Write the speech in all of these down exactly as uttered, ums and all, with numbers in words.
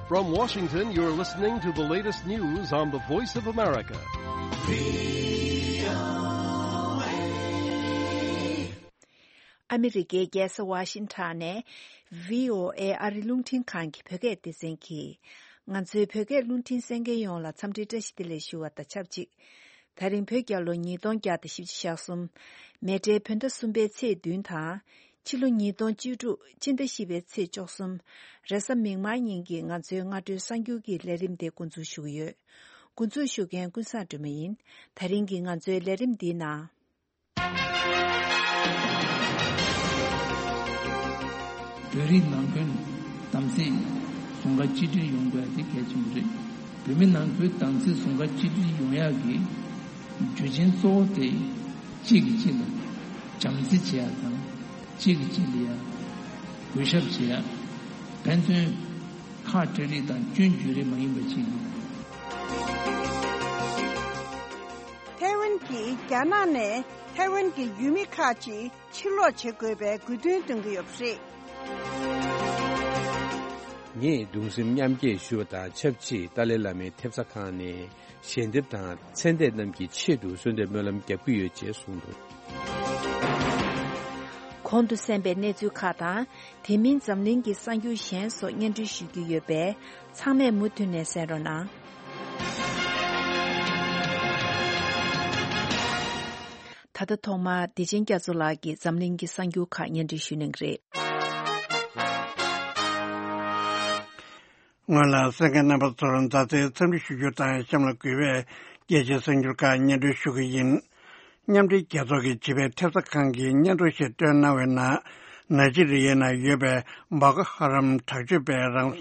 From Washington, you're listening to the latest news on the Voice of America. ཨ་མི་རི་ཀའི་རྒྱལ་ས་ཝ་ཤིང་ཊོན་ནས་བྷི་ཨོ་ཨེ་ཨ་རི་རླུང་འཕྲིན་ཁང་གི་བོད་སྐད་སྡེ་ཚན་གྱིས། ང་ཚོའི་བོད་སྐད་རླུང་འཕྲིན་གསན་མཁན་ཡོངས་ལ་འཚམས་འདྲིའི་བཀྲ་ཤིས་བདེ་ལེགས་ཞུ་བ་དང་ཆབས་ཅིག་ད་རིང་བོད་རྒྱལ་ལོ་ཉིས་སྟོང་བརྒྱ་དང་བཞི་བཅུ་ཞེ་གསུམ། མེ་སྤྲེལ་བོད་ཟླ་གསུམ་པའི་ཚེས་བདུན་དང་། ཕྱི་ལོ་ཉིས་སྟོང་བཅུ་དྲུག་སྤྱི་ཟླ་བཞི་པའི་ཚེས་བཅུ་གསུམ། རེས་གཟའ་མིག་དམར་ཉིན་གྱི་ང་ཚོའི་སྔ་དྲོའི་གསར་འགྱུར་གྱི་ལས་རིམ་དེ་འགོ་འཛུགས་ཞུ་གི་ཡོད། འགོ་འཛུགས་ཞུ་མཁན་ཀུན་བཟང་སྒྲོལ་མ་ཡིན། ད་རིང་གི་ང་ཚོའི་ལས་རིམ་འདིའི་ནང་། བོད་རིགས་ནང་ཁུལ་དམ་ཚིག་ཟུང་ཁ་གཅིག་སྒྲིལ་ཡོང་དགོས་ཡ་དེ་གལ་ཆེན་པོ་རེད། བོད་མི་ནང་ཁུལ་དམ་ཚིག་ཟུང་ཁ་གཅིག་སྒྲིལ་ཡོང་ཡག་གི་རྒྱུ་རྐྱེན་གཙོ་བོ་དེ་གཅིག་གིས་གཅིག་ལ་བྱམས་བརྩེ་བྱེད་ཡག་དང་། གཅིག་གིས་གཅིག་ལ་ཡ་གུས་ཞབས་བྱེད་ཡག་ཕན་ཚུན་ཁ་བྲལ་རིགས་དང་སྐྱོན་བརྗོད་རིགས་མ་ཡིན་པ་ཞིག་ཡིན། ཐའེ་ཝན་གྱིས་རྒྱ་ནག་ནས་ཐའེ་ཝན་གྱི་ཡུལ་མི་ཁག་ཅིག་ཕྱིར་ལོག་བྱེད་དགོས་པའི་དགོས་འདུན་བཏོན་གྱི་ཡོད་པ་རེད། ངས་གདུང་སེམས་མཉམ་སྐྱེད་ཞུ་བ་དང་ཆབས་ཅིག་ཏཱ་ལའི་བླ་མའི་ཐེབས་རྩ་ཁང་ནས་ཞལ་འདེབས་དང་ཚེ་འདས་རྣམས་ཀྱི་ཆེད་དུ་གསོལ་འདེབས་སྨོན་ལམ་རྒྱག་གི་ཡོད་ཅེས་གསུངས་འདུག་གོང་དུ་གསན་པའི་གནས་ཚུལ་ཁག་དང་། དེ་མིན་འཛམ་གླིང་གི་གསར་འགྱུར་གཞན་སོགས་སྙན་སྒྲོན་ཞུ་རྒྱུ་ཡོད་པས། ཚང་མས་མུ་མཐུད་ནས་གསན་རོགས་གནང་། ད་ལྟ་ཐོག་མར་བདེ་ཆེན་རྒྱ་མཚོ་ལགས་ཀྱིས་འཛམ་གླིང་གི་གསར་འགྱུར་ཁག་སྙན་སྒྲོན་ཞུ་གནང་གི་རེད། སྔོན་ལ་གསན་མཁན་རྣམ་པ་ཚོར་མཛའ་བརྩེའི་འཚམས་འདྲི་ཞུ་རྒྱུ་དང་། གཤམ་ལ་གུས་པས་རྒྱལ་སྤྱིའི་གསར་འགྱུར་ཁག་སྙན་སྒྲོན་ཞུ་གི་ཡིན། མཉམ་འབྲེལ་རྒྱལ་ཚོགས་ཀྱི་བྱིས་པའི་ཐེབས་རྩ་ཁང་གིས་སྙན་ཐོ་ཞིག་བཏོན་གནང་བའི་ནང་། ནཱི་ཇི་རི་ཡའི་ནང་ཡོད་པའི་བྷོ་ཀོ་ཧ་རམ་དྲག་སྤྱོད་པས་རང་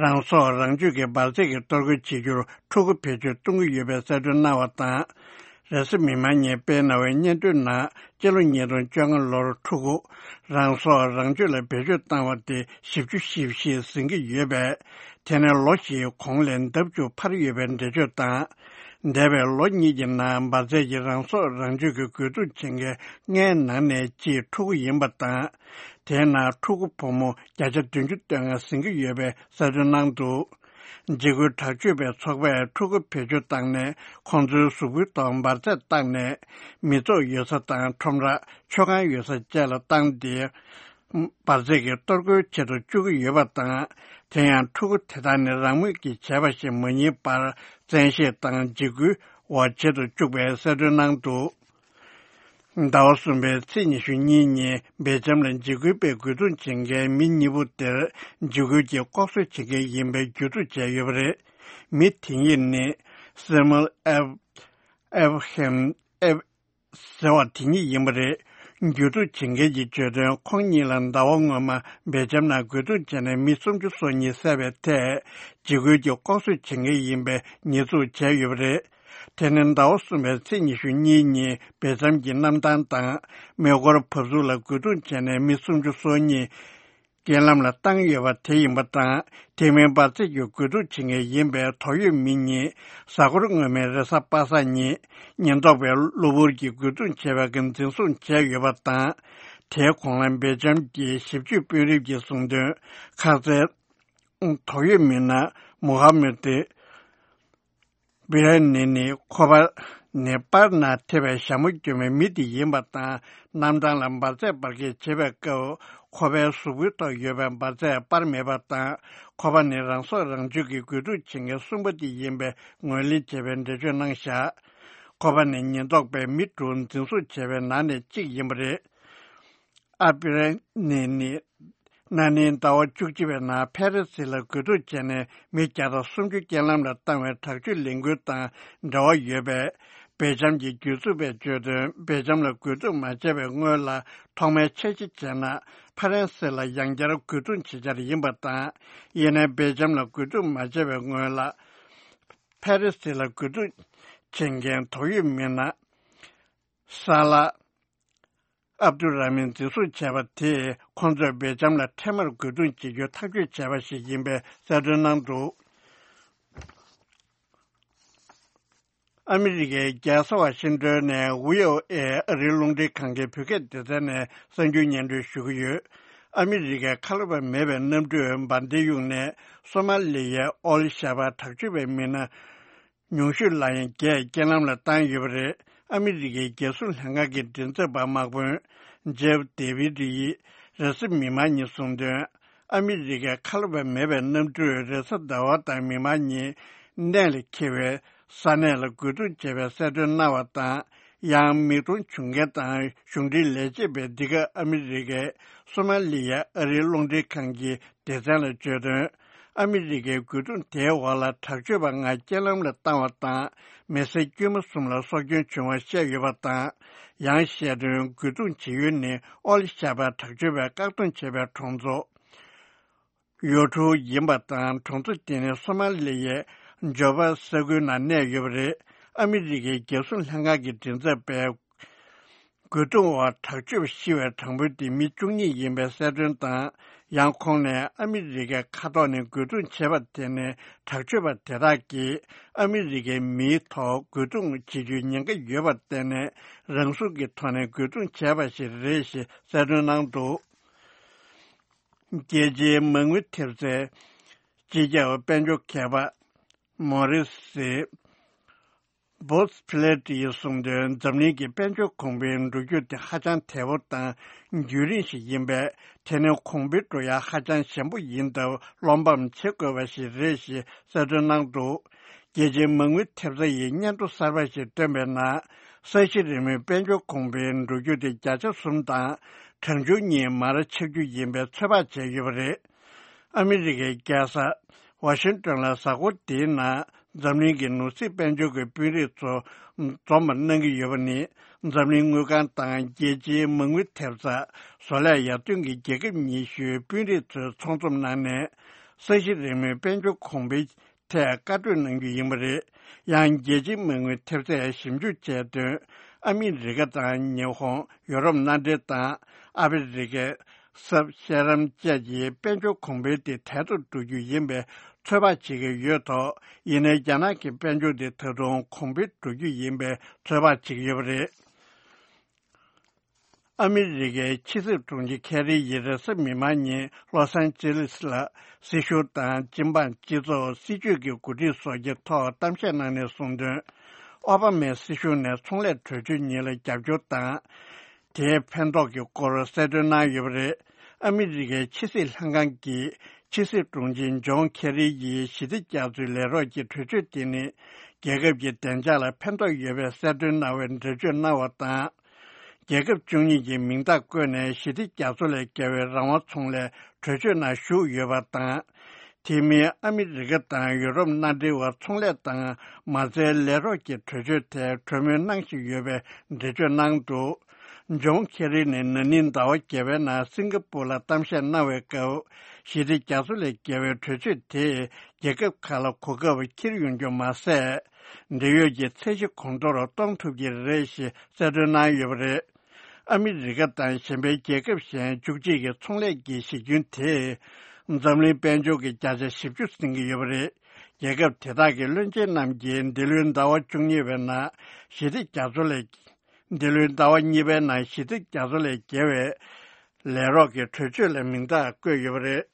རང་སྲོག་རང་གཅོད་ཀྱི་འབར་རྫས་ཀྱི་གཏོར་རྒོལ་བྱེད་རྒྱུར་ཕྲུ་གུ་བེད་སྤྱོད་གཏོང་གི་ཡོད་པའི་གསལ་སྟོན་གནང་བ་དང་། རེས་གཟའ་མིག་དམར་ཉིན་སྤེལ་གནང་བའི་སྙན་ཐོའི་ནང་། སྤྱི་ལོ་ཉིས་སྟོང་བཅོ་ལྔ་ལོར་ཕྲུ་གུ་རང་སྲོག་རང་གཅོད་ལ་བེད་སྤྱོད་བཏང་བ་དེ་བཞི་བཅུ་ཞེ་བཞི་ཟིན་གྱི་ཡོད་པས། དེ་ནི་ལོ་བཞིའི་གོང་ལས་ལྡབ་བཅུ་འཕར་ཡོད་པའི་འགྲེལ་བརྗོད་དང་། འདས་པའི་ལོ་གཉིས་ཀྱི་ནང་འབར་རྫས་ཀྱི་རང་སྲོག་རང་གཅོད་ཀྱི་རྒོལ་རྡུང་བྱེད་མཁན་ལྔའི་ནང་ནས་གཅིག་ཕྲུ་གུ་ཡིན་པ་དང་། དེའི་ནང་ཕྲུ་གུ་ཕོ་མོ་བརྒྱ་ཆ་བདུན་ཅུ་དོན་ལྔ་ཟིན་གྱི་ཡོད་པའི་གསལ་སྟོན་གནང་འདུག་འཇིགས་སྐུལ་དྲག་སྤྱོད་པའི་ཚོགས་པས་ཕྲུ་གུ་བེད་སྤྱོད་བཏང་ནས། ཁོང་ཚོའི་གཟུགས་པོའི་ཐོག་འབར་རྫས་བཏང་ནས། མི་ཚོགས་ཡོད་ས་དང་ཁྲོམ་ར། མཆོད་ཁང་ཡོད་ས་བཅས་ལ་བཏང་སྟེ། འབར་རྫས་ཀྱི་གཏོར་རྒོལ་བྱེད་དུ་བཅུག་གི་ཡོད་པ་དང་། དེ་ཡང་ཕྲུ་གུ་དེ་དག་ནི་རང་མོས་ཀྱིས་བྱས་པ་ཞིག་མ་ཡིན་པར། བཙན་ཤེད་དང་འཇིགས་སྐུལ་འོག་བྱེད་དུ་བཅུག་པའི་གསལ་སྟོན་གནང་འདུག་ཟླ་བ་གསུམ་པའི་ཚེས་ཉི་ཤུ་གཉིས་ཉིན་སྦེལ་ཇམ་ལ་འཇིགས་སྐུལ་པས་རྒོལ་རྡུང་བྱེད་མཁན་མི་གཉིས་པོ་དེར་འཇིགས་སྐུལ་གྱིས་ལྐོག་གསོད་བྱེད་མཁན་ཡིན་པའི་བརྒྱུད་སྒྲུག་བྱས་ཡོད་པ་རེད། མི་དེ་གཉིས་ནི་སེ་མུལ་ཨེབ་ཨེབ་ཧེམ་ཨེབ་ཟེར་བ་དེ་གཉིས་ཡིན་པ་རེད། བརྒྱུད་སྒྲུག་བྱེད་མཁན་གྱིས་བརྗོད་དོན། ཁོང་གཉིས་ལ་ཟླ་བ་སྔོན་མ་སྦེལ་ཇམ་ནང་རྒོལ་རྡུང་བྱས་ནས་མི་སུམ་ཅུ་སོ་གཉིས་བསད་པའི་ཐད་འཇིགས་སྐུལ་གྱིས་ལྐོག་གསོད་བྱེད་མཁན་ཡིན་པའི་ཉེས་འཛུགས་བྱས་ཡོད་པ་རེད། དེ་ནི་ཟླ་བ་གསུམ་པའི་ཚེས་ཉི་ཤུ་གཉིས་ཉིན་སྦེལ་ཇམ་གྱི་གནམ་ཐང་དང་མེ་འཁོར་བབས་ཚུགས་ལ་རྒོལ་རྡུང་བྱས་ནས་མི་སུམ་ཅུ་སོ་གཉིས་རྐྱེན་ལམ་ལ་བཏང་ཡོད་པ་དེ་ཡིན་པ་དང་། དེ་མིན་འབར་རྫས་ཀྱི་རྒོལ་རྡུང་བྱེད་མཁན་ཡིན་པའི་དོགས་ཡོད་མི་གཉིས་གཟའ་འཁོར་སྔོན་མའི་རེས་གཟའ་པ་སངས་ཉིན་ཉེན་རྟོག་པས་གློ་བུར་གྱི་རྒོལ་རྡུང་བྱས་པ་གི་འཛིན་བཟུང་བྱས་ཡོད་པ་དང་། དེའི་གོང་ལ་སྦེལ་ཇམ་གྱི་ཞིབ་དཔྱོད་དཔོན་རིགས་ཀྱིས་གསུངས་དོན། ཁ་སང་དོགས་ཡོད་མི་སྣ་མུ་ཧ་མུ་ཏི་བྷི་ར་ནི་ནི་ཁོ་པ་ནི་པར་ནང་ཐེབས་པའི་ཞྭ་མོ་གྱོན་པའི་མི་དེ་ཡིན་པ་དང་། གནམ་ཐང་ལ་འབར་རྫས་འབར་གས་བྱེད་པའི་སྐབས་ཁོ་པའི་གཟུགས་པོའི་ཐོག་ཡོད་པའི་འབར་རྫས་སྤར་མེད་པ་དང་། ཁོ་པ་ནི་རང་སྲོག་རང་གཅོད་ཀྱི་རྒོལ་རྡུང་བྱེད་མཁན་གསུམ་པ་དེ་ཡིན་པའི་ངོས་ལེན་བྱས་པའི་འགྲེལ་བརྗོད་གནང་བཞག་ཁོ་པ་ནི་ཉེན་རྟོག་པས་མི་དྲུག་འཛིན་བཟུང་བྱས་པའི་ནང་ནས་གཅིག་ཡིན་པ་རེད། ཨ་པི་རེ་ནི་ནི་ན་ནིང་ཟླ་བ་བཅུ་གཅིག་པའི་ནང་ཕ་རི་སི་ལ་རྒོལ་རྡུང་བྱས་ནས་མི་བརྒྱ་དང་སུམ་ཅུ་རྐྱེན་ལམ་ལ་བཏང་བའི་དྲག་སྤྱོད་ལས་འགུལ་དང་འབྲེལ་བ་ཡོད་པས། སྦེལ་ཇམ་གྱི་སྒྱུར་རྩོམ་པས་བརྗོད་དོན། སྦེལ་ཇམ་ལ་རྒོལ་རྡུང་མ་བྱས་པའི་སྔོན་ལ་ཐོག་མའི་འཆར་གཞི་བྱས་ན། ཕ་རན་སི་ལ་ཡང་བསྐྱར་རྒོལ་རྡུང་བྱེད་འཆར་ཡིན་པ་དང་། ཡིན་ནའི་སྦེལ་ཇམ་ལ་རྒོལ་རྡུང་མ་བྱས་པའི་སྔོན་ལ། ཕ་རི་སི་ལ་རྒོལ་རྡུང་བྱེད་མཁན་དོགས་ཡོད་མི་སྣ་ས་ལ། ཨབ་དུ་ར་མིན་འཛིན་བཟུང་བྱས་པ་དེས། ཁོང་ཚོས་སྦེལ་ཇམ་ལ་འཕྲལ་མར་རྒོལ་རྡུང་བྱེད་རྒྱུ་ཐག་གཅོད་བྱས་པ་ཞིག་ཡིན་པའི་གསལ་སྟོན་གནང་འདུག་ཨ་མི་རི་ཀའི་རྒྱལ་ས་ཝ་ཤིང་ཏོན་ནས་བྷི་ཨོ་ཨེ་ཨ་རིའི་རླུང་འཕྲིན་ཁང་གི་བོད་སྐད་སྡེ་ཚན་ནས་གསར་འགྱུར་སྙན་སྒྲོན་ཞུ་གི་ཡོད། ཨ་མི་རི་ཀའི་ཁ་ལོ་པ་མེད་པའི་གནམ་གྲུས་འབར་མདེལ་གཡུགས་ནས་སོ་མ་ལི་ཡའི་ཨོལ་ཤ་བར་དྲག་སྤྱོད་པའི་མི་སྣ་ཉུང་ཤོས་ལ་ཡང་བརྒྱད་རྐྱེན་ལམ་ལ་བཏང་ཡོད་པ་རེད། ཨ་མི་རི་ཀའི་རྒྱལ་སྲུང་ལྷན་ཁང་གི་མགྲིན་ཚབ་པ་དམག་དཔོན་ཇེབ་ཌེ་བིད་ཡིས་རེས་གཟའ་མིག་དམར་ཉིན་གསུངས་དོན། ཨ་མི་རི་ཀའི་ཁ་ལོ་པ་མེད་པའི་གནམ་གྲུས་རེས་གཟའ་ཟླ་བ་དང་མིག་དམར་ཉིན་གནས་ལ་འཁེལ་བའི་ས་གནས་ལ་རྒོལ་རྡུང་བྱས་པའི་གསལ་སྟོན་གནང་བ་དང་། ཡང་མིག་མཐོང་བྱུང་མཁན་དང་གཞུང་འབྲེལ་ལས་བྱེད་པས་འདི་ག་ཨ་མི་རི་ཀས་སོ་མ་ལི་ཡ་ཨ་རིའི་རླུང་འཕྲིན་ཁང་གི་སྡེ་ཚན་ལ་བརྗོད་དོན། ཨ་མི་རི་ཀའི་རྒོལ་རྡུང་དེའི་འོག་ལ་དྲག་སྤྱོད་པ་ལྔ་རྐྱེན་ལམ་ལ་བཏང་བ་དང་། མི་སེར་དཀྱུས་མ་གསུམ་ལ་སྲོག་སྐྱོན་བྱུང་བ་བཤད་ཡོད་པ་དང་། ཡང་བཤད་དོན། རྒོལ་རྡུང་བྱེད་ཡུལ་ནི་ཨོལ་ཤ་བར་དྲག་སྤྱོད་པས་བཀག་སྡོམ་བྱས་པའི་གྲོང་ཚོ་ཡོ་ཁྲུ་ཡིན་པ་དང་། གྲོང་ཚོ་དེ་ནི་སོ་མ་ལི་ཡའི་ཇོ་བ་ས་ཁུལ་ནང་གནས་ཡོད་པ་རེད། ཨ་མི་རི་ཀའི་རྒྱལ་སྲུང་ལྷན་ཁང་གི་མགྲིན་ཚབ་པས། རྒོལ་རྡུང་འོག་དྲག་སྤྱོད་པ་ཤི་བའི་གྲངས་འབོར་དེ་མི་བཅུ་གཉིས་ཡིན་པའི་གསལ་སྟོན་དང་། ཡང་ཁོང་ནས་ཨ་མི་རི་ཀའི་མཁའ་ཐོག་ནས་རྒོལ་རྡུང་བྱས་པ་དེ་ནི་དྲག་སྤྱོད་པ་དེ་དག་གིས་ཨ་མི་རི་ཀའི་མིའི་ཐོག་རྒོལ་རྡུང་བྱེད་རྒྱུའི་ཉེན་ཁ་ཡོད་པར་བརྟེན་ནས་རང་སྲུང་གི་ཐོག་ནས་རྒོལ་རྡུང་བྱས་པ་ཞིག་རེད་ཞེས་གསལ་སྟོན་གནང་འདུག་རྒྱལ་སྤྱིའི་མ་དངུལ་ཐེབས་རྩའི་སྤྱི་ཁྱབ་དཔལ་འབྱོར་མཁས་པ་མོ་རི་སི་བོ་སི་ཕི་ལེ་ཏི་ཡིས་གསུངས་དོན། འཛམ་གླིང་གི་དཔལ་འབྱོར་གོང་འཕེལ་འགྲོ་རྒྱུ་དེ་ཧ་ཅང་དལ་པོ་དང་རྒྱུན་རིང་ཞིག་ཡིན་པས། དེ་ནི་གོང་འཕེལ་འགྲོ་ཡ་ཧ་ཅང་ཞན་པོ་ཡིན་སྟབས། བློ་ཕམ་བྱེད་དགོས་པ་ཞིག་རེད་ཞེས་གསལ་སྟོན་གནང་འདུག་རྒྱལ་སྤྱིའི་མ་དངུལ་ཐེབས་རྩ་ཡིས་སྙན་ཐོ་གསར་པ་ཞིག་བཏོན་པའི་ནང་། ས་གཞི་རིལ་མོའི་དཔལ་འབྱོར་གོང་འཕེལ་འགྲོ་རྒྱུ་དེ་བརྒྱ་ཆ་གསུམ་དང་གྲངས་ཆུང་གཉིས་མར་ཆག་རྒྱུ་ཡིན་པའི་ཚོད་དཔག་བྱས་ཡོད་པ་རེད། ཨ་མི་རི་ཀའི་རྒྱལ་ས་ཝ་ཤིང་ཏོན་ལ་གཟའ་འཁོར་འདིའི་ནང་འཛམ་གླིང་གི་ནོར་སྲིད་དཔལ་འབྱོར་གྱི་དཔོན་རིགས་ཚོ་འཛོམས་པར་གནང་གི་ཡོད་པ་ནི། འཛམ་གླིང་དངུལ་ཁང་དང་རྒྱལ་སྤྱིའི་མ་དངུལ་ཐེབས་རྩ། བཟོ་ལས་ཡར་ཐོན་གྱི་རྒྱལ་ཁབ་ཉི་ཤུའི་དཔོན་རིགས་ཚོའི་ཚོགས་འཛོམས་གནང་ནས། ས་གཞི་རིལ་མོའི་དཔལ་འབྱོར་གོང་འཕེལ་ཐད་བཀའ་གྲོས་གནང་རྒྱུ་ཡིན་པ་རེད། ཡང་རྒྱལ་སྤྱིའི་མ་དངུལ་ཐེབས་རྩས་ཞིབ་འཇུག་བྱས་དོན། ཨ་མི་རི་ཀ་དང་ཉི་ཧོང་། ཡོ་རོབ་མནའ་འབྲེལ་དང་ཨ་ཕི་རི་ཀའི་སབ་ཤ་རམ་བཅས་ཀྱི་དཔལ་འབྱོར་གོང་འཕེལ་དེ་དལ་དུ་འགྲོ་རྒྱུ་ཡིན་པའི་ཚོད་དཔག་བྱེད་ཀྱི་ཡོད་ཐོག་ཡིན་ནའི་རྒྱ་ནག་གི་དཔལ་འབྱོར་དེ་ད་དུང་གོང་འཕེལ་འགྲོ་རྒྱུ་ཡིན་པའི་ཚོད་དཔག་བྱེད་ཀྱི་ཡོད་པ་རེད། ཨ་མི་རི་ཀའི་ཕྱི་སྲིད་དྲུང་ཆེ་ཁེ་རི་ཡིས་རེས་གཟའ་མིག་དམར་ཉིན་ལོ་སན་ཅི་ལིས་ལ་སྲིད་གཞུང་དང་སྤྱི་འབངས་སྤྱི་ཚོགས། སྲིད་བྱུས་ཀྱི་འགོ་ཁྲིད་སོགས་ཀྱི་ཐོག་གཏམ་བཤད་གནང་ནས་གསུངས་དོན། ཨོ་བྷ་མའི་སྲིད་གཞུང་ནས་ཚོང་ལས་གྲོས་ཆོད་གཉིས་ལ་རྒྱབ་སྐྱོར་དང་། དེའི་ཕན་ཐོགས་ཀྱི་སྐོར་གསལ་སྟོན་གནང་ཡོད་པ་རེད། ཨ་མི་རི་ཀའི་ཕྱི་སྲིད་ལྷན་ཁང་གི་ཕྱི་སྲིད་དྲུང་ཆེ་ཇོན་ཁེ་རི་ཡིས་ཞི་བདེ་རྒྱ་མཚོའི་ལས་རོགས་ཀྱི་གྲོས་ཆོད་དེ་ནི་རྒྱལ་ཁབ་ཀྱི་བདེ་འཇགས་ལ་ཕན་ཐོགས་ཡོད་པའི་གསལ་སྟོན་གནང་བའི་འགྲེལ་བརྗོད་གནང་བ་དང་། རྒྱལ་ཁབ་བཅུ་གཉིས་ཀྱི་མིང་རྟགས་བཀོད་ནས་ཞི་བདེ་རྒྱ་མཚོ་ལས་བརྒལ་བའི་རང་དབང་ཚོང་ལས་གྲོས་ཆོད་ནང་ཞུགས་ཡོད་པ་དང་། དེ་མིན་ཨ་མི་རི་ཀ་དང་ཡུ་རོབ་མནའ་འབྲེལ་བར་ཚོང་ལས་དང་མ་རྩའི་ལས་རོགས་ཀྱི་གྲོས་ཆོད་ཐད་གྲོས་མོལ་གནང་བཞིན་ཡོད་པའི་འགྲེལ་བརྗོད་གནང་འདུག་ཇོན་ཁེ་རི་ནི་ན་ནིང་ཟླ་བ་བརྒྱད་པའི་ནང་སིང་ག་པུར་ལ་གཏམ་བཤད་གནང་བའི་སྐབས། ཞི་བདེ་རྒྱ་མཚོ་ལས་བརྒལ་བའི་གྲོས་ཆོད་དེས་རྒྱལ་ཁབ་ཁག་ལ་གོ་སྐབས་འཁྱེར་ཡོང་རྒྱུ་མ་ཟད། འབྲེལ་ཡོད་ཀྱི་ཚད་གཞི་གོང་མཐོར་གཏོང་ཐུབ་ཀྱི་རེད་ཞེས་གསལ་སྟོན་གནང་ཡོད་པ་རེད། ཨ་མི་རི་ཀ་དང་གཞན་པའི་རྒྱལ་ཁབ་གཞན་བཅུ་གཅིག་གི་ཚོང་ལས་ཀྱི་གཞི་ཁྱོན་དེས་འཛམ་གླིང་དཔལ་འབྱོར་གྱི་བརྒྱ་ཆ་བཞི་བཅུ་ཟིན་གྱི་ཡོད་པ་རེད། རྒྱལ་ཁབ་དེ་དག་གི་བློན་ཆེན་རྣམས་ཀྱིས་འདི་ལོའི་ཟླ་བ་བཅུ་གཉིས་པའི་ནང་ཞི་བདེ་རྒྱ་མཚོ་ལས། འདི་ལོའི་ཟླ་བ་གཉིས་པའི་ནང་ཞི་བདེ་རྒྱ་མཚོ་ལས་བརྒལ་བའི་ལས་རོགས་ཀྱི་གྲོས་ཆོད་ལ་མིང་རྟགས་བཀོད་ཡོད་པ་རེད།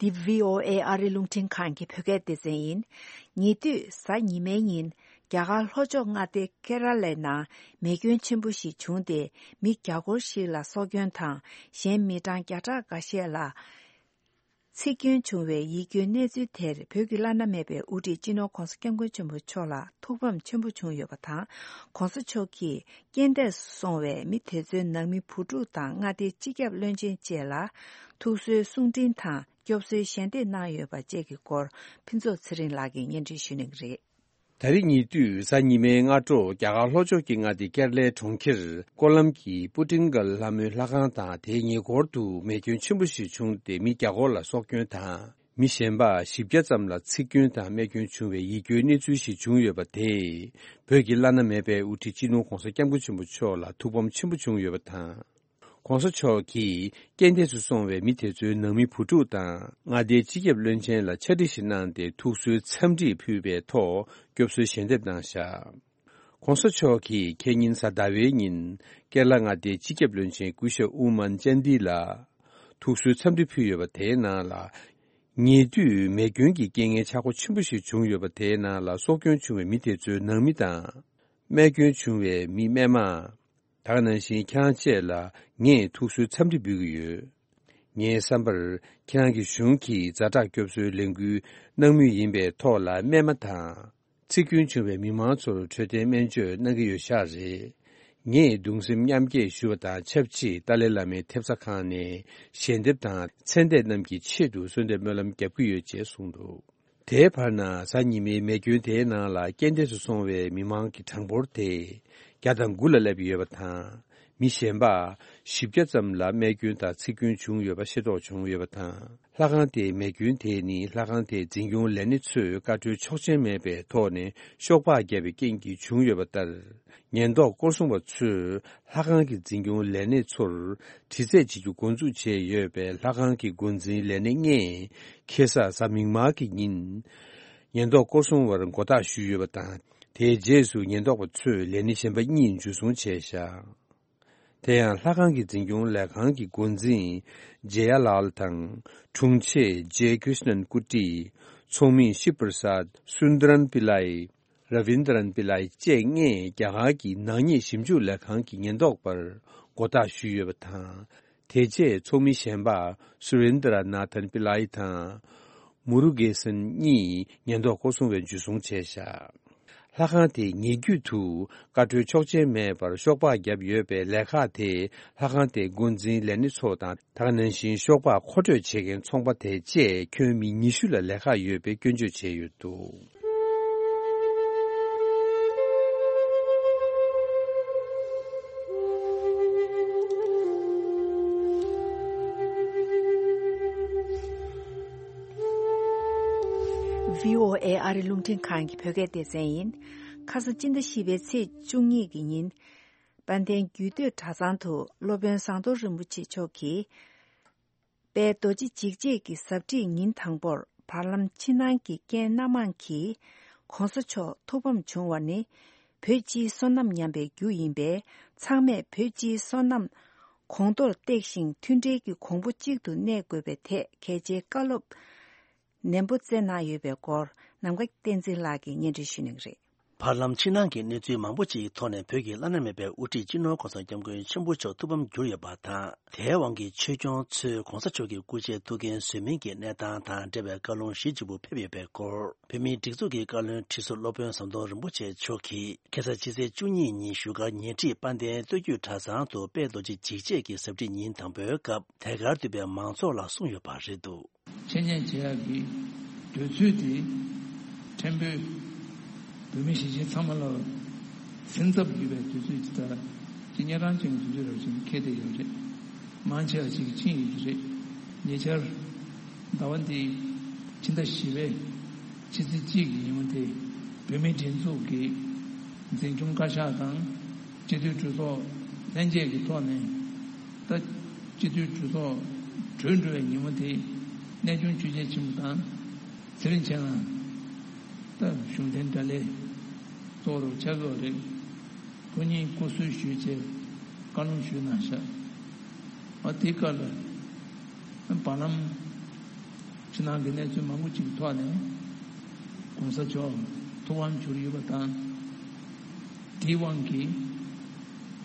འདི་བྷི་ཨོ་ཨེ་ཨ་རི་རླུང་འཕྲིན་ཁང་གི་བོད་སྐད་སྡེ་ཚན་ཡིན། ཉེ་དུས་གཟའ་ཉི་མའི་ཉིན། རྒྱ་གར་ལྷོ་ཕྱོགས་མངའ་སྡེ་ཀེ་ར་ལའི་ནང་མེ་སྐྱོན་ཆེན་པོ་ཞིག་བྱུང་སྟེ། མི་བརྒྱ་སྐོར་ཞིག་ལ་སྲོག་སྐྱོན་དང་། གཞན་མི་གྲངས་བརྒྱ་ཕྲག་འགའ་ཤས་ལ་འཚིག་སྐྱོན་བྱུང་བའི་ཡིད་སྐྱོའི་གནས་ཚུལ་དེར། བོད་ཀྱི་བླ་ན་མེད་པའི་དབུ་ཁྲིད་སྤྱི་ནོར་༧གོང་ས་༧སྐྱབས་མགོན་ཆེན་པོ་མཆོག་ལ་ཐུགས་ཕམ་ཆེན་པོ་བྱུང་ཡོད་པ་དང་། ༧གོང་ས་མཆོག་གིས་རྐྱེན་འདས་སུ་སོང་བའི་མི་དེ་ཚོའི་ནང་མི་བུ་ཕྲུག་དང་མངའ་སྡེའི་སྤྱི་ཁྱབ་བློན་ཆེན་བཅས་ལ་ཐུགས་གསོའི་གསུང་འཕྲིན་དང་། སྐྱོབ་གསོའི་ཞལ་འདེབས་གནང་ཡོད་པ་བཅས་ཀྱི་སྐོར། ཕུན་ཚོགས་ཚེ་རིང་ལགས་ཀྱིས་སྙན་སྒྲོན་ཞུ་གནང་གི་རེད། ད་རེས་ཉེ་དུས་གཟའ་ཉི་མའི་སྔ་དྲོ། རྒྱ་གར་ལྷོ་ཕྱོགས་ཀྱི་མངའ་སྡེ་ཀེ་ར་ལའི་གྲོང་ཁྱེར་ཀོ་ལམ་གྱི་པུ་ཏིང་གལ་ལྷ་མོའི་ལྷ་ཁང་དང་དེའི་ཉེ་འཁོར་དུ་མེ་སྐྱོན་ཆེན་པོ་ཞིག་བྱུང་སྟེ། མི་བརྒྱ་སྐོར་ལ་སྲོག་སྐྱོན་དང་། མི་གཞན་པ་བཞི་བརྒྱ་ཙམ་ལ་འཚིག་སྐྱོན་དང་རྨས་སྐྱོན་བྱུང་བའི་ཡིད་སྐྱོའི་གནས་ཚུལ་ཞིག་བྱུང་ཡོད་པ་དེས། བོད་ཀྱི་བླ་ན་མེད་པའི་དབུ་ཁྲིད་སྤྱི་ནོར་༧གོང་ས་༧སྐྱབས་མགོན་ཆེན་པོ་མཆོག་ལ་ཐུགས་ཕམ་ཆེན་པོ་བྱུང་ཡོད་པ་དང་། ༧གོང་ས་མཆོག་གིས་རྐྱེན་འདས་སུ་སོང་བའི་མི་དེ་ཚོའི་ནང་མི་བུ་ཕྲུག་དང་། མངའ་སྡེའི་སྤྱི་ཁྱབ་བློན་ཆེན་ལ་ཕྱག་བྲིས་ཤིག་གནང་སྟེ། ཐུགས་གསོའི་འཚམས་འདྲི་ཕུལ་བའི་ཐོག་སྐྱོབ་གསོའི་ཞལ་འདེབས་གནང་བཞག་གོང་ས་མཆོག་གིས་ཁེ་ཉིན་གཟའ་ཟླ་བའི་ཉིན་ཀེ་ར་ལ་མངའ་སྡེའི་སྤྱི་ཁྱབ་བློན་ཆེན་སྐུ་ཞབས་ཨུ་མན་ཅན་དི་ལ་ཐུགས་གསོའི་འཚམས་འདྲི་ཕུལ་ཡོད་པ་དེའི་ནང་ལ། ཉེ་དུས་མེ་སྐྱོན་གྱི་རྐྱེན་ངན་ཆག་སྒོ་ཆེན་པོ་ཞིག་བྱུང་ཡོད་པ་དེའི་ནང་ལ་སྲོག་སྐྱོན་བྱུང་བའི་མི་དེ་ཚོའི་ནང་མི་དང་། རྨས་སྐྱོན་བྱུང་བའི་མི་རྨས་མ། ད་ག་ནང་བཞིན་ཁྱེད་རང་བཅས་ལ་ངས་ཐུགས་གསོའི་འཚམས་འདྲི་འབུལ་གྱི་ཡོད། ངའི་བསམ་པར་ཁྱེད་རང་གི་གཞུང་གིས་ཛ་དྲག་སྐྱོབ་གསོའི་ལས་འགུལ་གནང་མུས་ཡིན་པའི་ཐོག་ལ་རྨས་མ་དང་། འཚིག་སྐྱོན་བྱུང་བའི་མི་མང་ཚོར་འཕྲོད་བསྟེན་སྨན་བཅོས་གནང་གི་ཡོད་ཤག་རེད། ངས་གདུང་སེམས་མཉམ་སྐྱེད་ཞུ་བ་དང་ཆབས་ཅིག་ཏཱ་ལའི་བླ་མའི་ཐེབས་རྩ་ཁང་ནས་ཞལ་འདེབས་དང་ཚན་སྡེ་རྣམས་ཀྱི་ཆེད་དུ་གསོལ་འདེབས་སྨོན་ལམ་རྒྱབ་ཀྱི་ཡོད་ཅེས་གསུངས་འདུག་དེའི་བར་ན་གཟའ་ཉི་མའི་མེ་སྐྱོན་དེའི་ནང་ལ་རྐྱེན་འདས་སུ་སོང་བའི་མི་མང་གི་གྲངས་འབོར་དེ་བརྒྱ་དང་དགུ་ལ་སླེབས་ཡོད་པ་དང་། མི་གཞན་པ་བཞི་བརྒྱ་ཙམ་ལ་རྨས་སྐྱོན་དང་འཚིག་སྐྱོན་བྱུང་ཡོད་པ་ཤེས་རྟོགས་བྱུང་ཡོད་པ་དང་། ལྷ་ཁང་དེའི་མེ་སྐྱོན་དེ་ནི་ལྷ་ཁང་དེའི་འཛིན་སྐྱོང་ལས་སྣེ་ཚོས་བཀའ་འཁྲོལ་ཆོག་མཆན་མེད་པའི་ཐོག་ནས་ཤོག་སྦག་བརྒྱབ་པའི་རྐྱེན་གྱིས་བྱུང་ཡོད་པ་ལྟར། ཉེན་རྟོག་སྐོར་སྲུང་བ་ཚོས་ལྷ་ཁང་གི་འཛིན་སྐྱོང་ལས་སྣེ་ཚོར་དྲི་རྩད་བྱེད་རྒྱུ་འགོ་འཛུགས་བྱས་ཡོད་པས། ལྷ་ཁང་གི་འགོ་འཛིན་ལས་སྣེ་ལྔས་ཁེ་ས་གཟའ་མིག་དམར་གྱི་ཉིན་ཉེན་རྟོག་སྐོར་སྲུང་བར་མགོ་བཏགས་ཞུས་ཡོད་པ་དང་། དེའི་རྗེས་སུ་ཉེན་རྟོག་པ་ཚོས་ལས་སྣེ་གཞན་པ་གཉིས་འཇུ་བཟུང་བྱས་བཞག་དེ་ཡང་ལྷ་ཁང་གི་འཛིན་སྐྱོང་ལས་ཁང་གི་འགོ་འཛིན་ཇེ་ཡ་ལཱལ་དང་དྲུང་ཆེ་ཇེ་ཀྲིཤ་ནན་ཀུ་ཊི། ཚོགས་མི་ཤིབ་པར་སཱད། སུན་དརན་པི་ལའི། ར་བིན་དརན་པི་ལའི་བཅས་ལྔས་རྒྱ་གར་གྱི་ནག་ཉེས་ཞིབ་འཇུག་ལས་ཁང་གི་ཉེན་རྟོག་པར་མགོ་བཏགས་ཞུས་ཡོད་པ་དང་། དེ་རྗེས་ཚོགས་མི་གཞན་པ་སུ་རིན་དྲ་ནཱ་ཐན་པི་ལའི་དང་། མུ་རུ་གེ་སན་གཉིས་ཉེན་རྟོག་སྐོར་སྲུང་བས་འཇུ་བཟུང་བྱས་བཞག་ལྷ་ཁང་དེ་ཉེ་བརྒྱུད་དུ་བཀའ་འཁྲོལ་ཆོག་མཆན་མེད་པར་ཤོག་སྦག་བརྒྱབ་ཡོད་པའི་ལས་ཁག་དེ་ལྷ་ཁང་དེའི་འགོ་འཛིན་ལས་སྣེ་ཚོ་དང་། ད་ག་ནང་བཞིན་ཤོག་སྦག་མཁོ་སྤྲོད་བྱེད་མཁན་ཚོང་པ་དེ་བཅས་ཁྱོན་མི་ཉི་ཤུ་ལ་ལས་ཁག་ཡོད་པའི་སྐྱོན་བརྗོད་བྱས་ཡོད་འདུག་བྷི་ཨོ་ཨེ་ཨ་རི་རླུང་འཕྲིན་ཁང་གི་བོད་སྐད་སྡེ་ཚན་ཡིན། ཁ་སང་སྤྱི་ཟླ་བཞི་པའི་ཚེས་བཅུ་གཉིས་ཀྱི་ཉིན། དཔལ་ལྡན་རྒྱུད་སྟོད་གྲྭ་ཚང་དུ་སློབ་དཔོན་ཟམ་གདོང་རིན་པོ་ཆེ་མཆོག་གིས། དཔལ་རྡོ་རྗེ་འཇིགས་བྱེད་ཀྱི་གཟབ་ཁྲིད་ཉིན་དང་པོར་བར་ལམ་ཕྱི་ནང་གི་རྐྱེན་སྣ་མང་གིས་༸གོང་ས་མཆོག་ཐུགས་ཕམ་བྱུང་བ་ནི། བོད་སྤྱིའི་བསོད་ནམས་ཉམས་པའི་རྒྱུ་ཡིན་པས། ཚང་མས་བོད་སྤྱིའི་བསོད་ནམས་གོང་མཐོར་བཏེགས་ཤིང་མཐུན་སྒྲིལ་གྱི་གོང་བུ་གཅིག་ཏུ་གནས་དགོས་པའི་ཐད་གལ་ཆེའི་བཀའ་སློབ་ནན་པོ་སྩལ་གནང་ཡོད་པའི་སྐོར། ནམ་མཁའ་བསྟན་འཛིན་ལགས་ཀྱིས་སྙན་སྒྲོན་ཞུ་གནང་གི་རེད། བར་ལམ་ཕྱི་ནང་གི་གནས་ཚུལ་མང་པོ་ཅིག་ཐོག་ནས་བོད་ཀྱི་བླ་ན་མེད་པའི་དབུ་ཁྲིད་སྤྱི་ནོར་༸གོང་ས་༸སྐྱབས་མགོན་ཆེན་པོ་མཆོག་ཐུགས་ཕམ་གྱུར་ཡོད་པ་དང་། དེའི་དབང་གིས་ཆོས་སྐྱོང་ཚོས་༸གོང་ས་མཆོག་གི་སྐུ་ཕྱྭའི་ཐུགས་འགན་བཟོད་མིན་གྱི་གནས་སྟངས་དང་འབྲེལ་བའི་བཀའ་ལུང་ཞེ་ལྗིད་པོ་ཕེབས་ཡོད་པའི་སྐོར། བོད་མིའི་སྒྲིག་འཛུགས་ཀྱི་བཀའ་བློན་ཁྲི་ཟུར་སློབ་དཔོན་ཟམ་གདོང་རིན་པོ་ཆེ་མཆོག་གིས་ཁ་སང་ཕྱི་ཚེས་བཅུ་གཉིས་ཉིན་བཞུགས་སྒར་ཉེ་འཁྲིས་དཔལ་ལྡན་སྟོད་རྒྱུད་གྲྭ་ཚང་དུ་དཔལ་རྡོ་རྗེ་འཇིགས་བྱེད་ཀྱི་གཟབ་ཁྲིད་ཉིན་དང་པོའི་སྐབས་དེ་གར་འདུས་པའི་མང་ཚོགས་ལ་གསུངས་ཡོད་པ་རེད་འདུག་འཆད་ཉན་བྱེད་ཡག་གི་དུས་ཚོད་དེ་ཕྲན་བུ་བོད་མི་གཞིས་བྱེས་ཚང་མ་ལ་སེམས་འཚབ་ཡོད་པའི་དུས་ཚོད་ཅིག་དང་། ཅི་གཉན་རང་ཅན་གྱི་དུས་ཚོད་རབ་ཅིག་འཁེལ་བསྡད་ཡོད་རེད། མང་ཆེ་བ་ཅིག་ཕྱིན་ཡོད་ཀྱི་རེད། ཉེ་ཆར་ཟླ་བ་འདིའི་ཕྱི་ཟླ་བཞི་པའི་ཕྱི་ཚེས་གཅིག་གི་ཉིན་མོ་དེ་བོད་མིའི་སྒྲིག་འཛུགས་ཀྱི་འཛིན་སྐྱོང་བཀའ་ཤག་དང་སྤྱི་འཐུས་གྲོས་ཚོགས་ལྷན་རྒྱས་ཀྱི་ཐོག་ནས། ད་སྤྱི་འཐུས་གྲོས་ཚོགས་གྲོལ་འགྲོ་བའི་ཉིན་མོ་དེ་གནས་ཆུང་ཆོས་རྒྱལ་ཆེན་པོ་དང་ཚེ་རིང་མཆེད་ལགས་ད་གཞུང་འཐེན་གྲ་སྒྲིག་གཙོ་བོར་ཆགས་ཡོད་རེད། ཁོ་གཉིས་སྐུ་གསོལ་ཞུས་བྱས་བཀའ་ལུང་ཞུས་གནང་ཤག་ཨ་དེའི་སྐབས་ལ་བར་ལམ་ཕྱི་ནང་གི་གནས་ཚུལ་མང་པོ་ཅིག་ཐོག་ནས་༸གོང་ས་མཆོག་ཐུགས་ཕམ་གྱུར་ཡོད་པ་དང་། དེའི་དབང་གིས་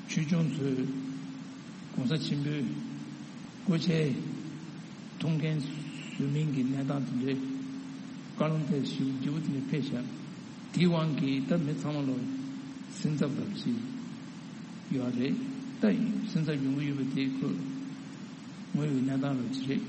ཆོས་སྐྱོང་ཚོས་༸གོང་ས་ཆེན་པོའི་སྐུ་ཕྱྭའི་ཐུགས་འགན་བཟོད་མིན་གྱི་གནས་སྟངས་དེ་འདྲའི་བཀའ་ལུང་དེ་ཞེ་པོ་ལྗིད་པོ་དེ་འདྲ་ཕེབས་ཤག་དེའི་དབང་གིས་ད་མི་ཚང་མ་ལ་སེམས་འཚབ་རབ་ཅིག་ཡོད་རེད། ད་སེམས་འཚབ་ཡོང་གི་ཡོད་པ་དེ་ཁོ་དངོས་ཡོད་གནས་སྟངས་རབ་ཅིག་རེད།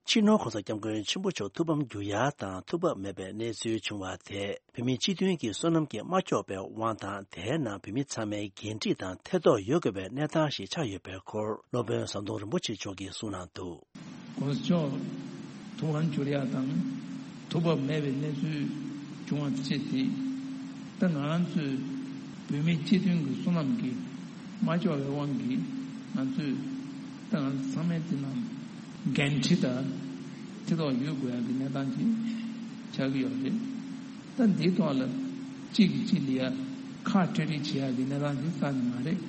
སྤྱི་ནོར་༸གོང་ས་༸སྐྱབས་མགོན་ཆེན་པོ་མཆོག་ཐུགས་ཕམ་གྱུར་ཡ་དང་ཐུགས་བབ་མེད་པའི་གནས་ཚུལ་བྱུང་བ་དེས་བོད་མི་སྤྱི་མཐུན་གྱི་བསོད་ནམས་ཀྱིས་མ་ཁྱབ་པའི་དབང་དང་། དེའི་ནང་བོད་མི་ཚང་མའི་འགན་འཁྲི་དང་ཐེ་གཏོགས་ཡོད་དགོས་པའི་གནས་སྟངས་ཤིག་ཆགས་ཡོད་པའི་སྐོར་སློབ་དཔོན་ཟམ་གདོང་རིན་པོ་ཆེ་མཆོག་གིས་གསུངས་གནང་འདུག ༸གོང་ས་མཆོག་ཐུགས་ཕམ་གྱུར་ཡ་དང་ཐུགས་བབ་མེད་པའི་གནས་ཚུལ་བྱུང་བ་ཅིག་དེ། ད་ང་རང་ཚོའི་བོད་མི་སྤྱི་མཐུན་གྱི་བསོད་ནམས་ཀྱིས་མ་ལྕོགས་པའི་དབང་གིས་ང་ཚོས་ད་ང་ཚོ་ཚང་མས་དེ་ནང་འགན་འཁྲི་དང་ཐེ་གཏོགས་ཡོད་དགོས་ཡ་གི་གནས་སྟངས་ཅིག་ཆགས་ཀྱི་ཡོད་རེད། ད་འདིའི་ཐོག་ལ་གཅིག་གིས་གཅིག་ལ་ཡ་ ཁ་བྲལ་རེས་བྱེད་ཡག་གི་གནས་སྟངས་དེ་རྩ་ནས་མ་རེད།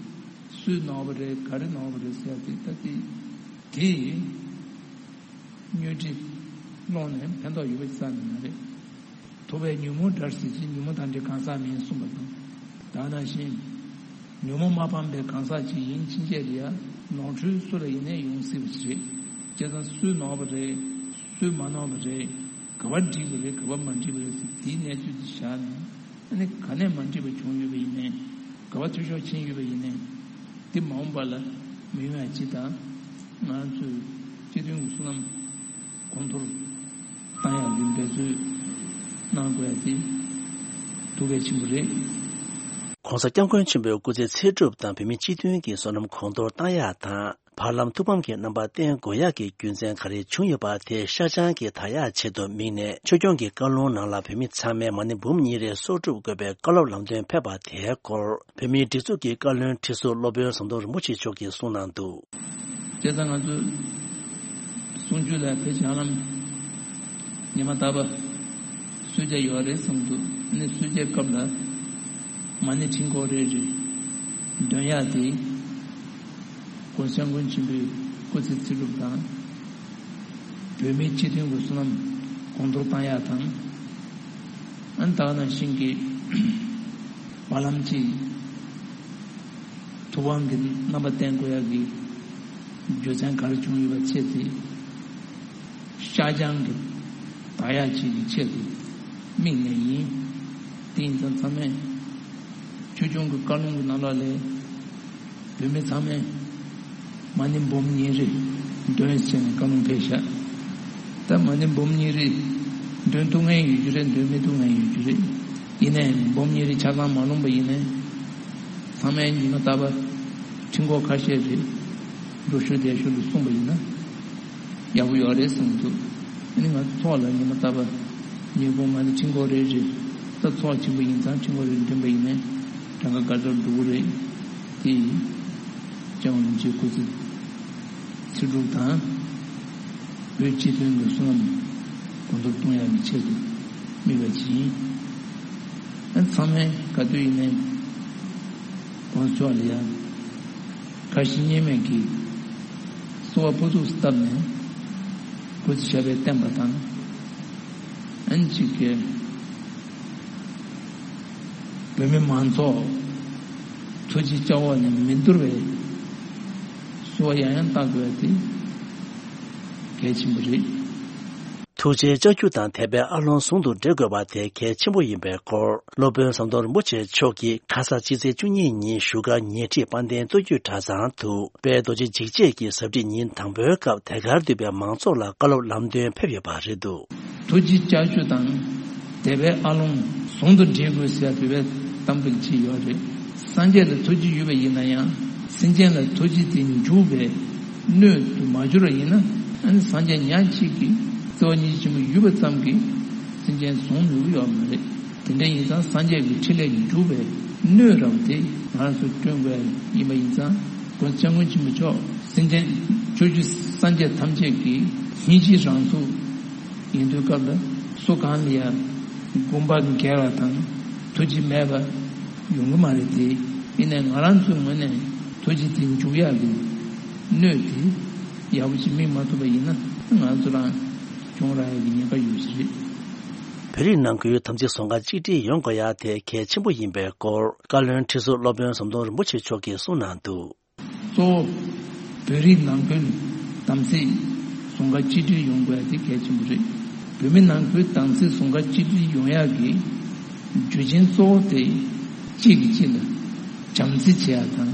སུས་ནོར་བ་རེད། ག་རེ་ནོར་བ་རེད་ཟེར་ཡག་དེ་ད་དེ་དེ་བརྙོས་འདྲི་སློང་ནས་ཕན་ཐོགས་ཡོད་པ་རྩ་ནས་མ་རེད། ཐུབ་པས་ཉོན་མོངས་བྲལ་ཟེར་གྱི། ཉོན་མོངས་དང་བྲལ་གང་ཟག་མིན་གསུངས་པ་དང་། ད་ནང་བཞིན་ཉོན་མོངས་མ་སྤངས་པའི་གང་ཟག་ཅིག་ཡིན་ཕྱིན་ཆད་ལ་ཡང་ནོར་འཁྲུལ་སུ་ལ་ཡིན་ནའི་ཡོང་སྲིད་པ་ཞིག་རེད། བྱས་ཙང་སུས་ནོར་བ་རེད། སུས་མ་ནོར་བ་རེད། ག་བ་འགྲིག་པ་རེད། ག་བ་མ་འགྲིག་པ་རེད་ཟེར་དེའི་གནས་ཚུལ་དེ་བཞག་ནས། ཨ་ནི་ག་ནས་མ་འགྲིག་པ་བྱུང་ཡོད་པ་ཡིན་ནའི། ག་བ་འཐུས་ཤོར་ཕྱིན་ཡོད་པ་ཡིན་ནའི། དེ་མ་འོངས་པ་ལ་མི་ཡོང་ཡ་སྤྱི་དང་། ང་ཚོས་སྤྱི་མཐུན་གྱི་བསོད་ནམས་གོང་མཐོར་བཏང་ཡག་གི་འབད་རྩོལ་གནང་དགོས་ཡ་དེ་ཐུགས་གལ་ཆེན་པོ་རེད། ྋགོང་ས་ྋསྐྱབས་མགོན་ཆེན་པོའི་སྐུ་ཚེ་ཚེ་སྒྲུབ་དང་བོད་མིའི་སྤྱི་མཐུན་གྱི་བསོད་ནམས་གོང་མཐོར་བཏང་ཡག་དང་། བར་ལམ་ཐུགས་ཕམ་གྱི་རྣམ་པ་བསྟན་དགོས་ཡག་གི་རྒྱུ་མཚན་ག་རེ་བྱུང་ཡོད་པ་དེ་ཤར་བྱང་གི་དར་ཡག་ཆེད་དུ་དམིགས་ནས། ཆོས་སྐྱོང་གི་བཀའ་ལུང་ནང་ལ་བོད་མི་ཚང་མས་མ་ཎི་འབུམ་གཉིས་རེ་གསོག་སྒྲུབ་དགོས་པའི་བཀའ་སློབ་ལམ་སྟོན་ཕེབས་པ་དེའི་སྐོར། བོད་མིའི་སྒྲིག་འཛུགས་ཀྱི་བཀའ་བློན་ཁྲི་ཟུར་སློབ་དཔོན་ཟམ་གདོང་རིན་པོ་ཆེ་མཆོག་གིས་གསུངས་གནང་འདུག། བྱས་ཙང་ང་ཚོ་གསུང་ཆོས་ལ་ཕལ་ཆེར་ཧ་ལམ་ཉི་མ་རྟག་པ་གསོལ་ཇ་ཡོད་རེད་བསམ་འདུག། ཨ་ནི་གསོལ་ཇའི་སྐབས་ལ་མ་ཎི་ཕྲེང་སྐོར་རེ་རེ་འདོན་ཡག་དེ། ྋགོང་ས་ྋསྐྱབས་མགོན་ཆེན་པོའི་སྐུ་ཚེ་ཚེ་སྒྲུབ་དང་། བོད་མིའི་སྤྱི་མཐུན་གྱི་བསོད་ནམས་གོང་མཐོར་བཏང་ཡག་དང་། ཨ་ནི་ད་ག་ནང་བཞིན་གྱི་བར་ལམ་གྱི་ཐུབ་དབང་གི་རྣམ་པ་བསྟན་དགོས་ཡག་གི་རྒྱུ་མཚན་ག་རེ་བྱུང་ཡོད་པ་བྱས་ཚེ། ཤར་བྱང་གི་དར་ཡག་ཅིག་གི་ཆེད་དུ་དམིགས་ནས་ཡིན། དེ་ཡིན་ཙང་ཚང་མས་ཆོས་སྐྱོང་གི་བཀའ་ལུང་གི་ནང་ལོགས་ལས་བོད་མི་ཚང་མས་མ་ཎི་འབུམ་གཉིས་རེ་འདོན་ཟེར་ནས་བཀའ་ལུང་ཕེབས་ཤག། ད་མ་ཎི་འབུམ་གཉིས་རེ་འདོན་ཐུབ་མཁན་ཡོད་རྒྱུ་རེད། འདོན་མི་ཐུབ་མཁན་ཡོད་རྒྱུ་རེད། ཡིན་ནའི་འབུམ་གཉིས་རེ་ཆ་ཚང་མ་ལོངས་པ་ཡིན་ནའི། ཚང་མས་ཉི་མ་རྟག་པར་ཕྲེང་སྐོར་ཁ་ཤས་རེ་འགྲོ་ཞོར་བསྡད་ཞོར་དུ་གསུངས་པ་ཡིན་ན། ཡག་པོ་ཡོད་རེད་བསམ་འདུག། ཨ་ནི་ང་ཚོ་ཚོགས་ལ་ཉི་མ་རྟག་པར་ཉིན་གུང་མ་ཎི་ཕྲེང་སྐོར་རེ་རེ། ད་ཚོགས་ཆེན་པོ་ཡིན་ཙང་ཕྲེང་སྐོར་རེ་འདོན་པ་ཡིན་ནའི་གྲངས་ཀ་དགའ་ཚོར་འགྲོ་གི་རེད། དེ་ཡིན། སྐྱབས་མགོན་རིན་པོ་ཆེའི་སྐུ་ཚེ་ཚེ་སྒྲུབ་དང་། བོད་སྤྱི་མཐུན་གྱི་བསོད་ནམས་གོང་མཐོར་གཏོང་ཡག་གི་ཆེད་དུ་དམིགས་པ་ཅིག་ཡིན། ཨ་ནི་ཚང་མས་ག་དུས་ཡིན་ནའི་ྋགོང་ས་མཆོག་ལ་ཡང་ཁ་ཞེ་གཉིས་མེད་ཀྱིས་གསོལ་བ་ཕུར་ཚུགས་སུ་བཏབ་ནས་སྐུ་ཚེ་ཞབས་པད་བརྟན་པ་དང་། ཨ་ནི་གཅིག་གིས་བོད་མི་མང་ཚོགས་ཐུགས་རྗེ་སྐྱབས་འོག་ནས་མི་འདོར་བའི་གསོལ་བ་ཡང་ཡང་བཏབ་དགོས་པ་དེ་གལ་ཆེན་པོ་རེད། ཐུགས་རྗེའི་ལྕགས་ཀྱུ་དང་དད་པའི་ཨ་ལོང་ཟུང་དུ་འབྲེལ་དགོས་པ་དེ་གལ་ཆེན་པོ་ཡིན་པའི་སྐོར། སློབ་དཔོན་ཟམ་གདོང་རིན་པོ་ཆེ་མཆོག་གིས་ཁ་ས་ཕྱི་ཚེས་བཅུ་གཉིས་ཉིན་བཞུགས་སྒར་ཉེ་འཁྲིས་དཔལ་ལྡན་སྟོད་རྒྱུད་གྲྭ་ཚང་དུ་དཔལ་རྡོ་རྗེ་འཇིགས་བྱེད་ཀྱི་ཟབ་ཁྲིད་ཉིན་དང་པོའི་སྐབས་དེ་གར་འདུས་པའི་མང་ཚོགས་ལ་བཀའ་སློབ་ལམ་སྟོན་ཕེབས་ཡོད་པ་རེད་འདུག། ཐུགས་རྗེ་ལྕགས་ཀྱུ་དང་དད་པའི་ཨ་ལོང་ཟུང་དུ་འབྲེལ་དགོས་ཟེར་བའི་གཏམ་དཔེ་ཅིག་ཡོད་རེད། སངས་རྒྱས་ལ་ཐུགས་རྗེ་ཡོད་པ་ཡིན་ན་ཡང་། སེམས་ཅན་ལ་ཐུགས་རྗེ་དེ་འཇུག་པའི་སྣོད་དུ་མ་གྱུར་བ་ཡིན་ན། ཨ་ནི་སངས་རྒྱས་ཉག་གཅིག་གིས་བརྩེ་བ་སྙིང་རྗེ་ཆེན་པོ་ཡོད་པ་ཙམ་གྱིས་སེམས་ཅན་བཟུང་ནུས་ཀྱི་ཡོད་མ་རེད། དེ་འདྲ་ཡིན་ཙང་སངས་རྒྱས་ཀྱི་ཕྲིན་ལས་ཀྱིས་འཇུག་པའི་སྣོད་རབ་དེ་ང་རང་ཚོ་བསྐྲུན་དགོས་ཡིན་པ་ཡིན་ཙང་། ྋགོང་ས་ྋསྐྱབས་མགོན་ཆེན་པོ་མཆོག་སེམས་ཅན་ཕྱོགས་བཅུའི་སངས་རྒྱས་ཐམས་ཅད་ཀྱི་སྙིང་རྗེའི་རང་གཟུགས་ཡིན་དུས་སྐབས་ལ་སུ་གང་ལ་ཡང་དགོངས་པ་འགལ་བ་དང་ཐུགས་རྗེ་མེད་པ་ཡོང་གི་མ་རེད་དེ། ཡིན་ནའི་ང་རང་ཚོའི་ངོས་ནས་ཐུགས་རྗེ་དེ་འཇུག་ཡག་གི་སྣོད་དེ་ཡག་པོ་ཅིག་སྨིན་མ་ཐུབ་པ་ཡིན་ན་ང་ཚོ་རང་གྱོང་རག་ཡག་གི་ཉེན་ཁ་ཡོད་ས་རེད། བོད་རིགས་ནང་ཁུལ་དམ་ཚིག་ཟུང་འབྲེལ་གཅིག་སྒྲིལ་ཡོང་དགོས་ཡག་དེ་གལ་ཆེན་པོ་ཡིན་པའི་སྐོར། བཀའ་བློན་ཁྲི་ཟུར་སློབ་དཔོན་ཟམ་གདོང་རིན་པོ་ཆེ་མཆོག་གིས་གསུངས་གནང་འདུག། གཙོ་བོ་བོད་རིགས་ནང་ཁུལ་དམ་ཚིག་ཟུང་འབྲེལ་གཅིག་སྒྲིལ་ཡོང་དགོས་ཡག་དེ་གལ་ཆེན་པོ་རེད། བོད་མི་ནང་ཁུལ་དམ་ཚིག་ཟུང་འབྲེལ་གཅིག་སྒྲིལ་ཡོང་ཡག་གི་རྒྱུ་རྐྱེན་གཙོ་བོ་དེ་གཅིག་གིས་གཅིག་ལ་བྱམས་བརྩེ་བྱེད་ཡག་དང་།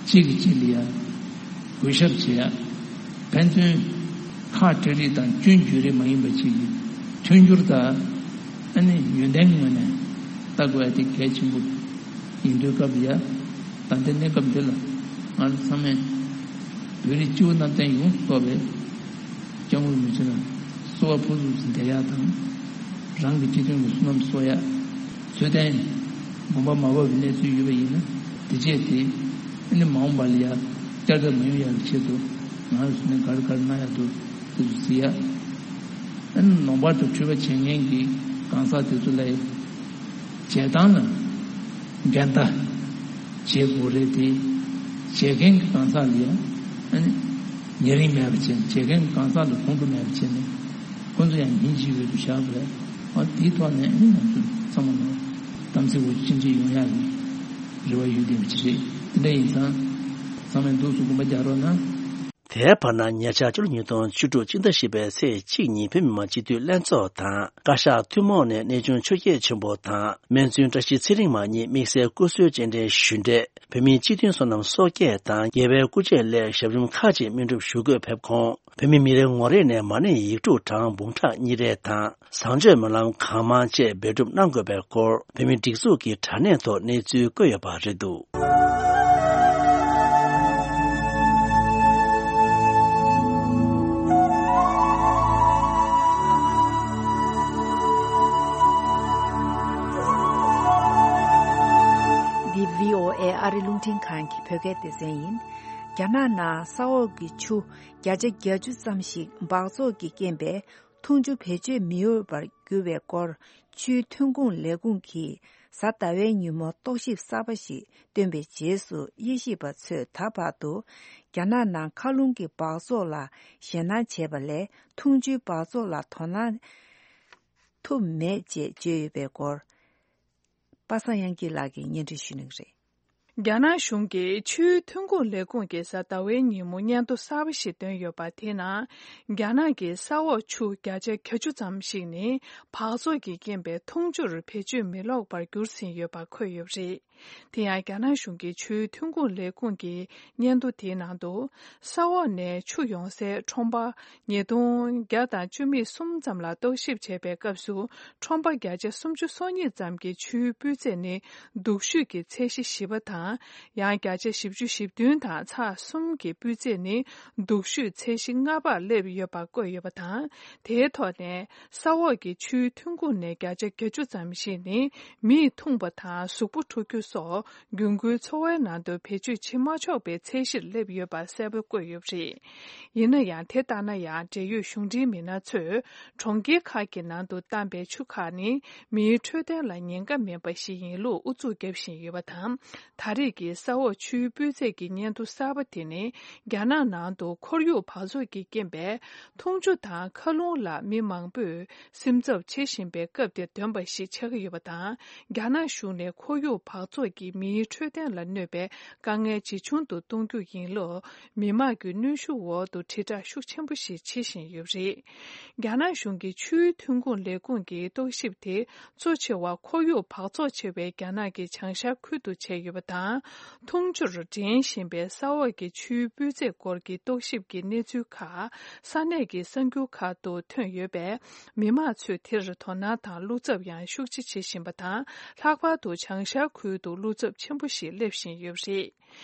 གཅིག་གིས་གཅིག་ལ་ཡ་གུས་ཞབས་བྱེད་ཡ། ཕན་ཚུན་ཁ་བྲལ་རེས་དང་སྐྱོན་བརྗོད་རེས་མ་ཡིན་པ་ཅིག་གི་མཐུན་འགྱུར་དང་། ཨ་ནི་ཡོན་ཏན་ངོས་ནས་ལྟ་དགོས་ཡ་དེ་གལ་ཆེན་པོ་ཡིན་དུས་སྐབས་ལ་ཡ། ད་ལྟའི་གནས་སྐབས་འདི་ལ་ང་ཚོ་ཚང་མས་བོད་རིགས་སྤྱི་བོ་གནམ་བསྟན་ཡོངས་སུ་རྫོགས་པའི་སྐྱབས་མགོན་རིན་པོ་ཆེ་ལ་གསོལ་བ་ཕུར་ཚུགས་སུ་འདེགས་ཡ་དང་། རང་གི་སྤྱི་དོན་གྱི་བསོད་ནམས་གསོག་ཡ། ཚོད་ལྡན་དགོངས་པ་མ་བབས་པའི་གནས་ཚུལ་ཡོད་པ་ཡིན་ན། དེ་རྗེས་དེ་ཨ་ནི་མ་འོངས་པ་ལ་ཡ་བསྐྱར་ཟློས་མ་ཡོང་ཡག་གི་ཆེད་དུ་ང་རང་ཚོ་ནས་ག་རེ་ག་རེ་གནང་ཡག་འདུག་དེ་ཚོ་གཟིགས་ཡ། ཨ་ནི་ལུང་པ་དང་འཁྲུལ་པ་བྱེད་མཁན་གྱི་གང་ཟག་དེ་ཚོ་ལ་ཡ་བྱེད་སྟངས་ལ་ འགལ་ཟླ་བྱེད་དགོས་རེད་དེ། བྱེད་མཁན་གྱི་གང་ཟག་ལ་ཡང་ཨ་ནི་ཉེ་རིང་མེད་པ་བྱས་ནས། བྱེད་མཁན་གྱི་གང་ཟག་ལ་ཁོང་ཁྲོ་མེད་པ་བྱས་ནས། ཁོང་ཚོ་ཡང་ཉིན་གཅིག་ཡོད་དུ་བཞག་པ་རེད། ཨ་དེའི་ཐོག་ནས་ཨ་ནི་ང་ཚོ་ཚང་མ་ལ་གཏམ་ཚིག་འོ་ཅི་འདྲ་ཡོང་ཡག་གི་རེ་བ་ཡོད་བསྡད་པ་ཅིག་རེད། དེ་འདྲ་ཡིན་ཙང་ཚང་མས་འདུག་སེ་དགོངས་པ་རྒྱག་རོགས་གནང་། དེའི་བར་ན་ཉེ་ཆར་ཕྱི་ལོ་ཉིས་སྟོང་བཅུ་དྲུག་སྤྱི་ཟླ་བཞི་པའི་ཚེས་གཅིག་ཉིན་བོད་མི་མང་སྤྱི་འཐུས་ལྷན་ཚོགས་དང་བཀའ་ཤག་ཐུན་མོང་ནས་གནས་ཆུང་ཆོས་རྒྱལ་ཆེན་པོ་དང་སྨན་བཙུན་བཀྲ་ཤིས་ཚེ་རིང་མ་གཉིས་དམིགས་བསལ་སྐུ་གཟུགས་རྗེས་དྲན་ཞུ་འབྲས། བོད་མིའི་སྤྱི་མཐུན་བསོད་ནམས་གསོག་སྐྱེལ་དང་རྒྱལ་བའི་སྐུ་ཆས་སླད་ཞབས་རིམ་ཁག་ཅིག་སྨིན་སྒྲུབ་ཞུ་དགོས་ཕེབས་ཁོངས། བོད་མི་མི་རེ་ངོ་རེ་ནས་མ་ཎི་ཡིག་དྲུག་གྲངས་འབུམ་ཕྲག་གཉིས་རེ་དང་། བཟང་སྤྱོད་སྨོན་ལམ་གང་མང་བཅས་འབད་སྒྲུབ་གནང་དགོས་པའི་སྐོར་བོད་མིའི་སྒྲིག་འཛུགས་ཀྱི་དྲ་གནས་ཐོག་གནས་ཚུལ་བཀོད་ཡོད་པ་རེད་འདུག། འདི་བྷི་ཨོ་ཨེ་ཨ་རི་རླུང་འཕྲིན་ཁང་གི་བོད་སྐད་སྡེ་ཚན་ཡིན། རྒྱ་ནག་ནང་ས་འོག་གི་ཆུ་བརྒྱ་ཆ་བརྒྱད་ཅུ་ཙམ་ཞིག་འབག་བཙོག་གི་རྐྱེན་པས། འཐུང་ཆུ་བེད་སྤྱོད་མི་འོས་པར་གྱུར་བའི་སྐོར། ཆུའི་ཐོན་ཁུངས་ལས་ཁུངས་ཀྱིས་གཟའ་ཟླ་བའི་ཉིན་མོ་རྟོག་ཞིབ་གསར་པ་ཞིག་བཏོན་པའི་རྗེས་སུ། དབྱེ་ཞིབ་པ་ཚོས་ད་བར་དུ་རྒྱ་ནག་ནང་མཁའ་རླུང་གི་འབག་བཙོག་ལ་ཞེད་སྣང་བྱས་པ་ལས། འཐུང་ཆུའི་འབག་བཙོག་ལ་དོ་སྣང་ཐུབ་མེད་ཅེས་བརྗོད་ཡོད་པའི་སྐོར། པ་སངས་དབྱངས་སྐྱིད་ལགས་ཀྱིས་སྙན་སྒྲོན་ཞུ་གནང་གི་རེད། རྒྱ་ནག་གཞུང་གིས་ཆུའི་ཐོན་ཁུངས་ལས་ཁུངས་ཀྱིས་གཟའ་ཟླ་བའི་ཉིན་མོ་སྙན་ཐོ་གསར་པ་ཞིག་བཏོན་ཡོད་པ། དེའི་ནང་རྒྱ་ནག་གི་ས་འོག་ཆུ་བརྒྱ་ཆ་གྱ་བཅུ་ཙམ་ཞིག་ནི་འབག་བཙོག་གི་རྐྱེན་པས་འཐུང་ཆུར་བེད་སྤྱོད་མི་ལོག་པར་གྱུར་ཟིན་ཡོད་པ་འཁོད་ཡོད་པ་རེད། དེ་ཡང་རྒྱ་ནག་གཞུང་གི་ཆུའི་ཐོན་ཁུངས་ལས་ཁུངས་ཀྱི་སྙན་ཐོ་དེའི་ནང་དུ། ས་འོག་ནས་ཆུ་ཡོང་སའི་ཁྲོམ་པ་ཉིས་སྟོང་བརྒྱ་དང་བཅུ་མེད་གསུམ་ཙམ་ལ་རྟོག་ཞིབ་བྱས་པའི་སྐབས་སུ། ཁྲོམ་པ་བརྒྱ་ཆ་སུམ་ཅུ་སོ་གཉིས་ཙམ་གྱི་ཆུའི་སྤུས་ཚད་ནི་སྡུག་ཤོས་ཀྱི་ཚད་གཞི་བཞི་པ་དང་། ཡང་བརྒྱ་ཆ་བཞི་བཅུ་ཞེ་བདུན་དང་ཚེག་གསུམ་གྱི་སྤུས་ཚད་ནི་སྡུག་ཤོས་ཚད་གཞི་ལྔ་པར་སླེབས་ཡོད་པ་བཀོད་ཡོད་པ་དང་། དེའི་ཐོག་ནས་ས་འོག་གི་ཆུའི་ཐོན་ཁུངས་ནས་བརྒྱ་ཆ་གྱ་བཅུ་ཙམ་ཞིག་ནི་མིས་འཐུང་པ་དང་གཟུགས་པོ་འཁྲུ་རྒྱུ་སོགས་རྒྱུན་མཁོའི་འཚོ་བའི་ནང་དུ་བེད་སྤྱོད་བྱེད་མ་ཆོག་པའི་ཚད་གཞིར་སླེབས་ཡོད་པ་གསལ་པོ་བཀོད་ཡོད་པ་རེད། ཡིན་ན་ཡང་། དེ་ལྟ་ན་ཡང་། འབྲེལ་ཡོད་གཞུང་འབྲེལ་མི་སྣ་ཚོས་གྲོང་ཁྱེར་ཁག་གི་ནང་དུ་བཏང་པའི་ཆུ་ཁག་ནི་མིའི་འཕྲོད་བསྟེན་ལ་ཉེན་ཁ་མེད་པ་ཞིག་ཡིན་ལུགས་ཨུ་ཚུགས་རྒྱབ་བཞིན་ཡོད་པ་དང་། ད་རེས་ཀྱི་ས་འོག་ཆུའི་སྤུས་ཚད་ཀྱི་སྙན་ཐོ་གསར་པ་དེ་ནི། རྒྱ་ནག་ནང་དུ་ཁོར་ཡུག་འབག་བཙོག་གི་རྐྱེན་པས། འཐུང་ཆུ་དང་མཁའ་རླུང་ལ་མི་མང་པོས་སེམས་འཚབ་བྱེད་བཞིན་པའི་སྐབས་དེར་ཐོན་པ་ཞིག་ཆགས་ཀྱི་ཡོད་པ་དང་། རྒྱ་ནག་གཞུང་ནས་ཁོར་ཡུག་འབག་བཙོག་གིས་མིའི་འཕྲོད་བསྟེན་ལ་གནོད་པའི་དཀའ་ངལ་ཇེ་ཆུང་དུ་གཏོང་རྒྱུ་ཡིན་ལུགས། མི་དམངས་ཀྱི་གནོན་ཤུགས་འོག་ཏུ་དྲིལ་བསྒྲགས་ཤུགས་ཆེན་པོ་ཞིག་བྱེད་བཞིན་ཡོད་པ་རེད། རྒྱ་ནག་གཞུང་གི་ཆུའི་ཐོན་ཁུངས་ལས་ཁུངས་ཀྱི་རྟོག་ཞིབ་དེ། གཙོ་ཆེ་བ་ཁོར་ཡུག་འབག་བཙོག་ཆེ་བའི་རྒྱ་ནག་གི་བྱང་ཤར་ཁུལ་དུ་བྱས་ཡོད་པ་དང་། འཐུང་ཆུར་འདྲེན་བཞིན་པའི་ས་འོག་གི་ཆུའི་སྤུས་ཚད་སྐོར་གྱི་རྟོག་ཞིབ་ཀྱི་གནས་ཚུལ་ཁག་ས་གནས་ཀྱི་གསར་འགྱུར་ཁག་ཏུ་ཐོན་ཡོད་པས། མི་མང་ཚོས་དེར་དོ་སྣང་དང་བློ་འཚབ་ཡང་ཤུགས་ཆེ་བྱེད་བཞིན་པ་དང་། ལྷག་པར་དུ་བྱང་ཤར་ཁུལ་དུ་བློ་འཚབ་ཆེན་པོ་ཞིག་སླེབས་བཞིན་ཡོད་པ་རེད།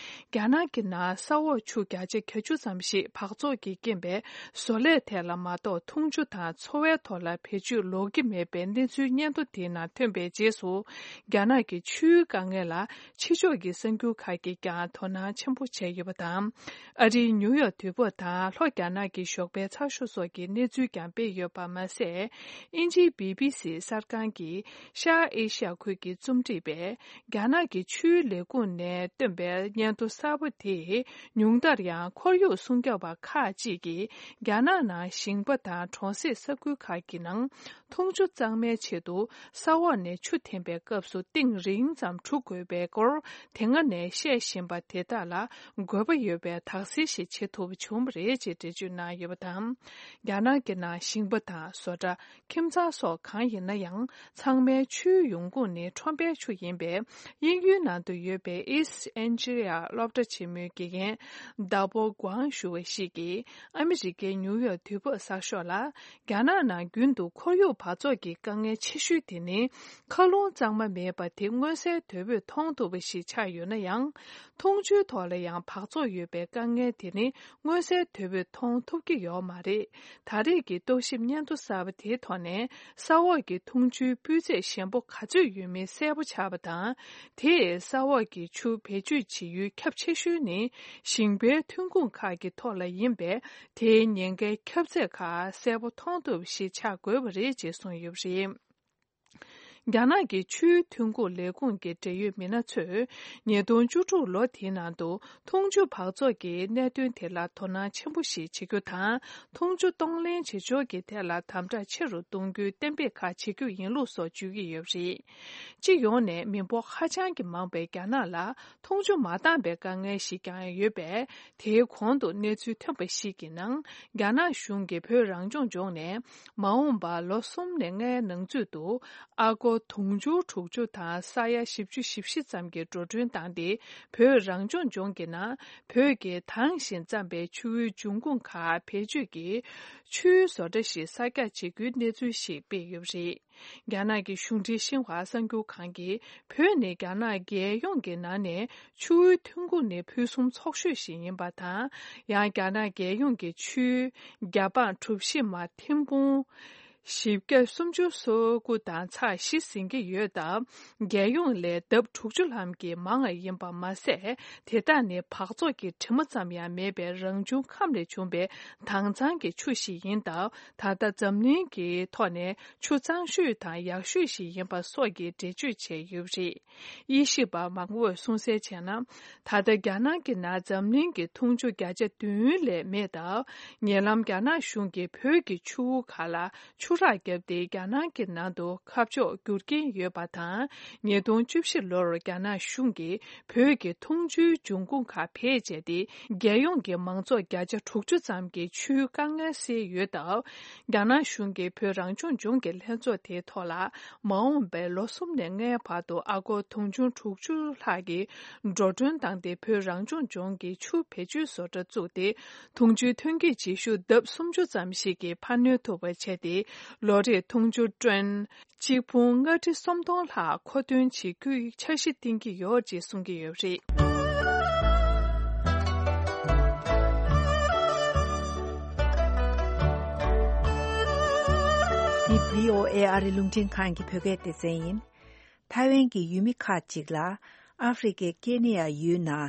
རྒྱ་ནག་གི་ནང་ས་འོག་ཆུ་བརྒྱ་ཆ་གྱ་བཅུ་ཙམ་ཞིག་འབག་བཙོག་གི་རྐྱེན་པས་བཟོ་ལས་ཐད་ལ་མ་གཏོགས་འཐུང་ཆུ་དང་འཚོ་བའི་ཐོག་ལ་བེད་སྤྱོད་ལོག་གི་མེད་པའི་གནས་ཚུལ་སྙན་ཐོ་དེའི་ནང་ཐོན་པའི་རྗེས་སུ། རྒྱ་ནག་གི་ཆུའི་དཀའ་ངལ་ལ་ཕྱི་ཕྱོགས་ཀྱི་གསར་འགྱུར་ཁག་གིས་ཀྱང་དོ་སྣང་ཆེན་པོ་བྱས་ཡོད་པ་དང་། ཨ་རིའི་ནིའུ་ཡོག་དུས་བབ་དང་ལྷོ་རྒྱ་ནག་གི་ཞོགས་པའི་ཚགས་ཤོག་སོགས་ཀྱིས་གནས་ཚུལ་ཀྱང་སྤེལ་ཡོད་པ་མ་ཟད། དབྱིན་ཇིའི་བི་བི་སི་གསར་ཁང་གི་ཤར་ཨེ་ཤ་ཡ་ཁུལ་གྱི་རྩོམ་སྒྲིག་པས། རྒྱ་ནག་གི་ཆུའི་ལས་ཁུངས་ནས་བཏོན་པའི་སྙན་ཐོ་གསར་པ་དེས། ཉུང་མཐར་ཡང་ཁོར་ཡུག་སྲུང་སྐྱོབ་པ་ཁག་ཅིག་གིས། རྒྱ་ནག་ནང་ཞིང་པ་དང་གྲོང་གསེབ་ས་ཁུལ་ཁག་གི་ནང་། འཐུང་ཆུ་གཙང་མའི་ཆེད་དུ། ས་འོག་ནས་ཆུ་འཐེན་པའི་སྐབས་སུ། གཏིང་རིང་ཙམ་འཁྲུ་དགོས་པའི་སྐོར། དེ་སྔ་ནས་བཤད་བཞིན་པ་དེ་དག་ལ། དགོས་པ་ཡོད་པའི་དག་སེལ་ཞིག་བྱེད་ཐུབ་པ་བྱུང་བ་རེད་ཅེས་འགྲེལ་བརྗོད་གནང་ཡོད་པ་དང་། རྒྱ་ནག་གི་ནང་ཞིང་པ་དང་བཟོ་གྲྭ། ཁྱིམ་ཚང་སོགས་གང་ཡིན་ན་ཡང་། ཚང་མའི་ཆུའི་ཡོང་ཁུངས་ནི་ཁྲོན་པའི་ཆུ་ཡིན་པས། དབྱིན་ཡུལ་ནང་དུ་ཡོད་པའི་East Anglia སློབ་གྲྭ་ཆེན་མོའི་དགེ་རྒན་ཟླ་བོ་ཀུའང་ཞུ་བ་ཞིག་གིས། ཨ་མི་རི་ཀའི་ནིའུ་ཡོག་དུས་བབ་གསར་ཤོག་ལ། རྒྱ་ནག་ནང་རྒྱུན་དུ་ཁོར་ཡུག་འབག་བཙོག་གི་དཀའ་ངལ་ཆེ་ཤོས་དེ་ནི། མཁའ་རླུང་གཙང་མ་མེད་པ་དེ་མངོན་གསལ་དོད་པོས་མཐོང་ཐུབ་པ་ཞིག་ཆགས་ཡོད་ན་ཡང་། འཐུང་ཆུའི་ཐོག་ལ་ཡང་འབག་བཙོག་ཡོད་པའི་དཀའ་ངལ་དེ་ནི། མངོན་གསལ་དོད་པོས་མཐོང་ཐུབ་ཀྱི་ཡོད་མ་རེད། ད་རེས་ཀྱི་རྟོག་ཞིབ་སྙན་ཐོ་གསར་པ་དེའི་ཐོག་ནས། ས་འོག་གི་འཐུང་ཆུའི་སྤུས་ཚད་ཞན་པོ་ག་ཚོད་ཡོད་མིན་གསལ་པོ་ཆགས་པ་དང་། དེས་ས་འོག་གི་ཆུ་བེད་སྤྱོད་བྱེད་ཡུལ་ཁྱབ་ཆེ་ཤོས་ནི། ཞིང་པའི་ཐོན་ཁུངས་ཁག་གི་ཐོག་ལ་ཡིན་པས། དེའི་ཉེན་ཁའི་ཁྱབ་ཚད་ཁག་གསལ་པོ་མཐོང་ཐུབ་པ་ཞིག་ཆགས་དགོས་པ་རེད་ཅེས་གསུངས་ཡོད་པ་རེད། རྒྱ་ནག་གི་ཆུའི་ཐོན་ཁུངས་ལས་ཁུངས་ཀྱི་འབྲེལ་ཡོད་མི་སྣ་ཚོས། ཉིས་སྟོང་བཅུ་དྲུག་ལོ་དེའི་ནང་དུ་འཐུང་ཆུ་འབག་བཙོག་གི་གནད་དོན་དེ་ལ་དོ་སྣང་ཆེན་པོ་ཞིག་བྱེད་རྒྱུ་དང་། འཐུང་ཆུ་གཏོང་ལེན་བྱེད་ཕྱོགས་ཀྱི་ཐད་ལ་དམ་དྲག་ཆེ་རུ་གཏོང་རྒྱུའི་གཏན་འབེབས་ཁག་བྱེད་རྒྱུ་ཡིན་ལུགས་སོགས་བརྗོད་ཀྱི་ཡོད་པ་རེད། སྤྱི་ཡོངས་ནས་མི་འབོར་ཧ་ཅང་གི་མང་བའི་རྒྱ་ནག་ལ་འཐུང་ཆུ་མ་འདང་པའི་དཀའ་ངལ་ཞིག་ཀྱང་ཡོད་པས། དེའི་གོང་དུ་གནས་ཚུལ་ཐོན་པ་ཞིག་གི་ནང་། རྒྱ་ནག་གཞུང་གིས་བོད་རང་སྐྱོང་ལྗོངས་ནས། མ་འོངས་པར་ལོ་གསུམ་ནས་ལྔའི་ནང་ཚུད་དུ། ཨ་སྒོར་དུང་ཕྱུར་དྲུག་ཅུ་དང་ས་ཡ་བཞི་བཅུ་ཞེ་བཞི་ཙམ་གྱི་འགྲོ་གྲོན་བཏང་སྟེ། བོད་རང་སྐྱོང་ལྗོངས་ཀྱི་ནང་བོད་ཀྱི་དྭངས་ཤིང་གཙང་པའི་ཆུ་བོའི་འབྱུང་ཁུངས་ཁག་བེད་སྤྱོད་ཀྱིས་ཆུའི་བཟོ་གྲྭ་ཞིག་གསར་རྒྱག་བྱེད་རྒྱུའི་གནས་ཚུལ་ཞིག་སྤེལ་ཡོད་པ་རེད། རྒྱ་ནག་གི་གཞུང་འབྲེལ་ཤིན་ཧྭ་གསར་འགྱུར་ཁང་གིས། བོད་ནི་རྒྱ་ནག་རྒྱལ་ཡོངས་ཀྱི་ནང་ནས་ཆུ་བོའི་ཐོན་ཁུངས་ནི་ཕུན་སུམ་ཚོགས་ཤོས་ཤིག་ཡིན་པ་དང་། ཡང་རྒྱ་ནག་རྒྱལ་ཡོངས་ཀྱི་ཆུའི་རྒྱ་ཕངས་གྲུ་བཞི་མ་ཐེར་འབུམ་བཞི་བརྒྱ་སུམ་ཅུ་སོ་དགུ་དང་ཚེག་བཞི་ཟིན་གྱི་ཡོད་སྟབས། རྒྱལ་ཡོངས་ལས་ལྡབ་དྲུག་ཅུ་ལྷག་གིས་མང་བ་ཡིན་པ་མ་ཟད། དེ་དག་ནི་འབག་བཙོག་གི་དྲི་མ་ཙམ་ཡང་མེད་པའི་རང་བྱུང་ཁམས་ལས་བྱུང་བའི་དྭངས་གཙང་གི་ཆུ་ཞིག་ཡིན་སྟབས། ད་ལྟ་འཛམ་གླིང་གི་ཐོག་ནས་ཆུ་གཙང་ཤོས་དང་ཡག་ཤོས་ཤིག་ཡིན་པ་སོགས་ཀྱི་འགྲེལ་བརྗོད་བྱས་ཡོད་པ་རེད། དབྱེ་ཞིབ་པ་མང་པོས་གསུངས་གསལ་བྱས་ན། ད་ལྟ་རྒྱ་ནག་གི་ནང་འཛམ་གླིང་གི་འཐུང་ཆུ་བརྒྱ་ཆ་བདུན་ལས་མེད་སྟབས། ཉེ་ལམ་རྒྱ་ནག་གཞུང་གིས་བོད་ཀྱི་ཆུ་བོ་ཁག་ལ་ཆུ་རགས་བརྒྱབ་སྟེ། རྒྱ་ནག་གི་ནང་དུ་ཁ་ཕྱོགས་བསྒྱུར་གྱིན་ཡོད་པ་དང་། ཉིས་སྟོང་བཅུ་བཞི་ལོར་རྒྱ་ནག་གཞུང་གིས་བོད་ཀྱི་འཐུང་ཆུའི་འབྱུང་ཁུངས་ཁག་བེད་སྤྱད་དེ། རྒྱལ་ཡོངས་ཀྱི་མང་ཚོགས་བརྒྱ་ཆ་དྲུག་ཅུ་ཙམ་གྱི་ཆུའི་དཀའ་ངལ་སེལ་ཡོད་སྟབས། རྒྱ་ནག་གཞུང་གིས་བོད་རང་སྐྱོང་ལྗོངས་ཀྱི་ལྷན་ཚོགས་དེའི་ཐོག་ལ། མ་འོངས་པའི་ལོ་གསུམ་ནས་ལྔའི་བར་དུ་ཨ་སྒོར་དུང་ཕྱུར་དྲུག་ཅུ་ལྷག་གི་འགྲོ་གྲོན་བཏང་སྟེ། བོད་རང་སྐྱོང་ལྗོངས་ཀྱི་ཆུ་བེད་སྤྱོད་བཟོ་གྲྭ་བཙུགས་ཏེ། འཐུང་ཆུའི་ཐོན་སྐྱེད་བྱེད་ཤུགས་ལྡབ་སུམ་ཅུ་ཙམ་ཞིག་གིས་འཕར་སྣོན་ཐུབ་པ་བྱས་ཏེ། ལོ་རེར་འཐུང་ཆུ་ཊོན་གཅིག་འབུམ་ལྔ་ཁྲི་སུམ་སྟོང་ལྷག་མཁོ་འདོན་བྱེད་རྒྱུའི་འཆར་གཞི་བཏིང་གི་ཡོད་ཅེས་གསུང་གི་ཡོད་པ་རེད། འདི་བྷི་ཨོ་ཨེ་ཨ་རི་རླུང་འཕྲིན་ཁང་གི་བོད་སྐད་སྡེ་ཚན་ཡིན། ཐའེ་ཝན་གྱི་ཡུལ་མི་ཁག་ཅིག་ལ་ཨ་ཧྥེ་རི་ཁའི་ཀེ་ནི་ཡ་ཡུལ་ནང་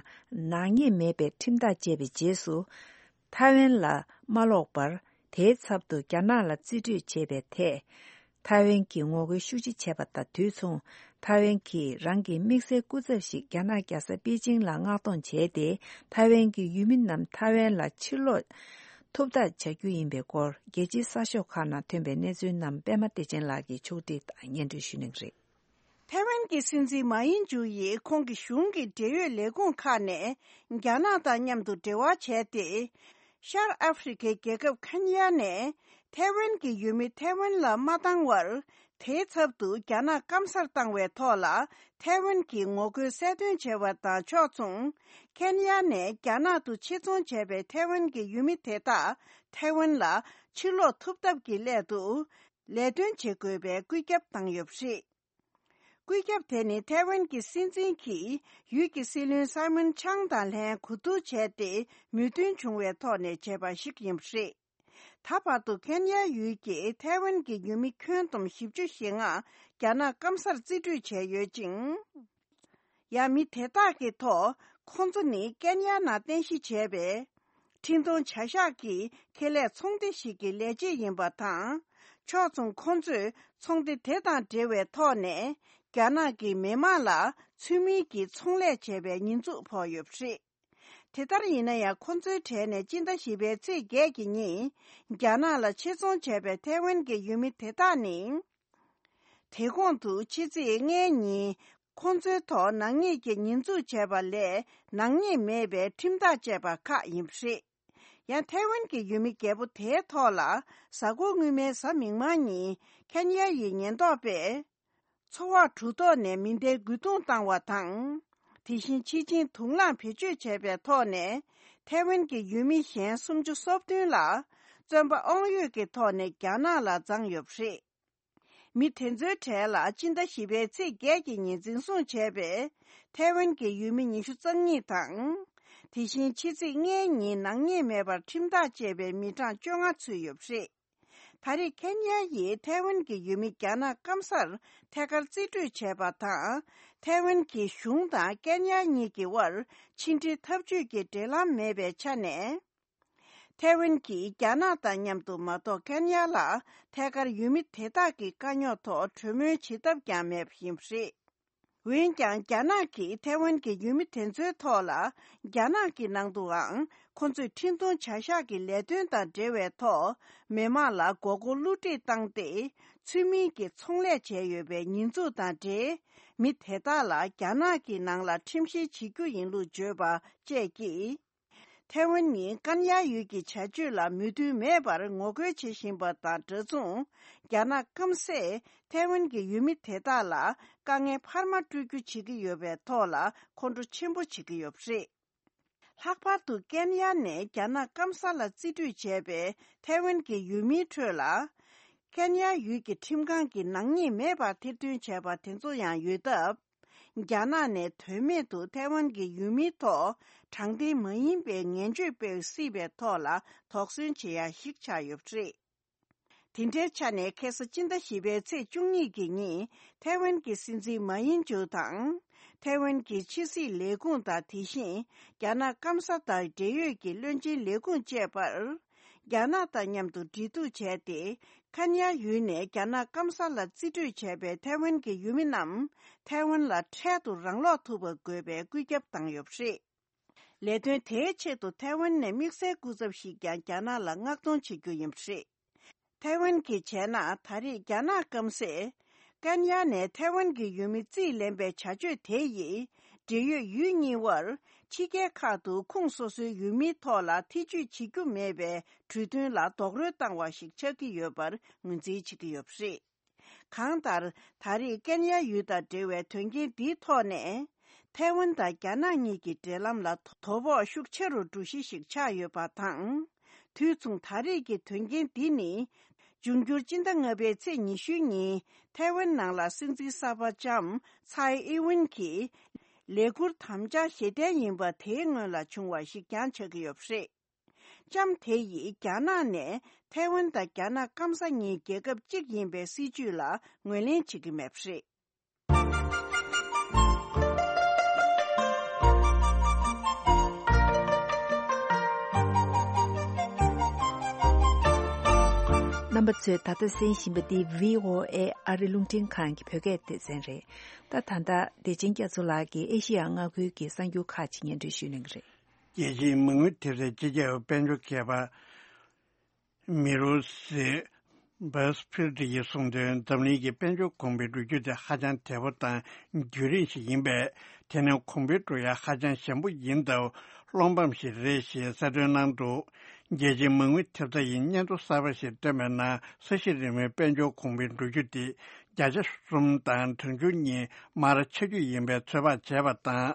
ནག་ཉེས་མེད་པའི་ཁྲིམས་ཐག་བཅད་པའི་རྗེས་སུ། ཐའེ་ཝན་ལ་མ་ལོག་པར་དེའི་ཚབ་ཏུ་རྒྱ་ནག་ལ་རྩིས་སྤྲོད་བྱས་པའི་ཐད། ཐའེ་ཝན་གྱིས་ངོ་རྒོལ་ཤུགས་ཆེ་བྱས་པ་དང་དུས་མཚུངས། ཐའེ་ཝན་གྱིས་རང་གི་དམིགས་བསལ་སྐུ་ཚབ་ཞིག་རྒྱ་ནག་རྒྱལ་ས་པེ་ཅིང་ལ་མངགས་གཏོང་བྱས་ཏེ། ཐའེ་ཝན་གྱི་ཡུལ་མི་རྣམས་ཐའེ་ཝན་ལ་ཕྱིར་ལོག་ཐུབ་ཐབས་བྱ་རྒྱུ་ཡིན་པའི་སྐོར། རྒྱལ་སྤྱིའི་གསར་ཤོག་ཁག་ནང་ཐོན་པའི་གནས་ཚུལ་རྣམས་པད་མ་བདེ་ཆེན་ལགས་ཀྱིས་ཕྱོགས་སྒྲིག་དང་སྙན་སྒྲོན་ཞུ་གནང་གི་རེད། ཐའེ་ཝན་གྱི་སྲིད་འཛིན་མཱ་ཡིན་ཇུ་ཡིས་ཁོང་གི་གཞུང་གི་འབྲེལ་ཡོད་ལས་ཁུངས་ཁག་ནས་རྒྱ་ནག་དང་མཉམ་དུ་འབྲེལ་བ་བྱས་ཏེ། ཤར་ཨ་ཧྥེ་རི་ཁའི་རྒྱལ་ཁབ་ཁེན་ཡ་ནས་ཐའེ་ཝན་གྱི་ཡུལ་མི་ཐའེ་ཝན་ལ་མ་བཏང་བར། དེའི་ཚབ་ཏུ་རྒྱ་ནག་སྐམ་སར་བཏང་བའི་ཐོག་ལ། ཐའེ་ཝན་གྱིས་ངོ་རྒོལ་གསལ་སྟོན་བྱས་པ་དང་ཕྱོགས་མཚུངས། ཁེན་ཡ་ནས་རྒྱ་ནག་ཏུ་ཆེད་རྫོང་བྱས་པའི་ཐའེ་ཝན་གྱི་ཡུལ་མི་དེ་དག་ཐའེ་ཝན་ལ་ཕྱིར་ལོག་ཐུབ་ཐབས་ཀྱི་སླད་དུ། ལས་དོན་བྱེད་དགོས་པའི་བཀོད་ཁྱབ་བཏང་ཡོད་པ་རེད། བཀོད་ཁྱབ་དེ་ནི་ཐའེ་ཝན་གྱི་སྲིད་འཛིན་གྱིས་ཡུལ་གྱི་སྲིད་བློན་སཱི་མོན་ཆང་དང་ལྷན་གོ་བསྡུར་བྱས་ཏེ་མོས་མཐུན་བྱུང་བའི་ཐོག་ནས་བྱས་པ་ཞིག་ཡིན་པ་རེད། ད་བར་དུ་ཁེན་ཡ་ཡུལ་གྱི་ཐའེ་ཝན་གྱི་ཡུལ་མི་ཁྱོན་བསྡོམས་བཞི་བཅུ་ཞེ་ལྔ་རྒྱ་ནག་སྐམ་སར་རྩིས་སྤྲོད་བྱས་ཡོད་ཅིང་། ཡང་མི་དེ་དག་གི་ཐོག་ཁོང་ཚོ་ནི་ཀན་ཡ་ནང་རྟེན་གཞི་བྱས་པའི་འཕྲིན་གཏོང་བྱ་གཞག་གི་ཁེ་ལས་ཚོང་སྡེ་ཞིག་གི་ལས་བྱེད་ཡིན་པ་དང་། ཕྱོགས་མཚུངས་ཁོང་ཚོས་ཚོང་སྡེ་དེ་དང་འབྲེལ་བའི་ཐོག་ནས་རྒྱ་ནག་གི་མི་དམངས་ལ་ཚུལ་མིན་གྱི་ཚོང་ལས་བྱས་པའི་ཉེས་འཛུགས་ཕོག་ཡོད་པ་རེད། དེ་ལྟར་ཡིན་ན་ཡང་། ཁོང་ཚོའི་གྲས་ནས་སྤྱི་ཟླ་བཞི་པའི་ཚེས་བརྒྱད་ཀྱི་ཉིན་རྒྱ་ནག་ལ་ཆེད་རྫོང་བྱས་པའི་ཐའེ་ཝན་གྱི་ཡུལ་མི་དེ་དག་ནི། དེ་གོང་དུ་ཕྱི་ཚེས་ལྔའི་ཉིན་ཁོང་ཚོའི་ཐོག་ནག་ཉེས་ཀྱི་ཉེས་འཛུགས་བྱས་པ་ལས་ནག་ཉེས་མེད་པའི་ཁྲིམས་ཐག་བཅད་པ་ཁག་ཡིན་པ་རེད། ཡང་ཐའེ་ཝན་གྱི་ཡུལ་མི་རྒྱལ་པོ་དེའི་ཐོག་ལ་གཟའ་འཁོར་སྔོན་མའི་གཟའ་མིག་དམར་ཉིན་ཁེན་ཡ་ཡི་ཉེན་རྟོག་པས་ཚོ་བག་གྲུ་ཐོག་ནས་མེ་མདའི་རྒོལ་རྡུང་བཏང་བ་དང་། དེ་བཞིན་ཕྱི་ཆིངས་དུག་རླངས་བེད་སྤྱོད་བྱས་པའི་ཐོག་ནས་ཐའེ་ཝན་གྱི་ཡུལ་མི་གཞན་སུམ་ཅུ་སོ་བདུན་ལ་བཙོན་པ་དབང་ཡོད་ཀྱི་ཐོག་ནས་རྒྱ་ནག་ལ་བརྫངས་ཡོད་པ་རེད། མི་དེ་ཚོའི་གྲས་ལ་སྤྱི་ཟླ་བཞི་པའི་ཚེས་བརྒྱད་ཀྱི་ཉིན་འཛིན་བཟུང་བྱས་པའི་ཐའེ་ཝན་གྱི་ཡུལ་མི་ཉི་ཤུ་རྩ་གཉིས་དང་། དེ་བཞིན་ཕྱི་ཚེས་ལྔའི་ཉིན་ནག་ཉེས་མེད་པར་ཁྲིམས་ཐག་བཅད་པའི་མི་གྲངས་བཅོ་ལྔ་ཚུད་ཡོད་པ་རེད། ད་རེས་ཁེན་ཡ་ཡིས་ཐའེ་ཝན་གྱི་ཡུལ་མི་རྒྱ་ནག་སྐམ་སར་ཐད་ཀར་རྩིས་སྤྲོད་བྱས་པ་དང་། ཐའེ་ཝན་གྱི་གཞུང་དང་ཀན་ཡ་གཉིས་ཀྱི་དབར་ཕྱི་འབྲེལ་འཐབ་ཇུས་ཀྱི་འབྲེལ་ལམ་མེད་པའི་ཆ་ནས། ཐའེ་ཝན་གྱིས་རྒྱ་ནག་དང་མཉམ་དུ་མ་གཏོགས་ཀན་ཡ་ལ་ཐད་ཀར་ཡུལ་མི་དེ་དག་གི་དཀའ་རྙོག་ཐོག་གྲོས་མོལ་བྱེད་ཐབས་ཀྱང་མེད་པ་ཡིན་པ་རེད། འོན་ཀྱང་རྒྱ་ནག་གིས་ཐའེ་ཝན་གྱི་ཡུལ་མི་དེ་ཚོའི་ཐོག་ལ་རྒྱ་ནག་གི་ནང་དུའང་ཁོ་ཚོས་འཕྲིན་གཏོང་བྱ་གཞག་གི་ལས་དོན་དང་འབྲེལ་བའི་ཐོག་མི་མང་ལ་མགོ་སྐོར་བསླུ་བྲིད་བཏང་སྟེ། ཚུལ་མིན་གྱི་ཚོང་ལས་བྱས་ཡོད་པའི་ཉེས་འཛུགས་དང་འབྲེལ། མི་དེ་དག་ལ་རྒྱ་ནག་གི་ནང་ལ་ཁྲིམས་བཤེར་བྱེད་རྒྱུ་ཡིན་ལུགས་བརྗོད་པ་བཅས་ཀྱིས། ཐའེ་ཝན་ནི་ཀན་ཡ་ཡུལ་གྱི་བྱ་སྤྱོད་ལ་མོས་མཐུན་མེད་པར་ངོ་རྒོལ་བྱེད་བཞིན་པ་དང་འདྲ་མཚུངས། རྒྱ་ནག་སྐམ་སས་ཐའེ་ཝན་གྱི་ཡུལ་མི་དེ་དག་ལ་དཀའ་ངལ་འཕར་མ་སྤྲོད་རྒྱུ་བྱེད་ཀྱི་ཡོད་པའི་ཐོག་ལ་ཁོང་ཁྲོ་ཆེན་པོ་བྱེད་ཀྱི་ཡོད་པ་རེད། ལྷག་པར་དུ་ཀན་ཡ་ནས་རྒྱ་ནག་སྐམ་ས་ལ་རྩིས་སྤྲོད་བྱས་པའི་ཐའེ་ཝན་གྱི་ཡུལ་མིའི་ཁྲོད་ལ། ཀན་ཡ་ཡུལ་གྱི་ཁྲིམས་ཁང་གིས་ནག་ཉེས་མེད་པར་ཐེར་འདོན་བྱས་པ་དེ་ཚོ་ཡང་ཡོད་སྟབས། རྒྱ་ནག་ནས་དོན་མེད་དུ་ཐའེ་ཝན་གྱི་ཡུལ་མིའི་ཐོག་དྲང་བདེན་མ་ཡིན་པའི་ངན་བྱུས་སྤེལ་སྲིད་པའི་ཐོག་ལ་དོགས་ཟོན་བྱེད་ཡ་ཞིག་ཆགས་ཡོད་པ་རེད། དེ་འདྲའི་ཆ་ནས་ཁ་སང་སྤྱི་ཟླ་བཞི་པའི་ཚེས་བཅུ་གཉིས་ཀྱི་ཉིན་ཐའེ་ཝན་གྱི་སྲིད་འཛིན་མཱ་ཡིན་ཇུ་དང་། ཐའེ་ཝན་གྱི་ཕྱི་སྲིད་ལས་ཁུངས་དང་དེ་བཞིན་རྒྱ་ནག་སྐམ་ས་དང་འབྲེལ་ཡོད་ཀྱི་བློན་ཆེན་ལས་ཁུངས་བཅས་པར། རྒྱ་ནག་དང་མཉམ་དུ་འབྲེལ་གཏུག་བྱས་ཏེ། ཁན་ཡ་ཡུལ་ནས་རྒྱ་ནག་སྐམ་ས་ལ་རྩིས་སྤྲོད་བྱས་པའི་ཐའེ་ཝན་གྱི་ཡུལ་མི་རྣམས་ཐའེ་ཝན་ལ་འཕྲལ་དུ་རང་ལོག་ཐུབ་པ་དགོས་པའི་བཀོད་ཁྱབ་བཏང་ཡོད་པ་རེད། ལས་དོན་དེའི་ཆེད་དུ་ཐའེ་ཝན་ནས་དམིགས་བསལ་སྐུ་ཚབ་ཞིག་ཀྱང་རྒྱ་ནག་ལ་མངགས་གཏོང་བྱེད་རྒྱུ་ཡིན་པ་རེད། ཐའེ་ཝན་གྱིས་བྱས་ན་ད་རེས་རྒྱ་ནག་སྐམ་སས། ཀན་ཡ་ནས་ཐའེ་ཝན་གྱི་ཡུལ་མི་རྩིས་ལེན་པའི་བྱ་སྤྱོད་དེ་ཡིས། འབྲེལ་ཡོད་ཡུལ་གཉིས་དབར། ཕྱི་རྒྱལ་ཁག་ཏུ་ཁོངས་སོ་སོའི་ཡུལ་མིའི་ཐོག་ལ་ཐེ་ཇུས་བྱེད་རྒྱུ་མེད་པའི་གྲོས་མཐུན་ལ་རྡོག་རོལ་བཏང་བ་ཞིག་ཆགས་ཀྱི་ཡོད་པར་ངོས་འཛིན་བྱེད་ཀྱི་ཡོད་པ་རེད། གང་ལྟར། ད་རེས་ཀན་ཡ་ཡུལ་དང་འབྲེལ་བའི་དོན་རྐྱེན་འདིའི་ཐོག་ནས། ཐའེ་ཝན་དང་རྒྱ་ནག་གཉིས་ཀྱི་འབྲེལ་ལམ་ལ་དོ་ཕོག་ཤུགས་ཆེ་རུ་འགྲོ་གཞི་ཞིག་ཆགས་ཡོད་པ་དང་། དུས་མཚུངས་ད་རེས་ཀྱི་དོན་རྐྱེན་འདི་ནི། འབྱུང་འགྱུར་སྤྱི་ཟླ་ལྔ་པའི་ཚེས་ཉི་ཤུའི་ཉིན་ཐའེ་ཝན་ནང་ལ་སྲིད་འཛིན་གསར་པ་ལྕམ་ཚའེ་ཨི་ཝན་གྱིས་ལས་འཁུར་དམ་བཅའ་ཞལ་འདེབས་ཡིན་པ་དེའི་སྔོན་ལ་བྱུང་བ་ཞིག་ཀྱང་ཆགས་ཀྱི་ཡོད་པ་རེད། ལྕམ་དེ་ཡིས་རྒྱ་ནག་ནས་ཐའེ་ཝན་དང་རྒྱ་ནག་སྐམ་ས་གཉིས་རྒྱལ་ཁབ་གཅིག་ཡིན་པའི་སྲིད་ཇུས་ལ་ངོས་ལེན་བྱེད་ཀྱི་མེད་པ་རེད། རྣམ་པ་ཚོས་ད་ལྟ་གསན་བཞིན་པ་འདི་བྷི་ཨོ་ཨེ་ཨ་རི་རླུང་འཕྲིན་ཁང་གི་བོད་སྐད་སྡེ་ཚན་རེད། ད་ད་ལྟ་བདེ་ཆེན་རྒྱ་མཚོ་ལགས་ཀྱིས་ཨེ་ཤེ་ཡ་མངའ་ཁུལ་གྱི་གསར་འགྱུར་ཁག་ཅིག་སྙན་སྒྲོན་ཞུ་གནང་གི་རེད། རྒྱལ་སྤྱིའི་མ་དངུལ་ཐེབས་རྩའི་སྤྱི་ཁྱབ་དཔལ་འབྱོར་མཁས་པ། མི་རུ་སི་བྷས་ཕིལ་ཡིས་གསུངས་དོན། འཛམ་གླིང་གི་དཔལ་འབྱོར་གོང་འཕེལ་འགྲོ་རྒྱུ་དེ་ཧ་ཅང་དལ་པོ་དང་རྒྱུན་རིང་ཞིག་ཡིན་པས། དེ་ནི་གོང་འཕེལ་འགྲོ་ཡ་ཧ་ཅང་ཞན་པོ་ཡིན་སྟབས། བློ་ཕམ་ཞིག་རེད་ཞེས་གསལ་སྟོན་གནང་འདུག་རྒྱལ་སྤྱིའི་མ་དངུལ་ཐེབས་རྩ་ཡིས་སྙན་ཐོ་གསར་པ་ཞིག་བཏོན་པའི་ནང་། ས་གཞི་རིལ་མོའི་དཔལ་འབྱོར་གོང་འཕེལ་འགྲོ་རྒྱུ་དེ། བརྒྱ་ཆ་གསུམ་དང་གྲངས་ཆུང་གཉིས་མར་ཆག་རྒྱུ་ཡིན་པའི་ཚོད་དཔག་བྱས་པ་དང་།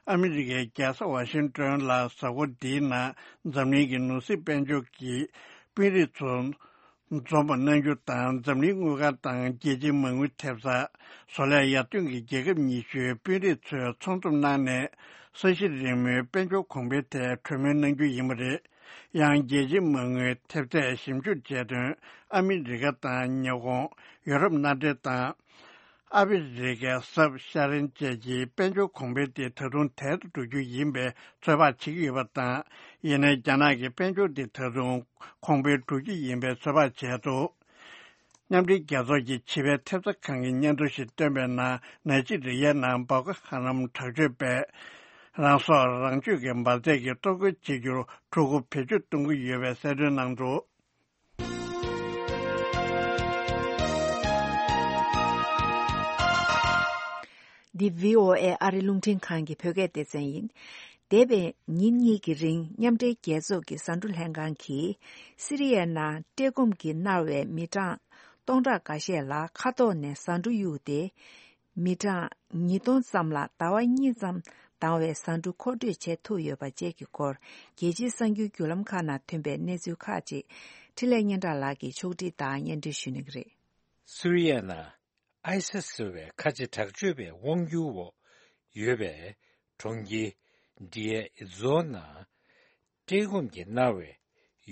ཨ་མི་རི་ཀའི་རྒྱལ་ས་ཝ་ཤིང་ཏོན་ལ་གཟའ་འཁོར་འདིའི་ནང་འཛམ་གླིང་གི་ནོར་སྲིད་དཔལ་འབྱོར་གྱི་དཔོན་རིགས་ཚོ་འཛོམས་པ་གནང་རྒྱུ་དང་། འཛམ་གླིང་དངུལ་ཁང་དང་རྒྱལ་སྤྱིའི་མ་དངུལ་ཐེབས་རྩ། བཟོ་ལས་ཡར་ཐོན་གྱི་རྒྱལ་ཁབ་ཉི་ཤུའི་དཔོན་རིགས་ཚོས་ཚོགས་འཛོམས་གནང་ནས། ས་གཞི་རིལ་མོའི་དཔལ་འབྱོར་གོང་འཕེལ་ཐད་གྲོས་མོལ་གནང་རྒྱུ་ཡིན་པ་རེད། ཡང་རྒྱལ་སྤྱིའི་མ་དངུལ་ཐེབས་རྩས་ཞིབ་འཇུག་བྱས་དོན། ཨ་མི་རི་ཀ་དང་ཉི་ཧོང་། ཡོ་རོབ་མནའ་འབྲེལ་དང་། ཨ་ཕི་རི་ཀའི་གཟའ་ཤར་རན་བཅས་ཀྱི་དཔལ་འབྱོར་གོང་འཕེལ་དེ་ད་དུང་དལ་དུ་འགྲོ་རྒྱུ་ཡིན་པའི་ཚོད་དཔག་བྱེད་ཀྱི་ཡོད་པ་དང་། ཡིན་ནའི་རྒྱ་ནག་གི་དཔལ་འབྱོར་དེ་ད་དུང་གོང་འཕེལ་འགྲོ་རྒྱུ་ཡིན་པའི་ཚོད་དཔག་བྱས་འདུག་མཉམ་འབྲེལ་རྒྱལ་ཚོགས་ཀྱི་ཕྱི་པའི་ཐེབས་རྩ་ཁང་གིས་སྙན་ཐོ་ཞིག་བཏོན་པའི་ནང་། ནཱི་ཇི་རི་ཡའི་ནང་སྦོ་ཀོ་ཧ་རམ་དྲག་སྤྱོད་པས་རང་སྲོག་རང་གཅོད་ཀྱི་འབར་རྫས་ཀྱི་གཏོར་རྒོལ་བྱེད་རྒྱུར་འཁྲུག་རྒོལ་བེད་སྤྱོད་གཏོང་གི་ཡོད་པའི་གསལ་སྟོན་གནང་འདུག་འདི་བྷི་ཨོ་ཨེ་ཨ་རི་རླུང་འཕྲིན་ཁང་གི་བོད་སྐད་སྡེ་ཚན་ཡིན། འདས་པའི་ཉིན་གཉིས་ཀྱི་རིང་མཉམ་འབྲེལ་རྒྱལ་ཚོགས་ཀྱི་ཟ་འབྲུ་ལྷན་ཁང་གིས་སི་རི་ཡའི་ནང་བཀྲེས་སྐོམ་གྱིས་མནར་བའི་མི་གྲངས་སྟོང་ཕྲག་འགའ་ཤས་ལ་མཁའ་ཐོག་ནས་ཟ་འབྲུ་གཡུགས་ཏེ། མི་གྲངས་ཉིས་སྟོང་ཙམ་ལ་ཟླ་བ་གཉིས་ཙམ་འདང་བའི་ཟ་འབྲུ་མཁོ་སྤྲོད་བྱེད་ཐུབ་ཡོད་པ་བཅས་ཀྱི་སྐོར། རྒྱལ་སྤྱིའི་གསར་འགྱུར་བརྒྱུད་ལམ་ཁག་ནང་ཐོན་པའི་གནས་ཚུལ་ཁག་ཅིག་འཕྲིན་ལས་སྙན་གྲགས་ལགས་ཀྱིས་ཕྱོགས་བསྒྲིགས་དང་སྙན་སྒྲོན་ཞུ་གནང་གི་རེད། སུ་རི་ཡའི་ནང་ཨའི་སི་ཟེར་བའི་ཁ་ཆེ་དྲག་སྤྱོད་པའི་དབང་སྒྱུར་འོག་ཡོད་པའི་གྲོང་ཁྱེར་ཌི་ཡེ་ཛོ་ནང་བཀྲེས་སྐོམ་གྱིས་མནར་བའི་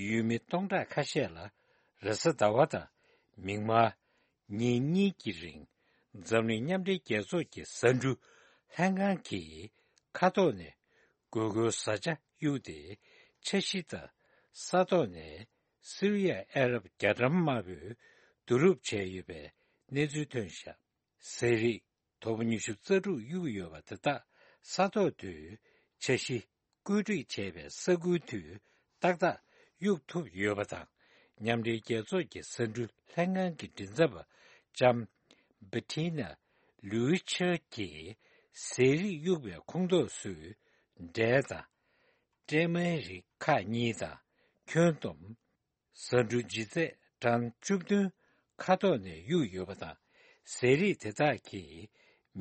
ཡུལ་མི་སྟོང་ཕྲག་ཁ་ཤས་ལ་རེས་གཟའ་ཟླ་བ་དང་མིག་དམར་ཉིན་གཉིས་ཀྱི་རིང་འཛམ་གླིང་མཉམ་འབྲེལ་རྒྱལ་ཚོགས་ཀྱི་ཟ་འབྲུ་ལྷན་ཁང་གིས་མཁའ་ཐོག་ནས་དགོས་མཁོའི་བཟའ་བཅའ་གཡུགས་ཏེ། འཆར་གཞི་ལྟར་ ས་ཐོག་ནས་སི་རི་ཡ་ཨ་རབ་རྒྱ་གྲམ་དམར་པོས་བསྡུ་རུབ་བྱས་ཡོད་པའི་གནས་ཚུལ་ཐོན་བཞག་ཟས་རིགས་དོ་པོ་ཉི་ཤུ་རྩ་དྲུག་གཡུག་ཡོད་པ་དེ་དག་ས་ཐོག་ཏུ་འཆར་གཞི་བཀོད་སྒྲིག་བྱས་པའི་ས་ཁུལ་དུ་ཏག་ཏག་གཡུག་ཐུབ་ཡོད་པ་དང་། མཉམ་འབྲེལ་རྒྱལ་ཚོགས་ཀྱི་ཟ་འབྲུ་ལྷན་ཁང་གི་མགྲིན་ཚབ་པ་ལྕམ་བྷ་ཏི་ན་ལུའི་ཆར་གྱིས་ཟས་རིགས་གཡུག་པའི་ཁོངས་གཏོགས་སུ་འབྲས་དང་། སྲན་མའི་རིགས་ཁག་གཉིས་དང་ཁྱོན་བསྡོམས། ཟ་འབྲུ་ལྗིད་ཚད་གྲངས་བཅུ་བདུན་ཁ་ཐོག་ནས་གཡུགས་ཡོད་པ་དང་། ཟས་རིགས་དེ་དག་གིས་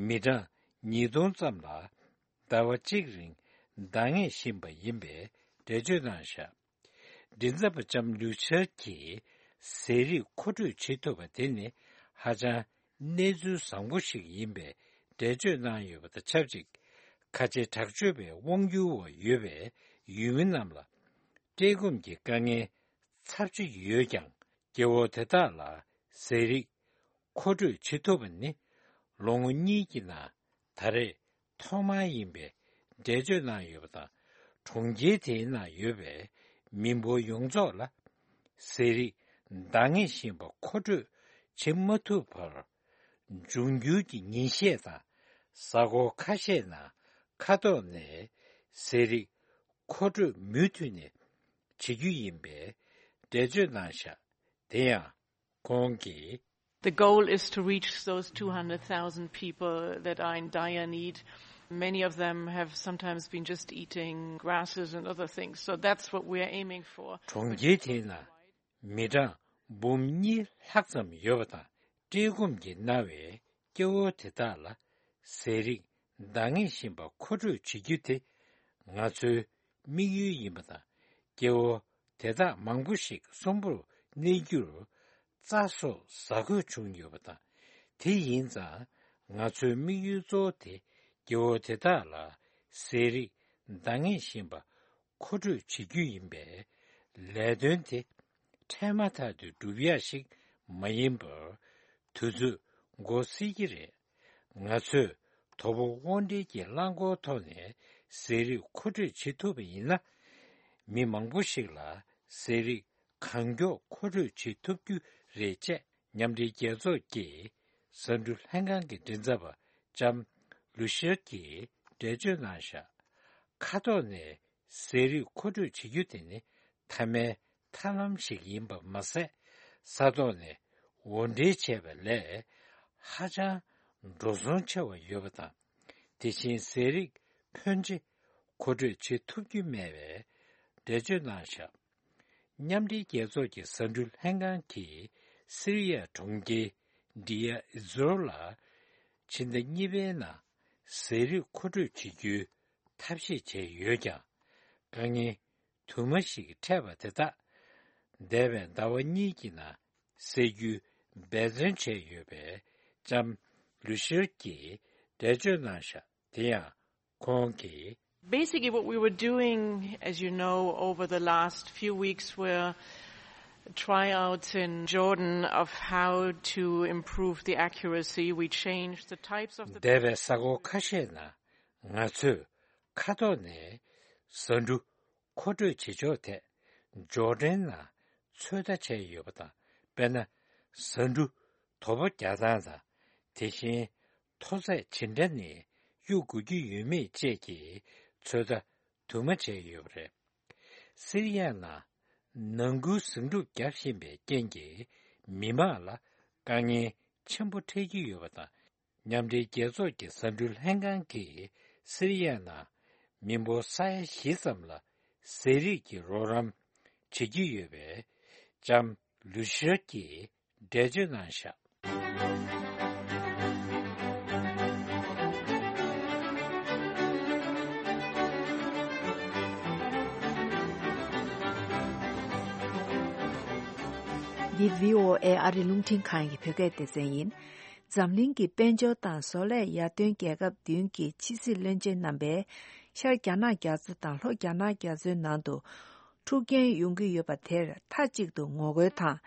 མི་གྲངས་ཉིས་སྟོང་ཙམ་ལ་ཟླ་བ་གཅིག་རིང་འདང་ངེས་བཞིན་པ་ཡིན་པའི་འགྲེལ་བརྗོད་གནང་བཞག་མགྲིན་ཚབ་པ་ལྕམ་ལུ་ཤར་གྱིས་ཟས་རིགས་མཁོ་སྤྲོད་བྱེད་ཐུབ་པ་དེ་ནི་ཧ་ཅང་གནས་ཚུལ་བཟང་པོ་ཞིག་ཡིན་པའི་འགྲེལ་བརྗོད་གནང་ཡོད་པ་དང་ཆབས་ཅིག་ཁ་ཆེ་དྲག་སྤྱོད་པའི་དབང་སྒྱུར་འོག་ཡོད་པའི་ཡུལ་མི་རྣམས་ལ། བཀྲེས་སྐོམ་གྱི་དཀའ་ངལ་ཚབས་ཆེ་ཡོད་ཀྱང་། སྐྱེ་བོ་དེ་དག་ལ་ཟས་རིགས་མཁོ་སྤྲོད་བྱེད་ཐུབ་པ་ནི་ལོ་ངོ་གཉིས་ཀྱི་ནང་ད་རེས་ཐོག་མ་ཡིན་པའི་འགྲེལ་བརྗོད་གནང་ཡོད་པ་དང་། གྲོང་ཁྱེར་དེའི་ནང་ཡོད་པའི་མི་འབོར་ཡོངས་རྫོགས་ལ་ཟས་རིགས་འདང་ངེས་བཞིན་པ་མཁོ་སྤྲོད་བྱེད་མ་ཐུབ་པར། འབྱུང་འགྱུར་གྱི་ཉིན་ཤས་དང་གཟའ་འཁོར་ཁ་ཤས་ནང་ཁ་ཐོག་ནས་ཟས་རིགས་མཁོ་སྤྲོད་མུ་མཐུད་ནས་བྱེད་རྒྱུ་ཡིན་པའི་འགྲེལ་བརྗོད་གནང་བཞག་དེ་ཡང་ཁོང་གིས། The goal is to reach those two hundred thousand people that are in dire need. Many of them have sometimes been just eating grasses and other things. So that's what we are aiming for. གྲོང་ཁྱེར་དེའི་ནང་མི་གྲངས་འབུམ་གཉིས་ལྷག་ཙམ་ཡོད་པ་དང་། བཀྲེས་སྐོམ་གྱིས་མནར་བའི་སྐྱེ་བོ་དེ་དག་ལ་ཟས་རིགས་འདང་ངེས་བཞིན་པ་མཁོ་སྤྲོད་བྱེད་རྒྱུ་དེ་ང་ཚོའི་དམིགས་ཡུལ་ཡིན་པ་དང་། སྐྱེ་བོ་དེ་དག་མང་པོ་ཞིག་གསོན་པོར་གནས་རྒྱུར་རྩྭ་སོགས་ཟ་དགོས་བྱུང་ཡོད་པ་དང་། དེ་ཡིན་ཙང་ང་ཚོའི་དམིགས་ཡུལ་གཙོ་བོ་དེ་སྐྱེ་བོ་དེ་དག་ལ་ཟས་རིགས་འདང་ངེས་བཞིན་པ་མཁོ་སྤྲོད་བྱེད་རྒྱུ་ཡིན་པས། ལས་དོན་དེ་འཕྲལ་མ་ཐག་ཏུ་འགྲུབ་ཡ་ཞིག་མ་ཡིན་པར། དུས་ཚོད་འགོར་སྲིད་ཀྱི་རེད། ང་ཚོས་དོ་པོ་དབང་འབྲེལ་གྱི་རླངས་འཁོར་ཐོག་ནས་ཟས་རིགས་མཁོ་སྤྲོད་བྱེད་ཐུབ་པ་ཡིན་ན། མི་མང་པོ་ཞིག་ལ་ཟས་རིགས་གང་མགྱོགས་མཁོ་སྤྲོད་བྱེད་ཐུབ་རྒྱུ་རེད་ཅེས། མཉམ་འབྲེལ་རྒྱལ་ཚོགས་ཀྱི་ཟ་འབྲུ་ལྷན་ཁང་གི་མགྲིན་ཚབ་པ་ལྕམ་ལུ་ཤར་གྱིས་འགྲེལ་བརྗོད་གནང་བཞག་ཁ་ཐོག་ནས་ཟས་རིགས་མཁོ་སྤྲོད་བྱེད་རྒྱུ་དེ་ནི་མཐའ་མའི་ཐབས་ལམ་ཞིག་ཡིན་པ་མ་ཟད། ས་ཐོག་ནས་དབོར་འདྲེན་བྱས་པ་ལས་ཧ་ཅང་འགྲོ་སོང་ཆེ་བ་ཡོད་པ་དང་། དེ་བཞིན་ཟས་རིགས་ཕོན་ཆེ་མཁོ་སྤྲོད་བྱེད་ཐུབ་རྒྱུ་མེད་པའི་འགྲེལ་བརྗོད་གནང་བཞག་མཉམ་འབྲེལ་རྒྱལ་ཚོགས་ཀྱི་ཟ་འབྲུ་ལྷན་ཁང་གིས་སི་རི་ཡ་གྲོང་ཁྱེར་ཌི་ཡ་ཨི་ཛོར་ལ་ཕྱི་ཟླ་གཉིས་པའི་ནང་ཟས་རིགས་མཁོ་སྤྲོད་བྱེད་རྒྱུའི་ཐབས་ཤེས་བྱས་ཡོད་ཀྱང་། དཀའ་ངལ་དུ་མ་ཞིག་འཕྲད་པ་དེ་དག་འདས་པའི་ཟླ་བ་གཉིས་ཀྱི་ནང་སེལ་རྒྱུའི་འབད་བརྩོན་བྱས་ཡོད་པའི་ལྕམ་ལུ་ཤར་གྱིས་འགྲེལ་བརྗོད་གནང་བཞག་དེ་ཡང་ཁོང་གིས། Basically, what we were doing, as you know, over the last few weeks were tryouts in Jordan of how to improve the accuracy. We changed the types of the འདས་པའི་ས་གོ་ཁ་ཤས་ནང་ང་ཚོས་ཁ་ཐོག་ནས་ཟ་འབྲུ་མཁོ་སྤྲོད་བྱེད་ཕྱོགས་ཐད་ཇོར་ཌན་ནང་ཚོད་ལྟ་བྱས་ཡོད་པ་དང་། དཔེར་ན། ཟ་འབྲུ་དོ་པོ་རྒྱག་སྟངས་དང་། དེ་བཞིན་མཐོ་ཚད་ཇི་འདྲ་ནས་གཡུག་དགོས་ཀྱི་ཡོད་མེད་བཅས་ཀྱི་ཚོད་ལྟ་དུ་མ་བྱས་ཡོད་པ་རེད། སི་རི་ཡ་ནང་ནང་ཁུལ་ཟིང་འཁྲུག་བརྒྱབ་བཞིན་པའི་རྐྱེན་གྱིས་མི་མང་ལ་དཀའ་ངལ་ཆེན་པོ་འཕྲད་ཀྱི་ཡོད་པ་དང་། མཉམ་འབྲེལ་རྒྱལ་ཚོགས་ཀྱི་ཟ་འབྲུ་ལྷན་ཁང་གིས་སི་རི་ཡ་ནང་མི་འབོར་ས་ཡ་བཞི་ཙམ་ལ་ཟས་རིགས་ཀྱི་རོགས་རམ་བྱེད་ཀྱི་ཡོད་པའི་ལྕམ་ལུ་ཤར་གྱིས་འགྲེལ་བརྗོད་གནང་བཞག་འདི་བྷི་ཨོ་ཨེ་ཨ་རི་རླུང་འཕྲིན་ཁང་གི་བོད་སྐད་སྡེ་ཚན་ཡིན། འཛམ་གླིང་གི་དཔལ་འབྱོར་དང་བཟོ་ལས་ཡར་ཐོན་རྒྱལ་ཁབ་བདུན་གྱི་ཕྱི་སྲིད་བློན་ཆེན་རྣམ་པས་ཤར་རྒྱ་ནག་རྒྱ་མཚོ་དང་ལྷོ་རྒྱ་ནག་རྒྱ་མཚོའི་ནང་དུ་འཁྲུག་རྐྱེན་ཡོང་གི་ཡོད་པ་དེར་མཐའ་གཅིག་ཏུ་ངོ་རྒོལ་དང་།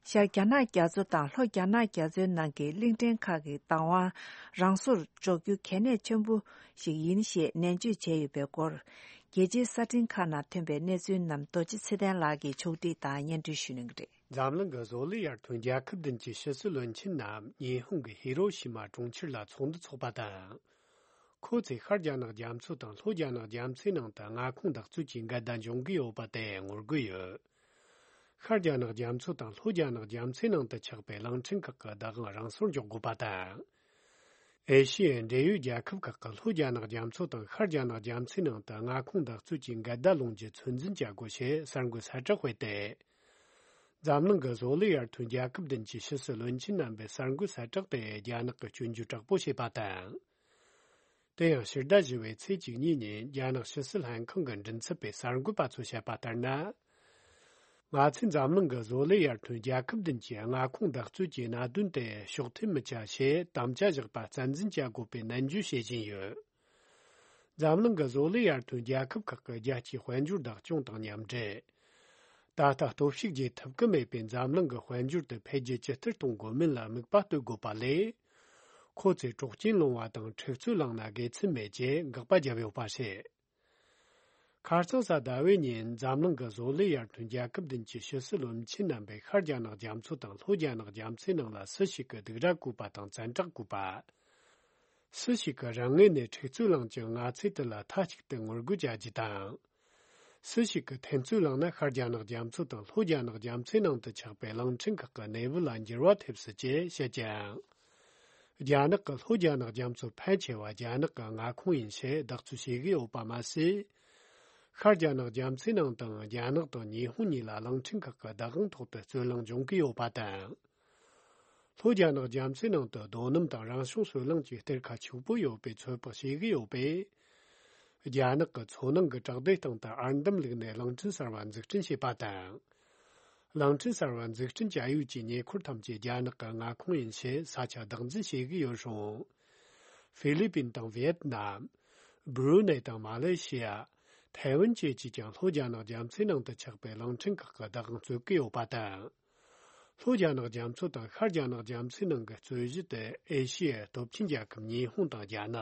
ཤར་རྒྱ་ནག་རྒྱ་མཚོ་དང་ལྷོ་རྒྱ་ནག་རྒྱ་མཚོའི་ནང་གི་གླིང་ཕྲན་ཁག་གི་བདག་དབང་རང་སོར་འཇོག་རྒྱུ་གལ་གནད་ཆེན་པོ་ཞིག་ཡིན་ཞེས་ནན་བརྗོད་བྱས་ཡོད་པའི་སྐོར། རྒྱལ་སྤྱིའི་གསར་འཕྲིན་ཁག་ནང་ཐོན་པའི་གནས་ཚུལ་རྣམས་རྡོ་རྗེ་ཚེ་བརྟན་ལགས་ཀྱིས་ཕྱོགས་སྒྲིག་དང་སྙན་སྒྲོན་ཞུ་གནང་གི་རེད། འཛམ་གླིང་གི་བཟོ་ལས་ཡར་ཐོན་རྒྱལ་ཁབ་བདུན་གྱི་ཕྱི་སྲིད་བློན་ཆེན་རྣམས་ཉི་ཧོང་གི་ཧི་རོ་ཤི་མ་གྲོང་ཁྱེར་ལ་ཚོགས་འདུ་འཚོགས་པ་དང་། ཁོ་ཚོས་ཤར་རྒྱ་ནག་རྒྱ་མཚོ་དང་ལྷོ་རྒྱ་ནག་རྒྱ་མཚོའི་ནང་དུ་མངའ་ཁོངས་འདེགས་གཅོད་ཀྱི་འགལ་ཟླ་འབྱུང་གི་ཡོད་པ་དེ་ངོ་རྒོལ་ཡོད། ཤར་རྒྱ་ནག་རྒྱ་མཚོ་དང་ལྷོ་རྒྱ་ནག་རྒྱ་མཚོའི་ནང་དུ་ཆགས་པའི་གླིང་ཕྲན་ཁག་གི་བདག་དབང་རང་སོར་འཇོག་དགོས་པ་དང་། ཨེ་ཤི་ཡའི་འབྲེལ་ཡོད་རྒྱལ་ཁབ་ཁག་གི་ལྷོ་རྒྱ་ནག་རྒྱ་མཚོ་དང་ཤར་རྒྱ་ནག་རྒྱ་མཚོའི་ནང་དུ་མངའ་ཁོངས་འདེགས་གཅོད་ཀྱི་འགལ་ཟླ་སློང་རྒྱུ་ཚོད་འཛིན་བྱ་དགོས་ཞེས་གསར་འགོད་གསལ་བསྒྲགས་སྤེལ་ཏེ། འཛམ་གླིང་གི་བཟོ་ལས་ཡར་ཐོན་རྒྱལ་ཁབ་བདུན་གྱི་ཕྱི་སྲིད་བློན་ཆེན་རྣམ་པའི་གསར་འགོད་གསལ་བསྒྲགས་དེ་རྒྱ་ནག་གི་སྐྱོན་བརྗོད་དྲག་པོ་བྱས་པ་དང་། དེ་ཡང་ཕྱི་ཟླ་བཞི་པའི་ཚེས་བཅུ་གཉིས་ཉིན་རྒྱ་ནག་ཕྱི་སྲིད་ལྷན་ཁང་གི་མགྲིན་ཚབ་པས་གསར་འགོད་པ་ཚོར་བཤད་པ་ལྟར་ན། ང་ཚོས་འཛམ་གླིང་གི་བཟོ་ལས་ཡར་ཐོན་རྒྱལ་ཁབ་བདུན་གྱི་མངའ་ཁོངས་འདེགས་གཅོད་ཀྱི་གནད་དོན་དེ་ཕྱོགས་ཐེངས་མི་བྱ་ཞེས་དམ་བཅའ་བཞག་པ་རྩ་འཛིན་བྱ་དགོས་པའི་ནན་བརྗོད་བྱེད་བཞིན་ཡོད། འཛམ་གླིང་གི་བཟོ་ལས་ཡར་ཐོན་རྒྱལ་ཁབ་ཁག་གི་རྒྱལ་སྤྱིའི་དཔལ་འབྱོར་བདག་སྐྱོང་དང་མཉམ་འབྲེལ། ད་ལྟ་སྟོབས་ཤུགས་རྒྱས་ཐུབ་ཀྱི་མེད་པའི་འཛམ་གླིང་གི་དཔལ་འབྱོར་དེ་འཕེལ་རྒྱས་ཇི་ལྟར་གཏོང་དགོས་མིན་ལ་དམིགས་པ་གཏོད་དགོས་པ་ལས། ཁོ་ཚོས་གྲོགས་རྐྱེན་སློང་བ་དང་ཁྲིག་རྩོད་བསླངས་ན་དགེ་མཚན་མེད་ཅེས་དགག་པ་བརྒྱབ་ཡོད་པ་རེད། ཁ་རྩང་གཟའ་ཟླ་བའི་ཉིན་འཛམ་གླིང་གི་བཟོ་ལས་ཡར་ཐོན་རྒྱལ་ཁབ་བདུན་གྱི་ཕྱི་སྲིད་བློན་ཆེན་རྣམ་པས་ཤར་རྒྱ་ནག་རྒྱ་མཚོ་དང་ལྷོ་རྒྱ་ནག་རྒྱ་མཚོའི་ནང་ལ་སུ་ཞིག་གིས་སྡིགས་ར་བསྐུལ་བ་དང་བཙན་དྲག་བསྐུལ་བ། སུ་ཞིག་གིས་རང་ངོས་ནས་ཁྲིག་རྩོད་བསླངས་ཀྱང་ང་ཚོས་དེ་ལ་མཐའ་གཅིག་ཏུ་ངོ་རྒོལ་བྱ་རྒྱུ་དང་། སུ་ཞིག་གིས་འཐེན་རྩོད་བསླངས་ན་ཤར་རྒྱ་ནག་རྒྱ་མཚོ་དང་ལྷོ་རྒྱ་ནག་རྒྱ་མཚོའི་ནང་དུ་ཆགས་པའི་གླིང་ཕྲན་ཁག་གི་གནས་བབ་ལ་འགྱུར་བ་ཐེབས་སྲིད་ཅེས་བཤད་ཀྱང་། རྒྱ་ནག་གིས་ལྷོ་རྒྱ་ནག་རྒྱ་མཚོ་ཕལ་ཆེ་བ་རྒྱ་ནག་གི་མངའ་ཁོངས་ཡིན་ཞེས་བདག་སྤྱོད་བྱེད་ཀྱི་ཡོད་པ་མ་ཟད། ཤར་རྒྱ་ནག་རྒྱ་མཚོའི་ནང་དུའང་རྒྱ་ནག་དང་ཉི་ཧོང་གཉིས་ལ་གླིང་ཕྲན་ཁག་གི་བདག་དབང་ཐོག་ཏུ་རྩོད་གླེང་འབྱུང་གི་ཡོད་པ་དང་། ལྷོ་རྒྱ་ནག་རྒྱ་མཚོའི་ནང་དུ་རྡོ་སྣུམ་དང་རང་བྱུང་སོལ་རླངས་ཀྱི་གཏེར་ཁ་ཕྱུག་པོ་ཡོད་པའི་ཚོད་དཔག་བྱེད་ཀྱི་ཡོད་པས། རྒྱ་ནག་གི་མཚོ་ནང་གི་བྲག་རྡོའི་སྟེང་དུ་ཨར་འདམ་བླུགས་ནས་གླིང་ཕྲན་གསར་བ་འཛུགས་སྐྲུན་བྱས་པ་དང་། གླིང་ཕྲན་གསར་བ་འཛུགས་སྐྲུན་བྱ་ཡུལ་གྱི་ཉེ་འཁོར་ཐམས་ཅད་རྒྱ་ནག་གི་མངའ་ཁོངས་ཡིན་ཞེས་ས་ཆ་བདག་འཛིན་བྱེད་ཀྱི་ཡོད་རུང་། ཧྥི་ལི་པིན་དང་ཝི་ཡེད་ནམ། སྦྲུ་ནེ་དང་མ་ལེ་ཤི་ཡ། ཐའེ་ཝན་བཅས་ཀྱིས་ཀྱང་ལྷོ་རྒྱ་ནག་རྒྱ་མཚོའི་ནང་དུ་ཆགས་པའི་གླིང་ཕྲན་ཁག་གི་བདག་དབང་རྩོད་ཀྱི་ཡོད་པ་དང་། ལྷོ་རྒྱ་ནག་རྒྱ་མཚོ་དང་ཤར་རྒྱ་ནག་རྒྱ་མཚོའི་ནང་གི་རྩོད་གཞི་དེ་ཨེ་ཤི་ཡའི་སྟོབས་ཆེན་རྒྱལ་ཁབ་ཉི་ཧོང་དང་རྒྱ་ནག་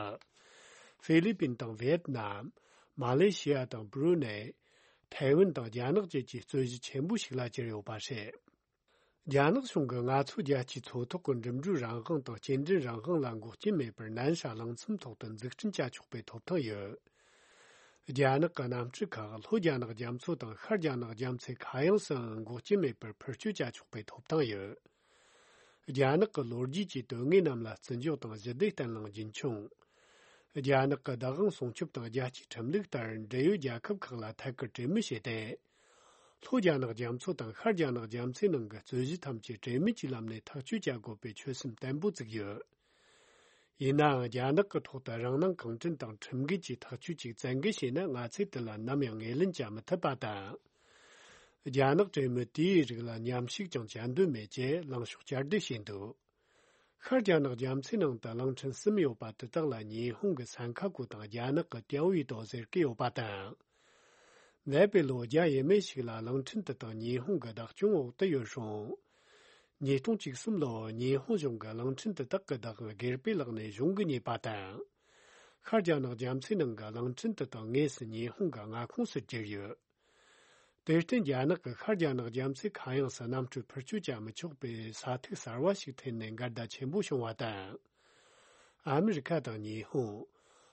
ཧྥི་ལི་པིན་དང་ཝི་ཡེད་ནམ། མ་ལེ་ཤི་ཡ་དང་སྦྲུ་ནེ། ཐའེ་ཝན་དང་རྒྱ་ནག་བཅས་ཀྱི་རྩོད་གཞི་ཆེན་པོ་ཞིག་ལ་གྱུར་ཡོད་པ་རེད། རྒྱ་ནག་གཞུང་གིས་ང་ཚོ་རྒྱལ་སྤྱིའི་མཚོ་ཐོག་གི་འགྲིམ་འགྲུལ་རང་དབང་དང་སྐྱེལ་འདྲེན་རང་དབང་ལ་འགོག་རྐྱེན་མེད་པར་ནན་ཧྲ་གླིང་ཚོམ་ཐོག་ཏུ་འཛུགས་སྐྲུན་བྱ་ཆོག་པའི་ཐོབ་ཐང་ཡོད། རྒྱ་ནག་གི་གནམ་གྲུ་ཁག་ལྷོ་རྒྱ་ནག་རྒྱ་མཚོ་དང་ཤར་རྒྱ་ནག་རྒྱ་མཚོའི་ཁ་གཡང་སུའང་འགོག་རྐྱེན་མེད་པར་འཕུར་སྐྱོད་བྱ་ཆོག་པའི་ཐོབ་ཐང་ཡོད། རྒྱ་ནག་གི་ལོ་རྒྱུས་ཀྱི་དོན་དངོས་རྣམས་ལ་བརྩི་འཇོག་དང་ཞི་བདེ་བརྟན་ལྷིང་རྒྱུན་འཁྱོངས། རྒྱ་ནག་གི་བདག་དབང་སྲུང་སྐྱོབ་དང་རྒྱལ་སྤྱིའི་ཁྲིམས་ལུགས་ལྟར་འབྲེལ་ཡོད་རྒྱལ་ཁབ་ཁག་ལ་ཐད་ཀར་གྲོས་མོལ་བྱས་ཏེ། ལྷོ་རྒྱ་ནག་རྒྱ་མཚོ་དང་ཤར་རྒྱ་ནག་རྒྱ་མཚོའི་ནང་གི་རྩོད་གཞི་ཐམས་ཅད་གྲོས་མོལ་གྱི་ལམ་ནས་ཐག་གཅོད་བྱ་དགོས་པའི་ཆོད་སེམས་བརྟན་པོ་བཙུགས་ཡོད། ཡིན་ནའང་རྒྱ་ནག་གི་ཐོག་ཏུ་རང་སྣང་གང་དྲན་དང་ཁྲིམས་འགལ་གྱི་ཐག་གཅོད་ཅིག་བཙན་འགེལ་བྱས་ན་ང་ཚོས་དེ་ལ་ནམ་ཡང་ངོས་ལེན་བྱ་མི་ཐུབ་པ་དང་། རྒྱ་ནག་གྲོས་མོལ་དེའི་རིགས་ལ་མཉམ་ཞུགས་ཀྱང་བྱ་འདོད་མེད་ཅེས་ལངས་ཕྱོགས་བསྐྱར་ཟློས་བྱས་འདུག་ཤར་རྒྱ་ནག་རྒྱ་མཚོའི་ནང་དུ་གླིང་ཕྲན་གསུམ་ཡོད་པ་དེ་དག་ལ་ཉི་ཧོང་གི་སན་ཁ་གོ་དང་རྒྱ་ནག་གི་ཏེའོ་ཡི་ཏོ་ཟེར་གྱི་ཡོད་པ་དང་། འདས་པའི་ལོ་བརྒྱ་ཡས་མས་ཤིག་ལ་གླིང་ཕྲན་དེ་དག་ཉི་ཧོང་གི་བདག་སྐྱོང་འོག་ཏུ་ཡོད་རུང་། ཉིས་སྟོང་བཅུ་གསུམ་ལོར་ཉི་ཧོང་གཞུང་གིས་གླིང་ཕྲན་དེ་དག་གི་བདག་དབང་སྒེར་པའི་ལག་ནས་གཞུང་གིས་རྙེད་པ་དང་། ཤར་རྒྱ་ནག་རྒྱ་མཚོའི་ནང་གི་གླིང་ཕྲན་དེ་དག་དངོས་སུ་ཉི་ཧོང་གི་མངའ་ཁོངས་སུ་གྱུར་ཡོད། དེར་བརྟེན་རྒྱ་ནག་གིས་ཤར་རྒྱ་ནག་རྒྱ་མཚོའི་ཁ་གཡང་སུ་གནམ་གྲུ་འཕུར་སྐྱོད་བྱ་མི་ཆོག་པའི་ས་ཐིག་གསར་བ་ཞིག་འཐེན་ནས་འགལ་ཟླ་ཆེན་པོ་བྱུང་བ་དང་། ཨ་མི་རི་ཁ་དང་ཉི་ཧོང་།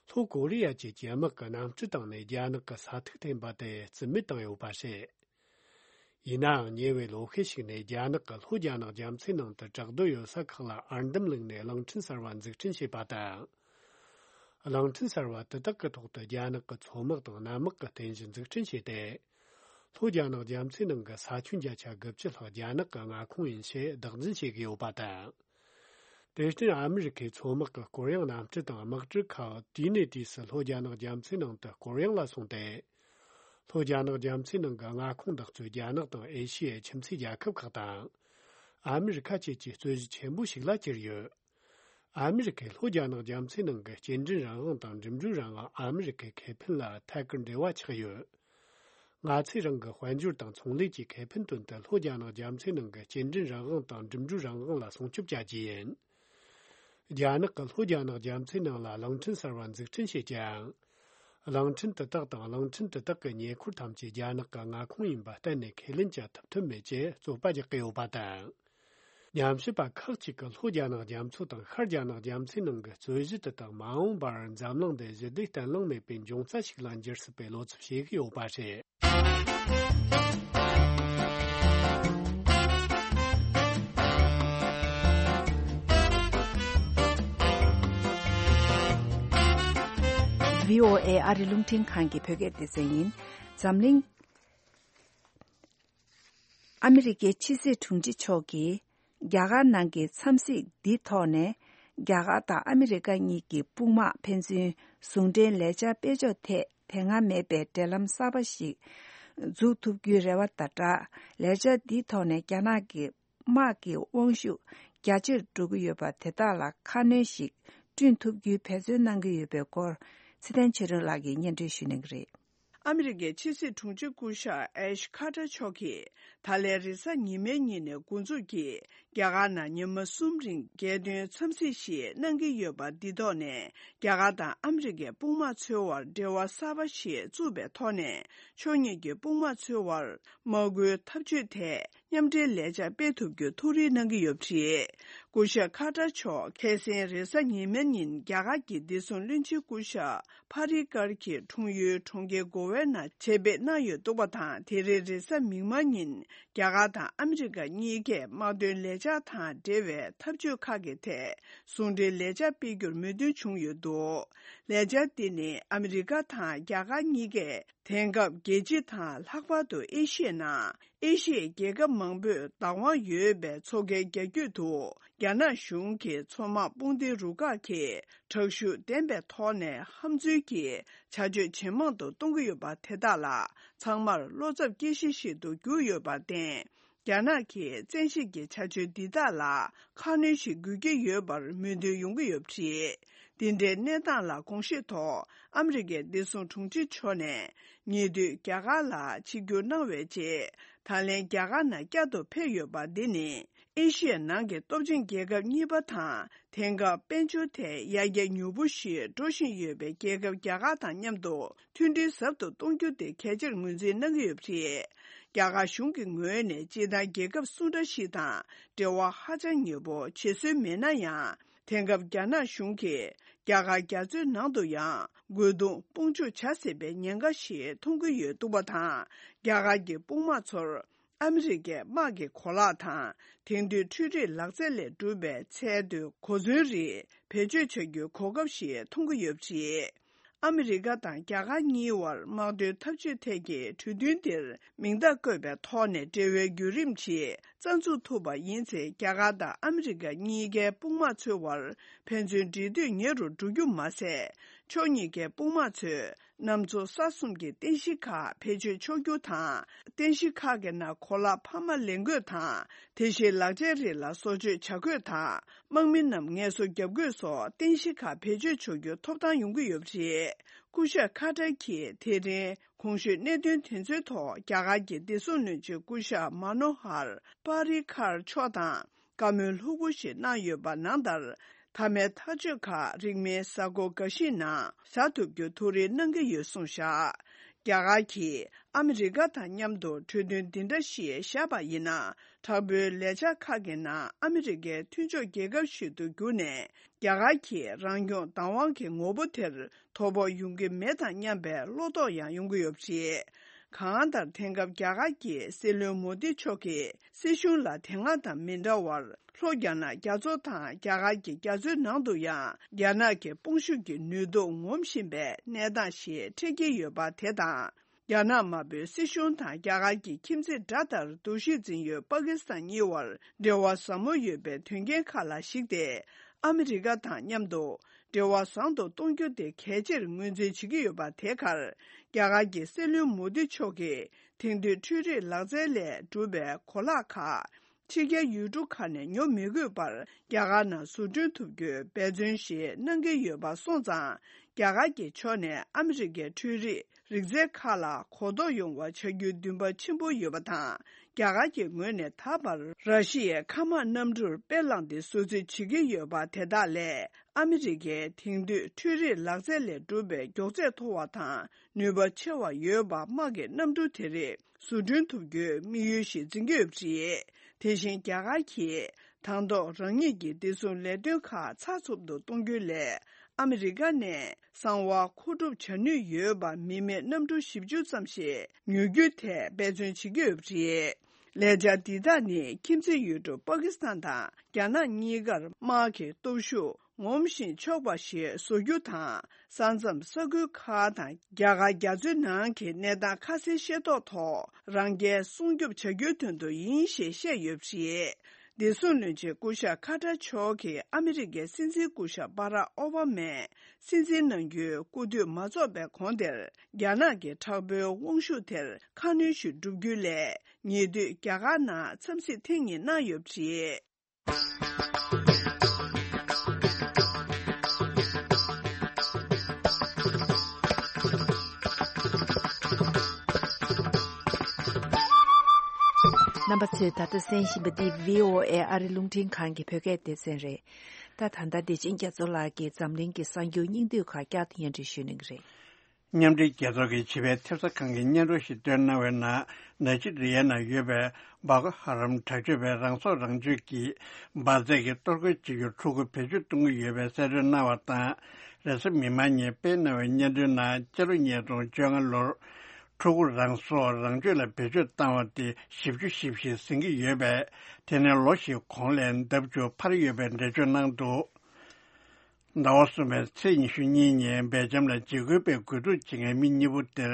ལྷོ་ཀོ་རི་ཡ་བཅས་ཀྱི་དམག་གི་གནམ་གྲུ་བཏང་ནས་རྒྱ་ནག་གི་ས་ཐིག་འཐེན་པ་དེ་རྩིས་མེད་བཏང་ཡོད་པ་རེད། ཡིན་ནའང་ཉེ་བའི་ལོ་ཤས་ཤིག་ནས་རྒྱ་ནག་གིས་ལྷོ་རྒྱ་ནག་རྒྱ་མཚོའི་ནང་དུ་བྲག་རྡོ་ཡོད་ས་ཁག་ལ་ཨར་འདམ་བླུགས་ནས་གླིང་ཕྲན་གསར་བ་འཛུགས་སྐྲུན་བྱས་པ་དང་། གླིང་ཕྲན་གསར་བ་དེ་དག་གི་ཐོག་ཏུ་རྒྱ་ནག་གི་མཚོ་དམག་དང་གནམ་དམག་གི་རྟེན་གཞི་འཛུགས་སྐྲུན་བྱས་ཏེ། ལྷོ་རྒྱ་ནག་རྒྱ་མཚོའི་ནང་གི་ས་ཁྱོན་བརྒྱ་ཆ་དགུ་བཅུ་ལྷག་རྒྱ་ནག་གི་མངའ་ཁོངས་ཡིན་ཞེས་བདག་འཛིན་བྱེད་ཀྱི་ཡོད་པ་དང་། དེར་བརྟེན་ཨ་མི་རི་ཁའི་མཚོ་དམག་གི་སྐོར་གཡེང་གནམ་གྲུ་དང་དམག་གྲུ་ཁག་དུས་ནས་དུས་སུ་ལྷོ་རྒྱ་ནག་རྒྱ་མཚོའི་ནང་དུ་སྐོར་གཡེང་ལ་སོང་སྟེ། ལྷོ་རྒྱ་ནག་རྒྱ་མཚོའི་ནང་གི་མངའ་ཁོངས་འདེགས་གསོད་རྒྱ་ནག་དང་ཨེ་ཤི་ཡའི་ཁྱིམ་མཚེས་རྒྱལ་ཁབ་ཁག་དང་། ཨ་མི་རི་ཁ་བཅས་ཀྱི་རྩོད་གཞི་ཆེན་པོ་ཞིག་ལ་གྱུར་ཡོད། ཨ་མི་རི་ཁས་ལྷོ་རྒྱ་ནག་རྒྱ་མཚོའི་ནང་གི་སྐྱེལ་འདྲེན་རང་དབང་དང་འགྲིམ་འགྲུལ་རང་དབང་ཨ་མི་རི་ཁའི་ཁེ་ཕན་ལ་ཐད་ཀར་འབྲེལ་བ་ཆགས་ཡོད། ང་ཚོས་རང་གི་དཔལ་འབྱོར་དང་ཚོང་ལས་ཀྱི་ཁེ་ཕན་དོན་དུ་ལྷོ་རྒྱ་ནག་རྒྱ་མཚོའི་ནང་གི་སྐྱེལ་འདྲེན་རང་དབང་དང་འགྲིམ་འགྲུལ་རང་དབང་ལ་སྲུང་སྐྱོབ་བྱ་རྒྱུ་ཡིན། རྒྱ་ནག་གིས་ལྷོ་རྒྱ་ནག་རྒྱ་མཚོའི་ནང་ལ་གླིང་ཕྲན་གསར་བ་འཛུགས་སྐྲུན་བྱེད་ཀྱང་། གླིང་ཕྲན་དེ་དག་དང་གླིང་ཕྲན་དེ་དག་གི་ཉེ་འཁོར་ཐམས་ཅད་རྒྱ་ནག་གི་མངའ་ཁོངས་ཡིན་པ་གཏན་ནས་ཁས་ལེན་བྱ་ཐུབ་ཐབས་མེད་ཅེས་རྩོད་པ་རྒྱག་གི་ཡོད་པ་དང་། ཉམས་ཞིབ་པ་ཁག་ཅིག་གིས་ལྷོ་རྒྱ་ནག་རྒྱ་མཚོ་དང་ཤར་རྒྱ་ནག་རྒྱ་མཚོའི་ནང་གི་རྩོད་གཞི་དེ་དག་མ་འོངས་པར་འཛམ་གླིང་འདི་ཞི་བདེ་བརྟན་ལྷིང་མེད་པའི་འབྱུང་རྩ་ཞིག་ལ་འགྱུར་སྲིད་པའི་བློ་འཚབ་བྱེད་ཀྱི་ཡོད་པ་རེད། བྷི་ཨོ་ཨེ་ཨ་རི་རླུང་འཕྲིན་ཁང་གི་བོད་སྐད་སྡེ་ཚན་ཡིན། འཛམ་གླིང་ཨ་མི་རི་ཀའི་ཕྱི་སྲིད་དྲུང་ཆེ་མཆོག་གིས་རྒྱ་གར་ནང་གི་འཚམས་གཟིགས་འདིའི་ཐོག་ནས། རྒྱ་གར་དང་ཨ་མི་རི་ཀ་གཉིས་ཀྱི་དཔུང་དམག་ཕན་ཚུན་ཟུང་འབྲེལ་ལས་འཆར་སྤེལ་ཕྱོགས་ཐད་དེ་སྔ་མེད་པའི་འབྲེལ་ལམ་གསར་པ་ཞིག་འཛུགས་ཐུབ་རྒྱུའི་རེ་བ་དང་སྦྲགས། ལས་འཆར་འདིའི་ཐོག་ནས་རྒྱ་ནག་གི་དམག་གི་དབང་ཤུགས་རྒྱ་ཆེར་འགྲོ་གི་ཡོད་པ་དེ་དག་ལ་ཁ་སྣོན་ཞིག་བསྐྲུན་ཐུབ་རྒྱུའི་འབད་བརྩོན་གནང་གི་ཡོད་པའི་སྐོར། ཚེ་བརྟན་ཆོས་སྒྲོན་ལགས་ཀྱིས་སྙན་སྒྲོན་ཞུ་གནང་གི་རེད། ཨ་མི་རི་ཀའི་ཕྱི་སྲིད་དྲུང་ཆེ་སྐུ་ཞབས་ཨེཤ་ཁ་ཏར་མཆོག་གིས་ད་ལན་རེས་གཟའ་ཉི་མའི་ཉིན་ནས་འགོ་འཛུགས་ཀྱིས་རྒྱ་གར་ནང་ཉི་མ་གསུམ་རིང་རྒྱལ་དོན་འཚམས་གཟིགས་ཤིག་གནང་གི་ཡོད་པ་འདི་ཐོག་ནས། རྒྱ་གར་དང་ཨ་མི་རི་ཀའི་དཔུང་དམག་ཚོའི་དབར་འབྲེལ་བ་གསར་པ་ཞིག་བཙུགས་པའི་ཐོག་ནས། ཕྱོགས་གཉིས་ཀྱི་དཔུང་དམག་ཚོའི་དབར་དམག་སྒོའི་འཐབ་ཇུས་ཐད་མཉམ་འབྲེལ་ལས་འཆར་སྤེལ་ཐུབ་རྒྱུ་ཐུགས་རེ་གནང་གི་ཡོད་པ་རེད། སྐུ་ཞབས་ཁ་ཏར་མཆོག་ཁ་སང་རེས་གཟའ་ཉི་མའི་ཉིན་རྒྱ་གར་གྱི་བདེ་སྲུང་བློན་ཆེན་སྐུ་ཞབས་ཕ་རི་ཀར་གྱི་འཁྲུངས་ཡུལ་གྲོང་ཁྱེར་གོ་ཝའི་ནང་ཆེད་ཕེབས་གནང་ཡོད་འདུག་པ་དང་། དེ་རིང་རེས་གཟའ་མིག་དམར་ཉིན་རྒྱ་གར་དང་ཨ་མི་རི་ཀ་གཉིས་ཀས་དམག་དོན་ལས་འཆར་དང་འབྲེལ་བའི་འཐབ་ཇུས་ཁག་གི་ཐད་ཟུང་འབྲེལ་ལས་འཆར་སྤེལ་རྒྱུར་མོས་མཐུན་བྱུང་ཡོད་འདུག་ལས་འཆར་འདི་ནི་ཨ་མི་རི་ཀ་དང་རྒྱ་གར་གཉིས་ཀས་དེང་སྐབས་རྒྱལ་སྤྱི་དང་ལྷག་པར་དུ་ཨེ་ཤི་ཡའི་ནང་ཨེ་ཤི་ཡའི་རྒྱལ་ཁབ་མང་པོས་བདག་དབང་ཡོད་པའི་མཚོ་ཁའི་རྒྱ་རྒྱུད་དུ། རྒྱ་ནག་གཞུང་གི་མཚོ་དམག་དཔུང་སྡེའི་རུ་ཁག་གིས་དྲག་ཤུགས་ལྡན་པའི་ཐོག་ནས་ཧམ་འཛུལ་གྱིས་བྱ་སྤྱོད་ཇེ་མང་དུ་གཏོང་གི་ཡོད་པ་དེ་དག་ལ་ཚང་མར་བློ་འཚབ་སྐྱེ་གཞི་ཞིག་ཏུ་གྱུར་ཡོད་པར་བརྟེན། རྒྱ་ནག་གིས་བཙན་ཤེད་ཀྱི་བྱ་སྤྱོད་འདི་དག་ལ་ཁ་སྣོན་ཞིག་དགོས་ཀྱི་ཡོད་པར་མོས་མཐུན་ཡོང་གི་ཡོད་པ་རེད། འདི་འདྲའི་གནས་སྟངས་ལ་དགོངས་བཞེས་ཐོག་ཨ་མི་རི་ཀའི་བདེ་སྲུང་དྲུང་ཆེ་མཆོག་ནས་ཉེ་དུས་རྒྱ་གར་ལ་ཆིབས་བསྒྱུར་གནང་བའི་རྗེས། ད་ལན་རྒྱ་གར་ནང་བསྐྱར་དུ་ཕེབས་ཡོད་པ་འདི་ནི། ཨེ་ཤི་ཡའི་ནང་གི་སྟོབས་ཆེན་རྒྱལ་ཁབ་གཉིས་པ་དང་། དེང་སྐབས་དཔལ་འབྱོར་ཐད་ཡར་རྒྱས་མྱུར་པོ་ཞིག་འགྲོ་བཞིན་ཡོད་པའི་རྒྱལ་ཁབ་རྒྱ་གར་དང་མཉམ་དུ་མཐུན་སྒྲིལ་ཟབ་ཏུ་གཏོང་རྒྱུ་དེ་གལ་ཆེར་ངོས་འཛིན་གནང་གི་ཡོད་པ་རེད། རྒྱ་གར་གཞུང་གི་ངོས་ནས་སྤྱིར་བཏང་རྒྱལ་ཁབ་སུ་འདྲ་ཞིག་དང་འབྲེལ་བ་ཧ་ཅང་ཉེ་པོ་བྱེད་སྲོལ་མེད་ན་ཡང་། དེང་སྐབས་རྒྱ་ནག་གཞུང་གིས་རྒྱ་གར་རྒྱ་མཚོའི་ནང་དུ་ཡང་རྒོལ་རྡུང་དཔུང་འཇུག་བྱ་སྲིད་པའི་ཉེན་ཁ་ཞིག་མཐོང་གི་ཡོད་འདུག་པ་དང་། རྒྱ་གར་གྱི་དཔུང་དམག་ཚོར། ཨ་མི་རི་ཀའི་དམག་གི་གོ་ལག་དང་། དེང་དུས་འཕྲུལ་རིག་ལག་རྩལ་ལས་གྲུབ་པའི་ཚད་མཐོའི་གོ་མཚོན་རིགས་བེད་སྤྱོད་བྱ་རྒྱུའི་གོ་སྐབས་ཤིག་མཐོང་གི་ཡོད་པ་རེད། ཨ་མི་རི་ཀ་དང་རྒྱ་གར་གཉིས་བར་དམག་དོན་འཐབ་ཇུས་ཐད་ཀྱི་གྲོས་མཐུན་འདིར་མིང་རྟགས་བཀོད་པའི་ཐོག་ནས་འབྲེལ་བའི་བརྒྱུད་རིམ་ཞིག་རྩ་འཛུགས་ཐུབ་པ་ཡིན་ཚེ། རྒྱ་གར་དང་ཨ་མི་རི་ཀ་གཉིས་ཀའི་དཔུང་དམག་ཚོའི་བར་ཕན་ཚུན་འབྲེལ་མཐུད་ཉེ་རུ་འགྲོ་རྒྱུ་མ་ཟད། ཕྱོགས་གཉིས་ཀའི་དཔུང་དམག་ཚོས། གནམ་མཚོ་ས་གསུམ་གྱི་རྟེན་གཞི་ཁག་བེད་སྤྱོད་ཆོག་རྒྱུ་དང་། རྟེན་གཞི་ཁག་གི་ནང་གོ་ལག་འཕར་མ་ལེན་དགོས་དང་། དེ་བཞིན་ལག་ཆའི་རིགས་ལ་བཟོ་བཅོས་བྱ་དགོས་དང་། དམག་མི་རྣམས་ངལ་གསོ་བརྒྱབ་དགོས་སོགས་རྟེན་གཞི་ཁག་བེད་སྤྱོད་ཆོག་རྒྱུ་ཐོབ་ཐང་ཡོང་གི་ཡོད་པ་རེད། སྐུ་ཞབས་ཁ་ཏར་གྱིས་དེ་རིང་གོང་ཞུས་གནད་དོན་དེ་ཚོའི་ཐོག་རྒྱ་གར་གྱི་བདེ་སྲུང་བློན་ཆེན་སྐུ་ཞབས་མ་ནོ་ཧར་པ་རི་ཁར་མཆོག་དང་། བཀའ་མོལ་ལྷུག་པོ་ཞིག་གནང་ཡོད་པ་ནང་ལྟར། མཐའ་མའི་ཐག་གཅོད་ཁག་རིང་མིན་གཟའ་འཁོར་འགའ་ཞིག་ནང་བཞག་ཐུབ་རྒྱུ་ཐུགས་རེ་གནང་གི་ཡོད་གསུངས་བཞག་རྒྱ་གར་གྱིས་ཨ་མི་རི་ཀ་དང་མཉམ་དུ་གྲོས་མཐུན་འདི་འདྲ་ཞིག་བཞག་པ་ཡིན་ན། དྲག་པོའི་ལས་འཆར་ཁག་གི་ནང་ཨ་མི་རི་ཀའི་མཐུན་ཕྱོགས་རྒྱལ་ཁབ་ཞིག་ཏུ་གྱུར་ནས། རྒྱ་གར་གྱིས་རང་སྐྱོང་བདག་དབང་གི་ངོ་བོ་དེར། དོ་ཕོག་ཡོང་གི་མེད་དང་སྙམ་པའི་བློ་དོགས་ཡང་ཡོང་གི་ཡོད་པ་རེད། གང་ལྟར། དེང་སྐབས་རྒྱ་གར་གྱི་སྲིད་བློན་མོ་དི་མཆོག་གིས་སྲིད་གཞུང་ལ་དེ་སྔ་དང་མི་འདྲ་བར། ལྷོ་རྒྱ་ནག་རྒྱ་མཚོ་དང་རྒྱ་གར་གྱི་རྒྱ་མཚོའི་ནང་དུ་ཡང་རྒྱ་ནག་གི་དཔུང་ཤུགས་ཀྱི་ནུས་སྟོབས་ངོམ་བཞིན་པའི་གནས་སྟངས་ཤིག་འཕྲད་ཀྱི་ཡོད་པ་དེ་དང་། རྒྱ་ནག་དམར་པོའི་སྲིད་གཞུང་དང་རྒྱ་གར་གྱི་ཁྱིམ་མཚེས་དགྲ་ལྟར་འདུ་ཤེས་འཛིན་ཡོད་པ་ཀི་སི་ཐན་གཉིས་བར་འབྲེལ་བ་ཟབ་མོ་ཡོད་པའི་དོན་རྐྱེན་ཁག་ལ་གཞིགས་ཏེ། ཨ་མི་རི་ཀ་དང་མཉམ་དུ་འབྲེལ་བ་བཟང་དུ་གཏོང་རྒྱུ་དེ་གལ་ཆེར་ངོས་འཛིན་བྱེད་ཀྱི་ཡོད་པ་དེ་ཁར། རྒྱ་གར་གྱི་སྲིད་བློན་མོ་དི་མཆོག་གིས་དེང་དུས་འཕྲུལ་རིག་ལག་རྩལ་ལས་གྲུབ་པའི་གོ་ལག་ཁག་ཕྱི་རྒྱལ་ཡུལ་གྲུ་ཁག་ནས་ཉོ་མི་དགོས་པར་རྒྱ་གར་ནང་བཟོ་སྐྲུན་ཐུབ་རྒྱུའི་འབད་བརྩོན་ཞིག་གནང་གི་ཡོད་པ་སོང་ཙང་། རྒྱ་གར་གྱི་ཕྱོགས་ནས་ཨ་མི་རི་ཀའི་འཕྲུལ་རིག་རིག་རྩལ་ཁག་ལ་གོ་རྟོགས་ཡོང་བ་བྱ་རྒྱུའི་འདུན་པ་ཆེན་པོ་ཡོད་པ་དང་། རྒྱ་གར་གྱི་ངོས་ནས་ད་བར་ར་ཤི་ཡའི་མཁའ་དམག་གནམ་གྲུར་དཔེ་བླངས་ཏེ་བཟོ་རྩིས་བྱེད་ཀྱི་ཡོད་པ་དེ་དག་ལས། ཨ་མི་རི་ཀའི་དེང་དུས་འཕྲུལ་རིག་ལག་རྩལ་ལས་གྲུབ་པའི་མགྱོགས་ཚད་མཐོ་བ་དང་ནུས་པ་ཆེ་བ་ཡོད་པ་དམག་གི་གནམ་གྲུ་དེ་རིགས་བཟོ་སྐྲུན་ཐུབ་རྒྱུའི་དམིགས་ཡུལ་ཞིག་འཛིན་གྱི་ཡོད་པ་རེད། དེ་བཞིན་རྒྱ་གར་གྱིས་དང་ཐོག་རང་ཉིད་ཀྱི་བདེ་སྲུང་ལས་དོན་ཁག་ཚགས་ཚུད་དུ་གཏོང་རྒྱུའི་སླད་ཨ་མི་རི་ཀ་ནས་གསང་བ་མཁོ་སྒྲུབ་བྱ་ནུས་ཡོད་པ་མི་མེད་གནམ་གྲུ་བཞི་བཅུ་ཙམ་ཞིག་ཉོ་རྒྱུའི་ཐད་འབད་བརྩོན་བྱེད་ཀྱི་ཡོད་པ་རེད། ལས་འཆར་འདི་དག་ནི་ཁྱིམ་མཚེས་ཡུལ་གྲུ་པ་ཀི་སི་ཐན་དང་རྒྱ་ནག་གཉིས་ཀར་དམག་གི་སྟོབས་ཤུགས་ངོམ་ཞིང་ཆོག་པ་ཞིག་བཟོ་རྒྱུ་དང་། ས་མཚམས་ས་ཁུལ་ཁག་དང་རྒྱ་གར་རྒྱ་མཚོའི་ནང་གི་གནས་སྟངས་ཁ་གསལ་ཤེས་རྟོགས་ཐོག་རང་རྒྱལ་སྲུང་སྐྱོབ་བྱ་རྒྱུའི་དོན་དུ་ཡིན་ཞེས་བཤད་ཡོད་པ་རེད། བདེ་སྲུང་བློན་ཆེན་སྐུ་ཞབས་ཁ་ཏར་མཆོག་གིས་ཨ་མི་རི་ཀའི་སྲིད་འཛིན་སྐུ་ཞབས་སྦ་རག་ཨོ་བྷ་མས་སྲིད་འཛིན་གནང་རྒྱུའི་སྐུ་དུས་མ་རྫོགས་པའི་གོང་དེར། རྒྱ་ནག་གི་དྲག་པོའི་དབང་ཤུགས་དེར་ཁ་སྣོན་ཞིག་བསྒྲུབ་རྒྱུའི་སླད། ཉེ་དུས་རྒྱ་གར་ནང་འཚམས་གཟིགས་ཐེངས་གཉིས་གནང་ཡོད་པ་རེད། རྣམ་པ་ཚོས་ད་ལྟ་གསན་བཞིན་པ་འདི་བྷི་ཨོ་ཨེ་ཨ་རི་རླུང་འཕྲིན་ཁང་གི་བོད་སྐད་སྡེ་ཚན་རེད། ད་ད་ལྟ་བདེ་ཆེན་རྒྱ་མཚོ་ལགས་ཀྱིས་འཛམ་གླིང་གི་གསར་འགྱུར་སྙིང་བསྡུས་ཁག་བསྐྱར་དུ་སྙན་སྒྲོན་ཞུ་གནང་གི་རེད། མཉམ་འབྲེལ་རྒྱལ་ཚོགས་ཀྱི་ཕྱི་པའི་ཐེབས་རྩ་ཁང་གིས་སྙན་སྒྲོན་ཞིག་བཏོན་གནང་བའི་ནང་། ནཱི་ཇི་རི་ཡའི་ནང་ཡོད་པའི་བྷོ་ཀོ་ཧ་རམ་དྲག་སྤྱོད་པས་རང་སྲོག་རང་གཅོད་ཀྱིས་འབར་རྫས་ཀྱི་གཏོར་རྒོལ་བྱེད་རྒྱུར་ཕྲུ་གུ་བེད་སྤྱོད་གཏོང་གི་ཡོད་པའི་གསལ་སྟོན་གནང་བ་དང་། རེས་གཟའ་མིག་དམར་ཉིན་སྤེལ་གནང་བའི་སྙན་སྒྲོན་ནང་། སྤྱི་ལོ་ཉིས་སྟོང་བཅོ་ལྔ་ལོར་ཕྲུ་གུ་རང་སྲོག་རང་གཅོད་ལ་བེད་སྤྱོད་བཏང་བ་དེ་བཞི་བཅུ་ཞེ་བཞི་ཟིན་གྱི་ཡོད་པས། དེ་ནི་ལོ་བཞིའི་གོང་ལས་ལྡབ་བཅུ་འཕར་ཡོད་པའི་འགྲེལ་བརྗོད་གནང་འདུག་ཟླ་བ་གསུམ་པའི་ཚེས་ཉི་ཤུ་གཉིས་ཉིན་སྦེལ་ཇམ་ལ་འཇིགས་སྐུལ་པས་རྒོལ་རྡུང་བྱེད་མཁན་མི་གཉིས་པོ་དེར་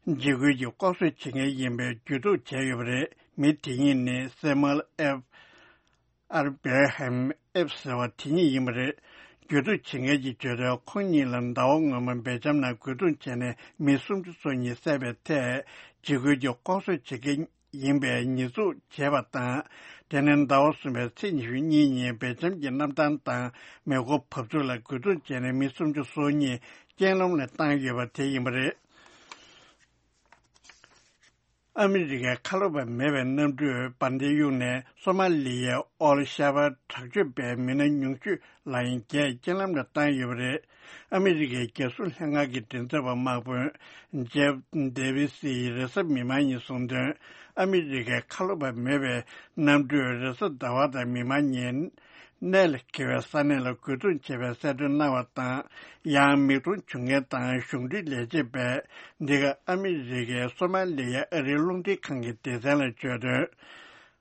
འཇིགས་སྐུལ་གྱི་ལྐོག་གསོད་བྱེད་མཁན་ཡིན་པའི་ཇུས་གཏོགས་བྱས་ཡོད་པ་རེད། མི་དེ་གཉིས་ནི་སེ་མུ་ཨེལ་ཨེབ། ཨར་བེལ་ཧེམ་ཨེབ་ཟེར་བ་དེ་གཉིས་ཡིན་པ་རེད། ཇུས་གཏོགས་བྱེད་མཁན་གྱིས་བརྗོད་དོན། ཁོང་གཉིས་ལ་ཟླ་བ་སྔོན་མ་སྦེལ་ཇམ་ནང་རྒོལ་རྡུང་བྱས་ནས་མི་སུམ་ཅུ་སོ་གཉིས་བསད་པའི་ཐད་འཇིགས་སྐུལ་གྱི་ལྐོག་གསོད་བྱེད་མཁན་ཡིན་པའི་ཉེས་འཛུགས་བྱས་པ་དང་། དེ་ནི་ཟླ་བ་གསུམ་པའི་ཚེས་ཉི་ཤུ་གཉིས་ཉིན་སྦེལ་ཇམ་གྱི་གནམ་ཐང་དང་མེ་འཁོར་བབས་ཚུགས་ལ་རྒོལ་རྡུང་བྱས་ནས་མི་སུམ་ཅུ་སོ་གཉིས་རྐྱེན་ལམ་ལ་བཏང་ཡོད་པ་དེ་ཡིན་པ་རེད། ཨ་མི་རི་ཀའི་ཁ་ལོ་བ་མེད་པའི་གནམ་གྲུས་འབར་མདེལ་གཡུགས་ནས་སོ་མ་ལི་ཡའི་ཨོལ་ཤ་བ་དྲག་སྤྱོད་པའི་མི་སྣ་ཉུང་ཤོས་ལ་ཡང་བརྒྱད་རྐྱེན་ལམ་ལ་བཏང་ཡོད་པ་རེད། ཨ་མི་རི་ཀའི་རྒྱལ་སྲུང་ལྷན་ཁང་གི་མགྲིན་ཚབ་པ་དམག་དཔོན་ཇེབ་ཌེ་བི་སིས་རེས་གཟའ་མིག་དམར་ཉིན་གསུངས་དོན། ཨ་མི་རི་ཀའི་ཁ་ལོ་བ་མེད་པའི་གནམ་གྲུས་རེས་གཟའ་ཟླ་བ་དང་མིག་དམར་ཉིན་གནས་ལ་འཁེལ་བའི་ས་གནས་ལ་རྒོལ་རྡུང་བྱས་པའི་གསལ་སྟོན་གནང་བ་དང་། ཡང་མིག་མཐོང་བྱུང་མཁན་དང་གཞུང་འབྲེལ་ལས་བྱེད་པས་འདི་ག་ཨ་མི་རི་ཀའི་སོ་མ་ལི་ཡ་ཨ་རིའི་རླུང་འཕྲིན་ཁང་གི་སྡེ་ཚན་ལ་བརྗོད་དོན།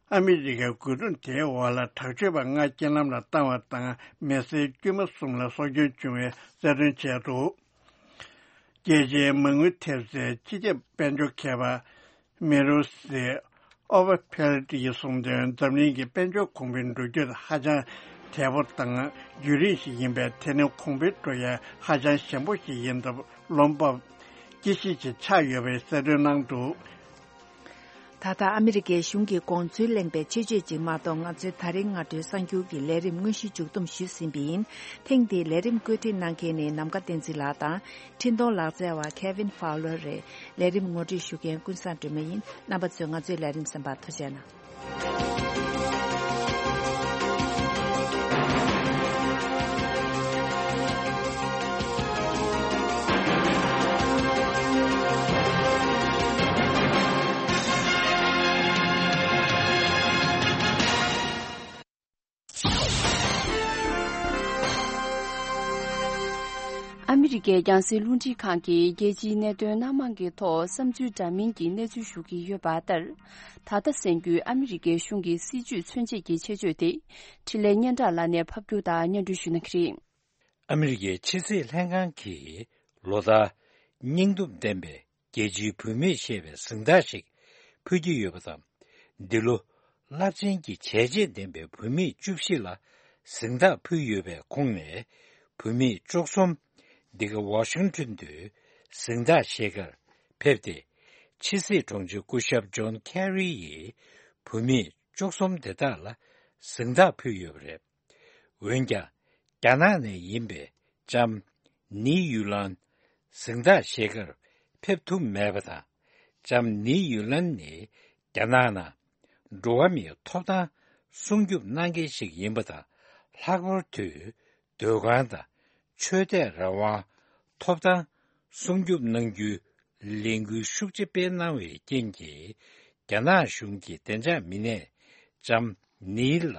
ཨ་མི་རི་ཀའི་རྒོལ་རྡུང་དེའི་འོག་ལ་དྲག་སྤྱོད་པ་ལྔ་རྐྱེན་ལམ་ལ་བཏང་བ་དང་མི་སེར་དཀྱུས་མ་གསུམ་ལ་སྲོག་སྐྱོན་བྱུང་བའི་གསལ་སྟོན་བྱས་འདུག་རྒྱལ་སྤྱིའི་མ་དངུལ་ཐེབས་རྩའི་སྤྱི་ཁྱབ་དཔལ་འབྱོར་མཁས་པ་མེ་རོ་སི་ཨོ་བ་ཕེལ་ཏི་ཡིས་གསུངས་དོན། འཛམ་གླིང་གི་དཔལ་འབྱོར་གོང་འཕེལ་འགྲོ་རྒྱུ་ཧ་ཅང་དལ་པོ་དང་བརྒྱུད་རིམ་ཞིག་ཡིན་པས། དེ་ནི་གོང་འཕེལ་འགྲོ་ཡ་ཧ་ཅང་ཞན་པོ་ཞིག་ཡིན་སྟབས། བློ་འབབ་སྐྱེ་གཞི་ཞིག་ཆགས་ཡོད་པའི་གསལ་སྟོན་གནང་འདུག་ད་ལྟ་ཨ་མི་རི་ཀའི་གཞུང་གི་དགོངས་ཚུལ་གླེང་པའི་ཆེད་བརྗོད་ཅིག་མ་གཏོགས། ང་ཚོའི་ད་རེས་སྔ་དྲོའི་གསར་འགྱུར་གྱི་ལས་རིམ་དངོས་གཞི་མཇུག་བསྡོམས་ཞུས་ཟིན་པ་ཡིན། ཐེངས་འདིའི་ལས་རིམ་བཀོད་སྒྲིག་གནང་མཁན་ནི་ནམ་མཁའ་བསྟན་འཛིན་ལགས་དང་། འཕྲིན་གཏོང་ལག་རྩལ་བ་Kevin Fowler་རེད། ལས་རིམ་ངོ་སྤྲོད་ཞུ་མཁན་ཀུན་བཟང་སྒྲོལ་མ་ཡིན། རྣམ་པ་ཚོས་ང་ཚོའི་ལས་རིམ་གསན་པར་ཐུགས་རྗེ་གནང་། ཨ་མི་རི་ཀའི་རྒྱང་སྲིང་རླུང་འཕྲིན་ཁང་གིས་རྒྱལ་སྤྱིའི་གནད་དོན་སྣ་མང་གི་ཐོག་བསམ་ཚུལ་འདྲ་མིན་གྱི་གནས་ཚུལ་ཞུ་གི་ཡོད་པ་ལྟར། ད་ལྟ་གསན་རྒྱུའི་ཨ་མི་རི་ཀའི་གཞུང་གི་སྲིད་ཇུས་མཚོན་བྱེད་ཀྱི་ཆེད་བརྗོད་དེ། འཕྲིན་ལས་སྙན་གྲགས་ལགས་ནས་ཕབ་སྒྱུར་དང་སྙན་སྒྲོན་ཞུ་གནང་གི་རེད། ཨ་མི་རི་ཀའི་ཕྱི་སྲིད་ལྷན་ཁང་གིས་ལོ་ལྟར་སྙིང་སྟོབས་ལྡན་པའི་རྒྱལ་སྤྱིའི་བུད་མེད་ཞེས་པའི་གཟེངས་རྟགས་ཤིག་ཕུལ་གྱི་ཡོད་པ་དང་། འདི་ལོ་རླབས་ཆེན་གྱི་བྱས་རྗེས་ལྡན་པའི་བུད་མེད་བཅུ་བཞི་ལ་གཟེངས་རྟགས་ཕུལ་ཡོད་པའི་ཁོངས་ནས་བུད་མེད་བཅུ་གསུམ་འདི་ག་ཝ་ཤིང་ཊོན་དུ་གཟེངས་རྟགས་བཞེས་ཁར་ཕེབས་ཏེ། ཕྱི་སྲིད་དྲུང་ཆེ་སྐུ་ཞབས་ཇོན་ཁེ་རི་ཡིས་བུད་མེད་བཅུ་གསུམ་དེ་དག་ལ་གཟེངས་རྟགས་ཕུལ་ཡོད་པ་རེད། འོན་ཀྱང་། རྒྱ་ནག་ནས་ཡིན་པའི་ལྕམ་ནི་ཡུ་ལན་གཟེངས་རྟགས་བཞེས་ཁར་ཕེབས་ཐུབ་མེད་པ་དང་། ལྕམ་ནི་ཡུ་ལན་ནི་རྒྱ་ནག་ནང་འགྲོ་བ་མིའི་ཐོབ་ཐང་སྲུང་སྐྱོབ་གནང་མཁན་ཞིག་ཡིན་པ་དང་། ལྷག་པར་དུ་ སྡོད་ཁང་དང་ཆོས་དད་རང་དབང་ཐོབ་ཐང་སྲུང་སྐྱོབ་གནང་རྒྱུའི་ལས་འགུལ་ཤུགས་ཆེ་སྤེལ་གནང་བའི་རྐྱེན་གྱིས། རྒྱ་ནག་གཞུང་གིས་བདེ་འཇགས་མི་སྣས་ལྕམ་ནིའི་ལ་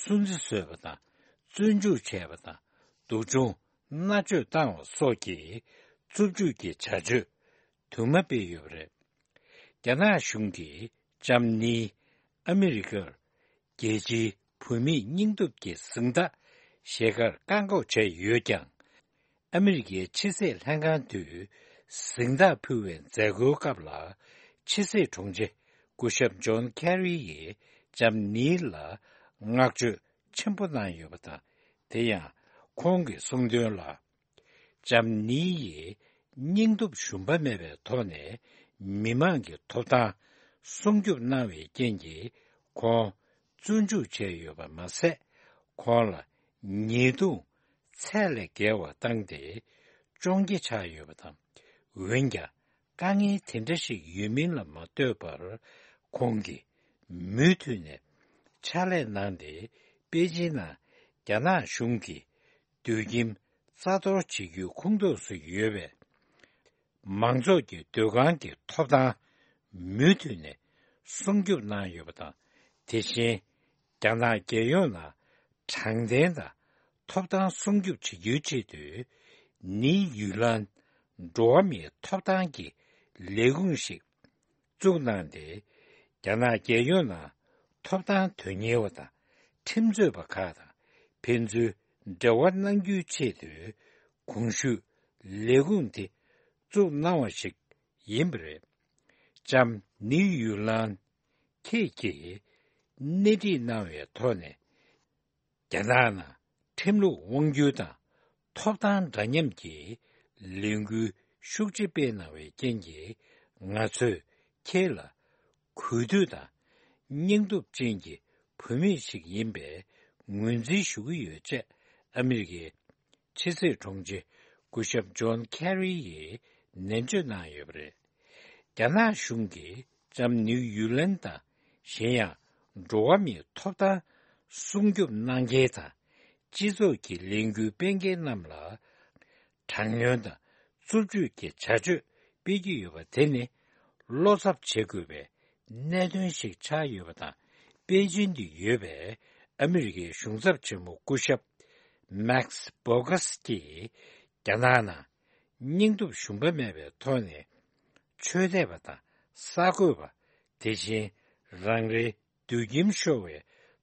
སུན་གཙེར་བཟོས་པ་དང་། བཙོན་འཇུག་བྱས་པ་དང་། སྡུག་སྦྱོང་མནར་གཅོད་བཏང་བ་སོགས་ཀྱི་རྩུབ་སྤྱོད་ཀྱི་བྱ་སྤྱོད་དུ་མ་སྤེལ་ཡོད་པ་རེད། རྒྱ་ནག་གཞུང་གིས་ལྕམ་ནིའི་ཨ་མི་རི་ཀར་རྒྱལ་སྤྱིའི་བུད་མེད་སྙིང་སྟོབས་ཀྱི་གཟེངས་རྟགས་ཞལ་དཀར་བཀག་འགོག་བྱས་ཡོད་ཀྱང་། ཨ་མི་རི་ཀའི་ཕྱི་སྲིད་ལྷན་ཁང་དུ་གཟེངས་རྟགས་ཕུལ་བའི་མཛད་སྒོའི་སྐབས་ལ། ཕྱི་སྲིད་དྲུང་ཆེ་སྐུ་ཞབས་ཇོན་ཁེ་རི་ཡིས་ལྕམ་ནིའི་ལ་བསྔགས་བརྗོད་ཆེན་པོ་གནང་ཡོད་པ་དང་། དེ་ཡང་ཁོང་གིས་གསུངས་དོན་ལ། ལྕམ་ནིའི་སྙིང་སྟོབས་ཞུམ་པ་མེད་པའི་ཐོག་ནས་མི་མང་གི་ཐོབ་ཐང་སྲུང་སྐྱོབ་གནང་བའི་རྐྱེན་གྱིས་ཁོང་བཙོན་འཇུག་བྱས་ཡོད་པ་མ་ཟད། ཁོང་ལ་ཉེས་རྡུང་ཚད་ལས་བརྒལ་བ་བཏང་སྟེ་བཅོམ་གྱི་ཆགས་ཡོད་པ་དང་། འོན་ཀྱང་། དཀའ་ངལ་དེ་འདྲ་ཞིག་ཡོད་མིན་ལ་མ་ལྟོས་པར། ཁོང་གིས་མུ་མཐུད་ནས་ཕྱག་ལས་གནང་སྟེ། པེ་ཅིན་ནང་རྒྱ་ནག་གཞུང་གིས་སྡོད་ཁྱིམ་རྩ་གཏོར་བྱེད་རྒྱུའི་ཁོངས་གཏོགས་སུ་ཡོད་པའི་མང་ཚོགས་ཀྱི་སྡོད་ཁང་གི་ཐོབ་ཐང་མུ་མཐུད་ནས་སྲུང་སྐྱོབ་གནང་ཡོད་པ་དང་། དེ་བཞིན། རྒྱ་ནག་རྒྱལ་ཡོངས་ནང་དྲང་བདེན་དང་ཐོབ་ཐང་སྲུང་སྐྱོབ་བྱེད་རྒྱུའི་ཆེད་དུ། ནིའུ་ཡུའུ་ལན་འགྲོ་བ་མིའི་ཐོབ་ཐང་གི་ལས་ཁུངས་ཤིག་བཙུགས་གནང་སྟེ། རྒྱ་ནག་རྒྱལ་ཡོངས་ནང་ཐོབ་ཐང་དོན་གཉེར་བ་དང་ཁྲིམས་རྩོད་པ་ཁག་དང་ཕན་ཚུན་འབྲེལ་བ་གནང་རྒྱུའི་ཆེད་དུ། གོང་ཞུས་ལས་ཁུངས་དེ་བཙུགས་གནང་བ་ཞིག་ཡིན་པ་རེད། ལྕམ་ནིའུ་ཡུའུ་ལན་ཁྱེད་ཀྱིས་སྣེ་ཁྲིད་གནང་བའི་ཐོག་ནས། རྒྱ་ནག་ནང་ཁྲིམས་ལུགས་དབང་སྒྱུར་དང་ཐོབ་ཐང་འདྲ་མཉམ་གྱི་ལས་འགུལ་ཤུགས་ཆེ་སྤེལ་གནང་བའི་རྐྱེན་གྱིས། ང་ཚོས་ཁྱེད་ལ་གུས་འདུད་དང་སྙིང་སྟོབས་ཅན་གྱི་བུད་མེད་ཞིག་ཡིན་པའི་ངོས་འཛིན་ཞུ་གི་ཡོད་ཅེས། ཨ་མི་རི་ཀའི་ཕྱི་སྲིད་དྲུང་ཆེ་སྐུ་ཞབས་ཇོན་ཁེ་རི་ཡིས་ནན་བརྗོད་གནང་ཡོད་པ་རེད། རྒྱ་ནག་གཞུང་གིས་ལྕམ་ནིའུ་ཡུའུ་ལན་དང་། གཞན་ཡང་། འགྲོ་བ་མིའི་ཐོབ་ཐང་སྲུང་སྐྱོབ་གནང་མཁན་དང་། སྤྱི་ཚོགས་ཀྱི་ལས་འགུལ་སྤེལ་མཁན་རྣམས་ལ། དྲག་གནོན་དང་རྩུབ་སྤྱོད་ཀྱི་བྱ་སྤྱོད་སྤེལ་གྱི་ཡོད་པ་དེ་ནི། བློ་འཚབ་བྱེད་དགོས་པའི་གནད་དོན་ཞིག་ཆགས་ཡོད་པ་དང་། པེ་ཅིན་དུ་ཡོད་པའི་ཨ་མི་རི་ཀའི་གཞུང་ཚབ་ཆེན་མོ་སྐུ་ཞབས་མེག་སི་བྷོ་གྷས་ཀྱིས། རྒྱ་ནག་ནང་སྙིང་སྟོབས་ཞུམ་པ་མེད་པའི་ཐོག་ནས། ཆོས་དད་པ་དང་གསར་འགོད་པ། དེ་བཞིན་རང་རེའི་སྡོད་ཁྱིམ་ཤོར་བའི་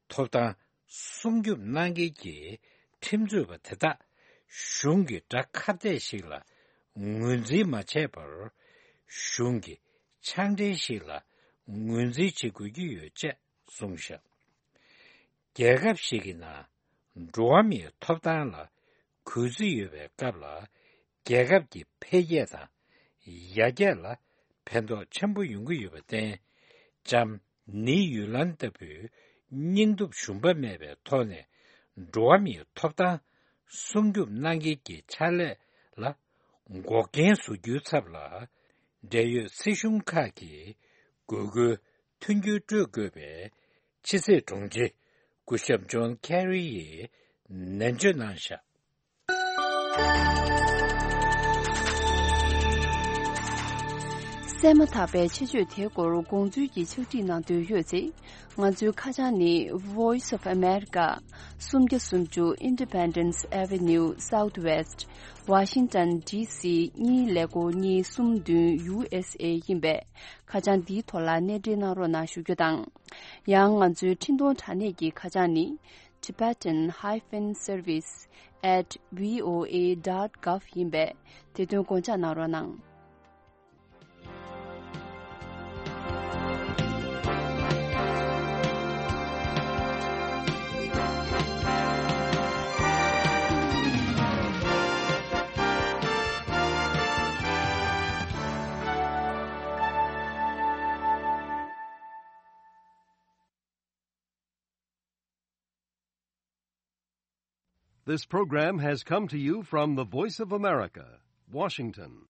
ཐོབ་ཐང་སྲུང་སྐྱོབ་གནང་མཁན་གྱི་ཁྲིམས་རྩོད་པ་དེ་དག་གཞུང་གི་དགྲ་ཁ་གཏད་ཞིག་ལ་ངོས་འཛིན་མ་བྱས་པར། གཞུང་གི་ཕྱག་འབྲེལ་ཞིག་ལ་ངོས་འཛིན་བྱེད་དགོས་ཀྱི་ཡོད་ཅེས་གསུངས་བཞག་རྒྱལ་ཁབ་ཞིག་གི་ནང་འགྲོ་བ་མིའི་ཐོབ་ཐང་ལ་གུས་བརྩི་ཡོད་པའི་སྐབས་ལ། རྒྱལ་ཁབ་ཀྱི་འཕེལ་རྒྱས་དང་ཡར་རྒྱས་ལ་ཕན་ཐོགས་ཆེན་པོ་ཡོང་གི་ཡོད་པར་བརྟེན། ལྕམ་ནིའུ་ཡུའུ་ལན་ལྟ་བུའི་སྙིང་སྟོབས་ཞུམ་པ་མེད་པའི་ཐོག་ནས། འགྲོ་བ་མིའི་ཐོབ་ཐང་སྲུང་སྐྱོབ་གནང་མཁན་གྱི་ཕྱག་ལས་ལ་འགོག་རྐྱེན་བཟོ་རྒྱུའི་ཚབ་ལ། འབྲེལ་ཡོད་སྲིད་གཞུང་ཁག་གིས་དགོས་མཁོའི་མཐུན་འགྱུར་སྤྲོད་དགོས་པའི་ཕྱི་སྲིད་དྲུང་ཆེ་སྐུ་ཞབས་ཇོན་ཁེ་རི་ཡིས་ནན་བརྗོད་གནང་བཞག་གསན་མ་ཐག་པའི་ཆེད་བརྗོད་དེའི་སྐོར་དགོངས་ཚུལ་གྱི་ཕྱག་བྲིས་གནང་འདོད་ཡོད་ཚེ། ང་ཚོའི་ཁ་བྱང་ནི། Voice of America། སུམ་བརྒྱ་སུམ་ཅུ། Independence Avenue Southwest། Washington D C གཉིས་ཀླད་ཀོར་གཉིས་གསུམ་བདུན། U S A ཡིན་པས། ཁ་བྱང་འདིའི་ཐོག་ལ་གནས་འབྲེལ་གནང་རོགས་གནང་ཞུ་རྒྱུ་དང་། ཡང་ང་ཚོའི་འཕྲིན་གཏོང་དྲ་གནས་ཀྱི་ཁ་བྱང་ནི། Tibetan hyphen service at V O A dot gov ཡིན་པས། དེ་དོན་དགོངས་འཇགས་གནང་རོགས་གནང་། This program has come to you from the Voice of America, Washington.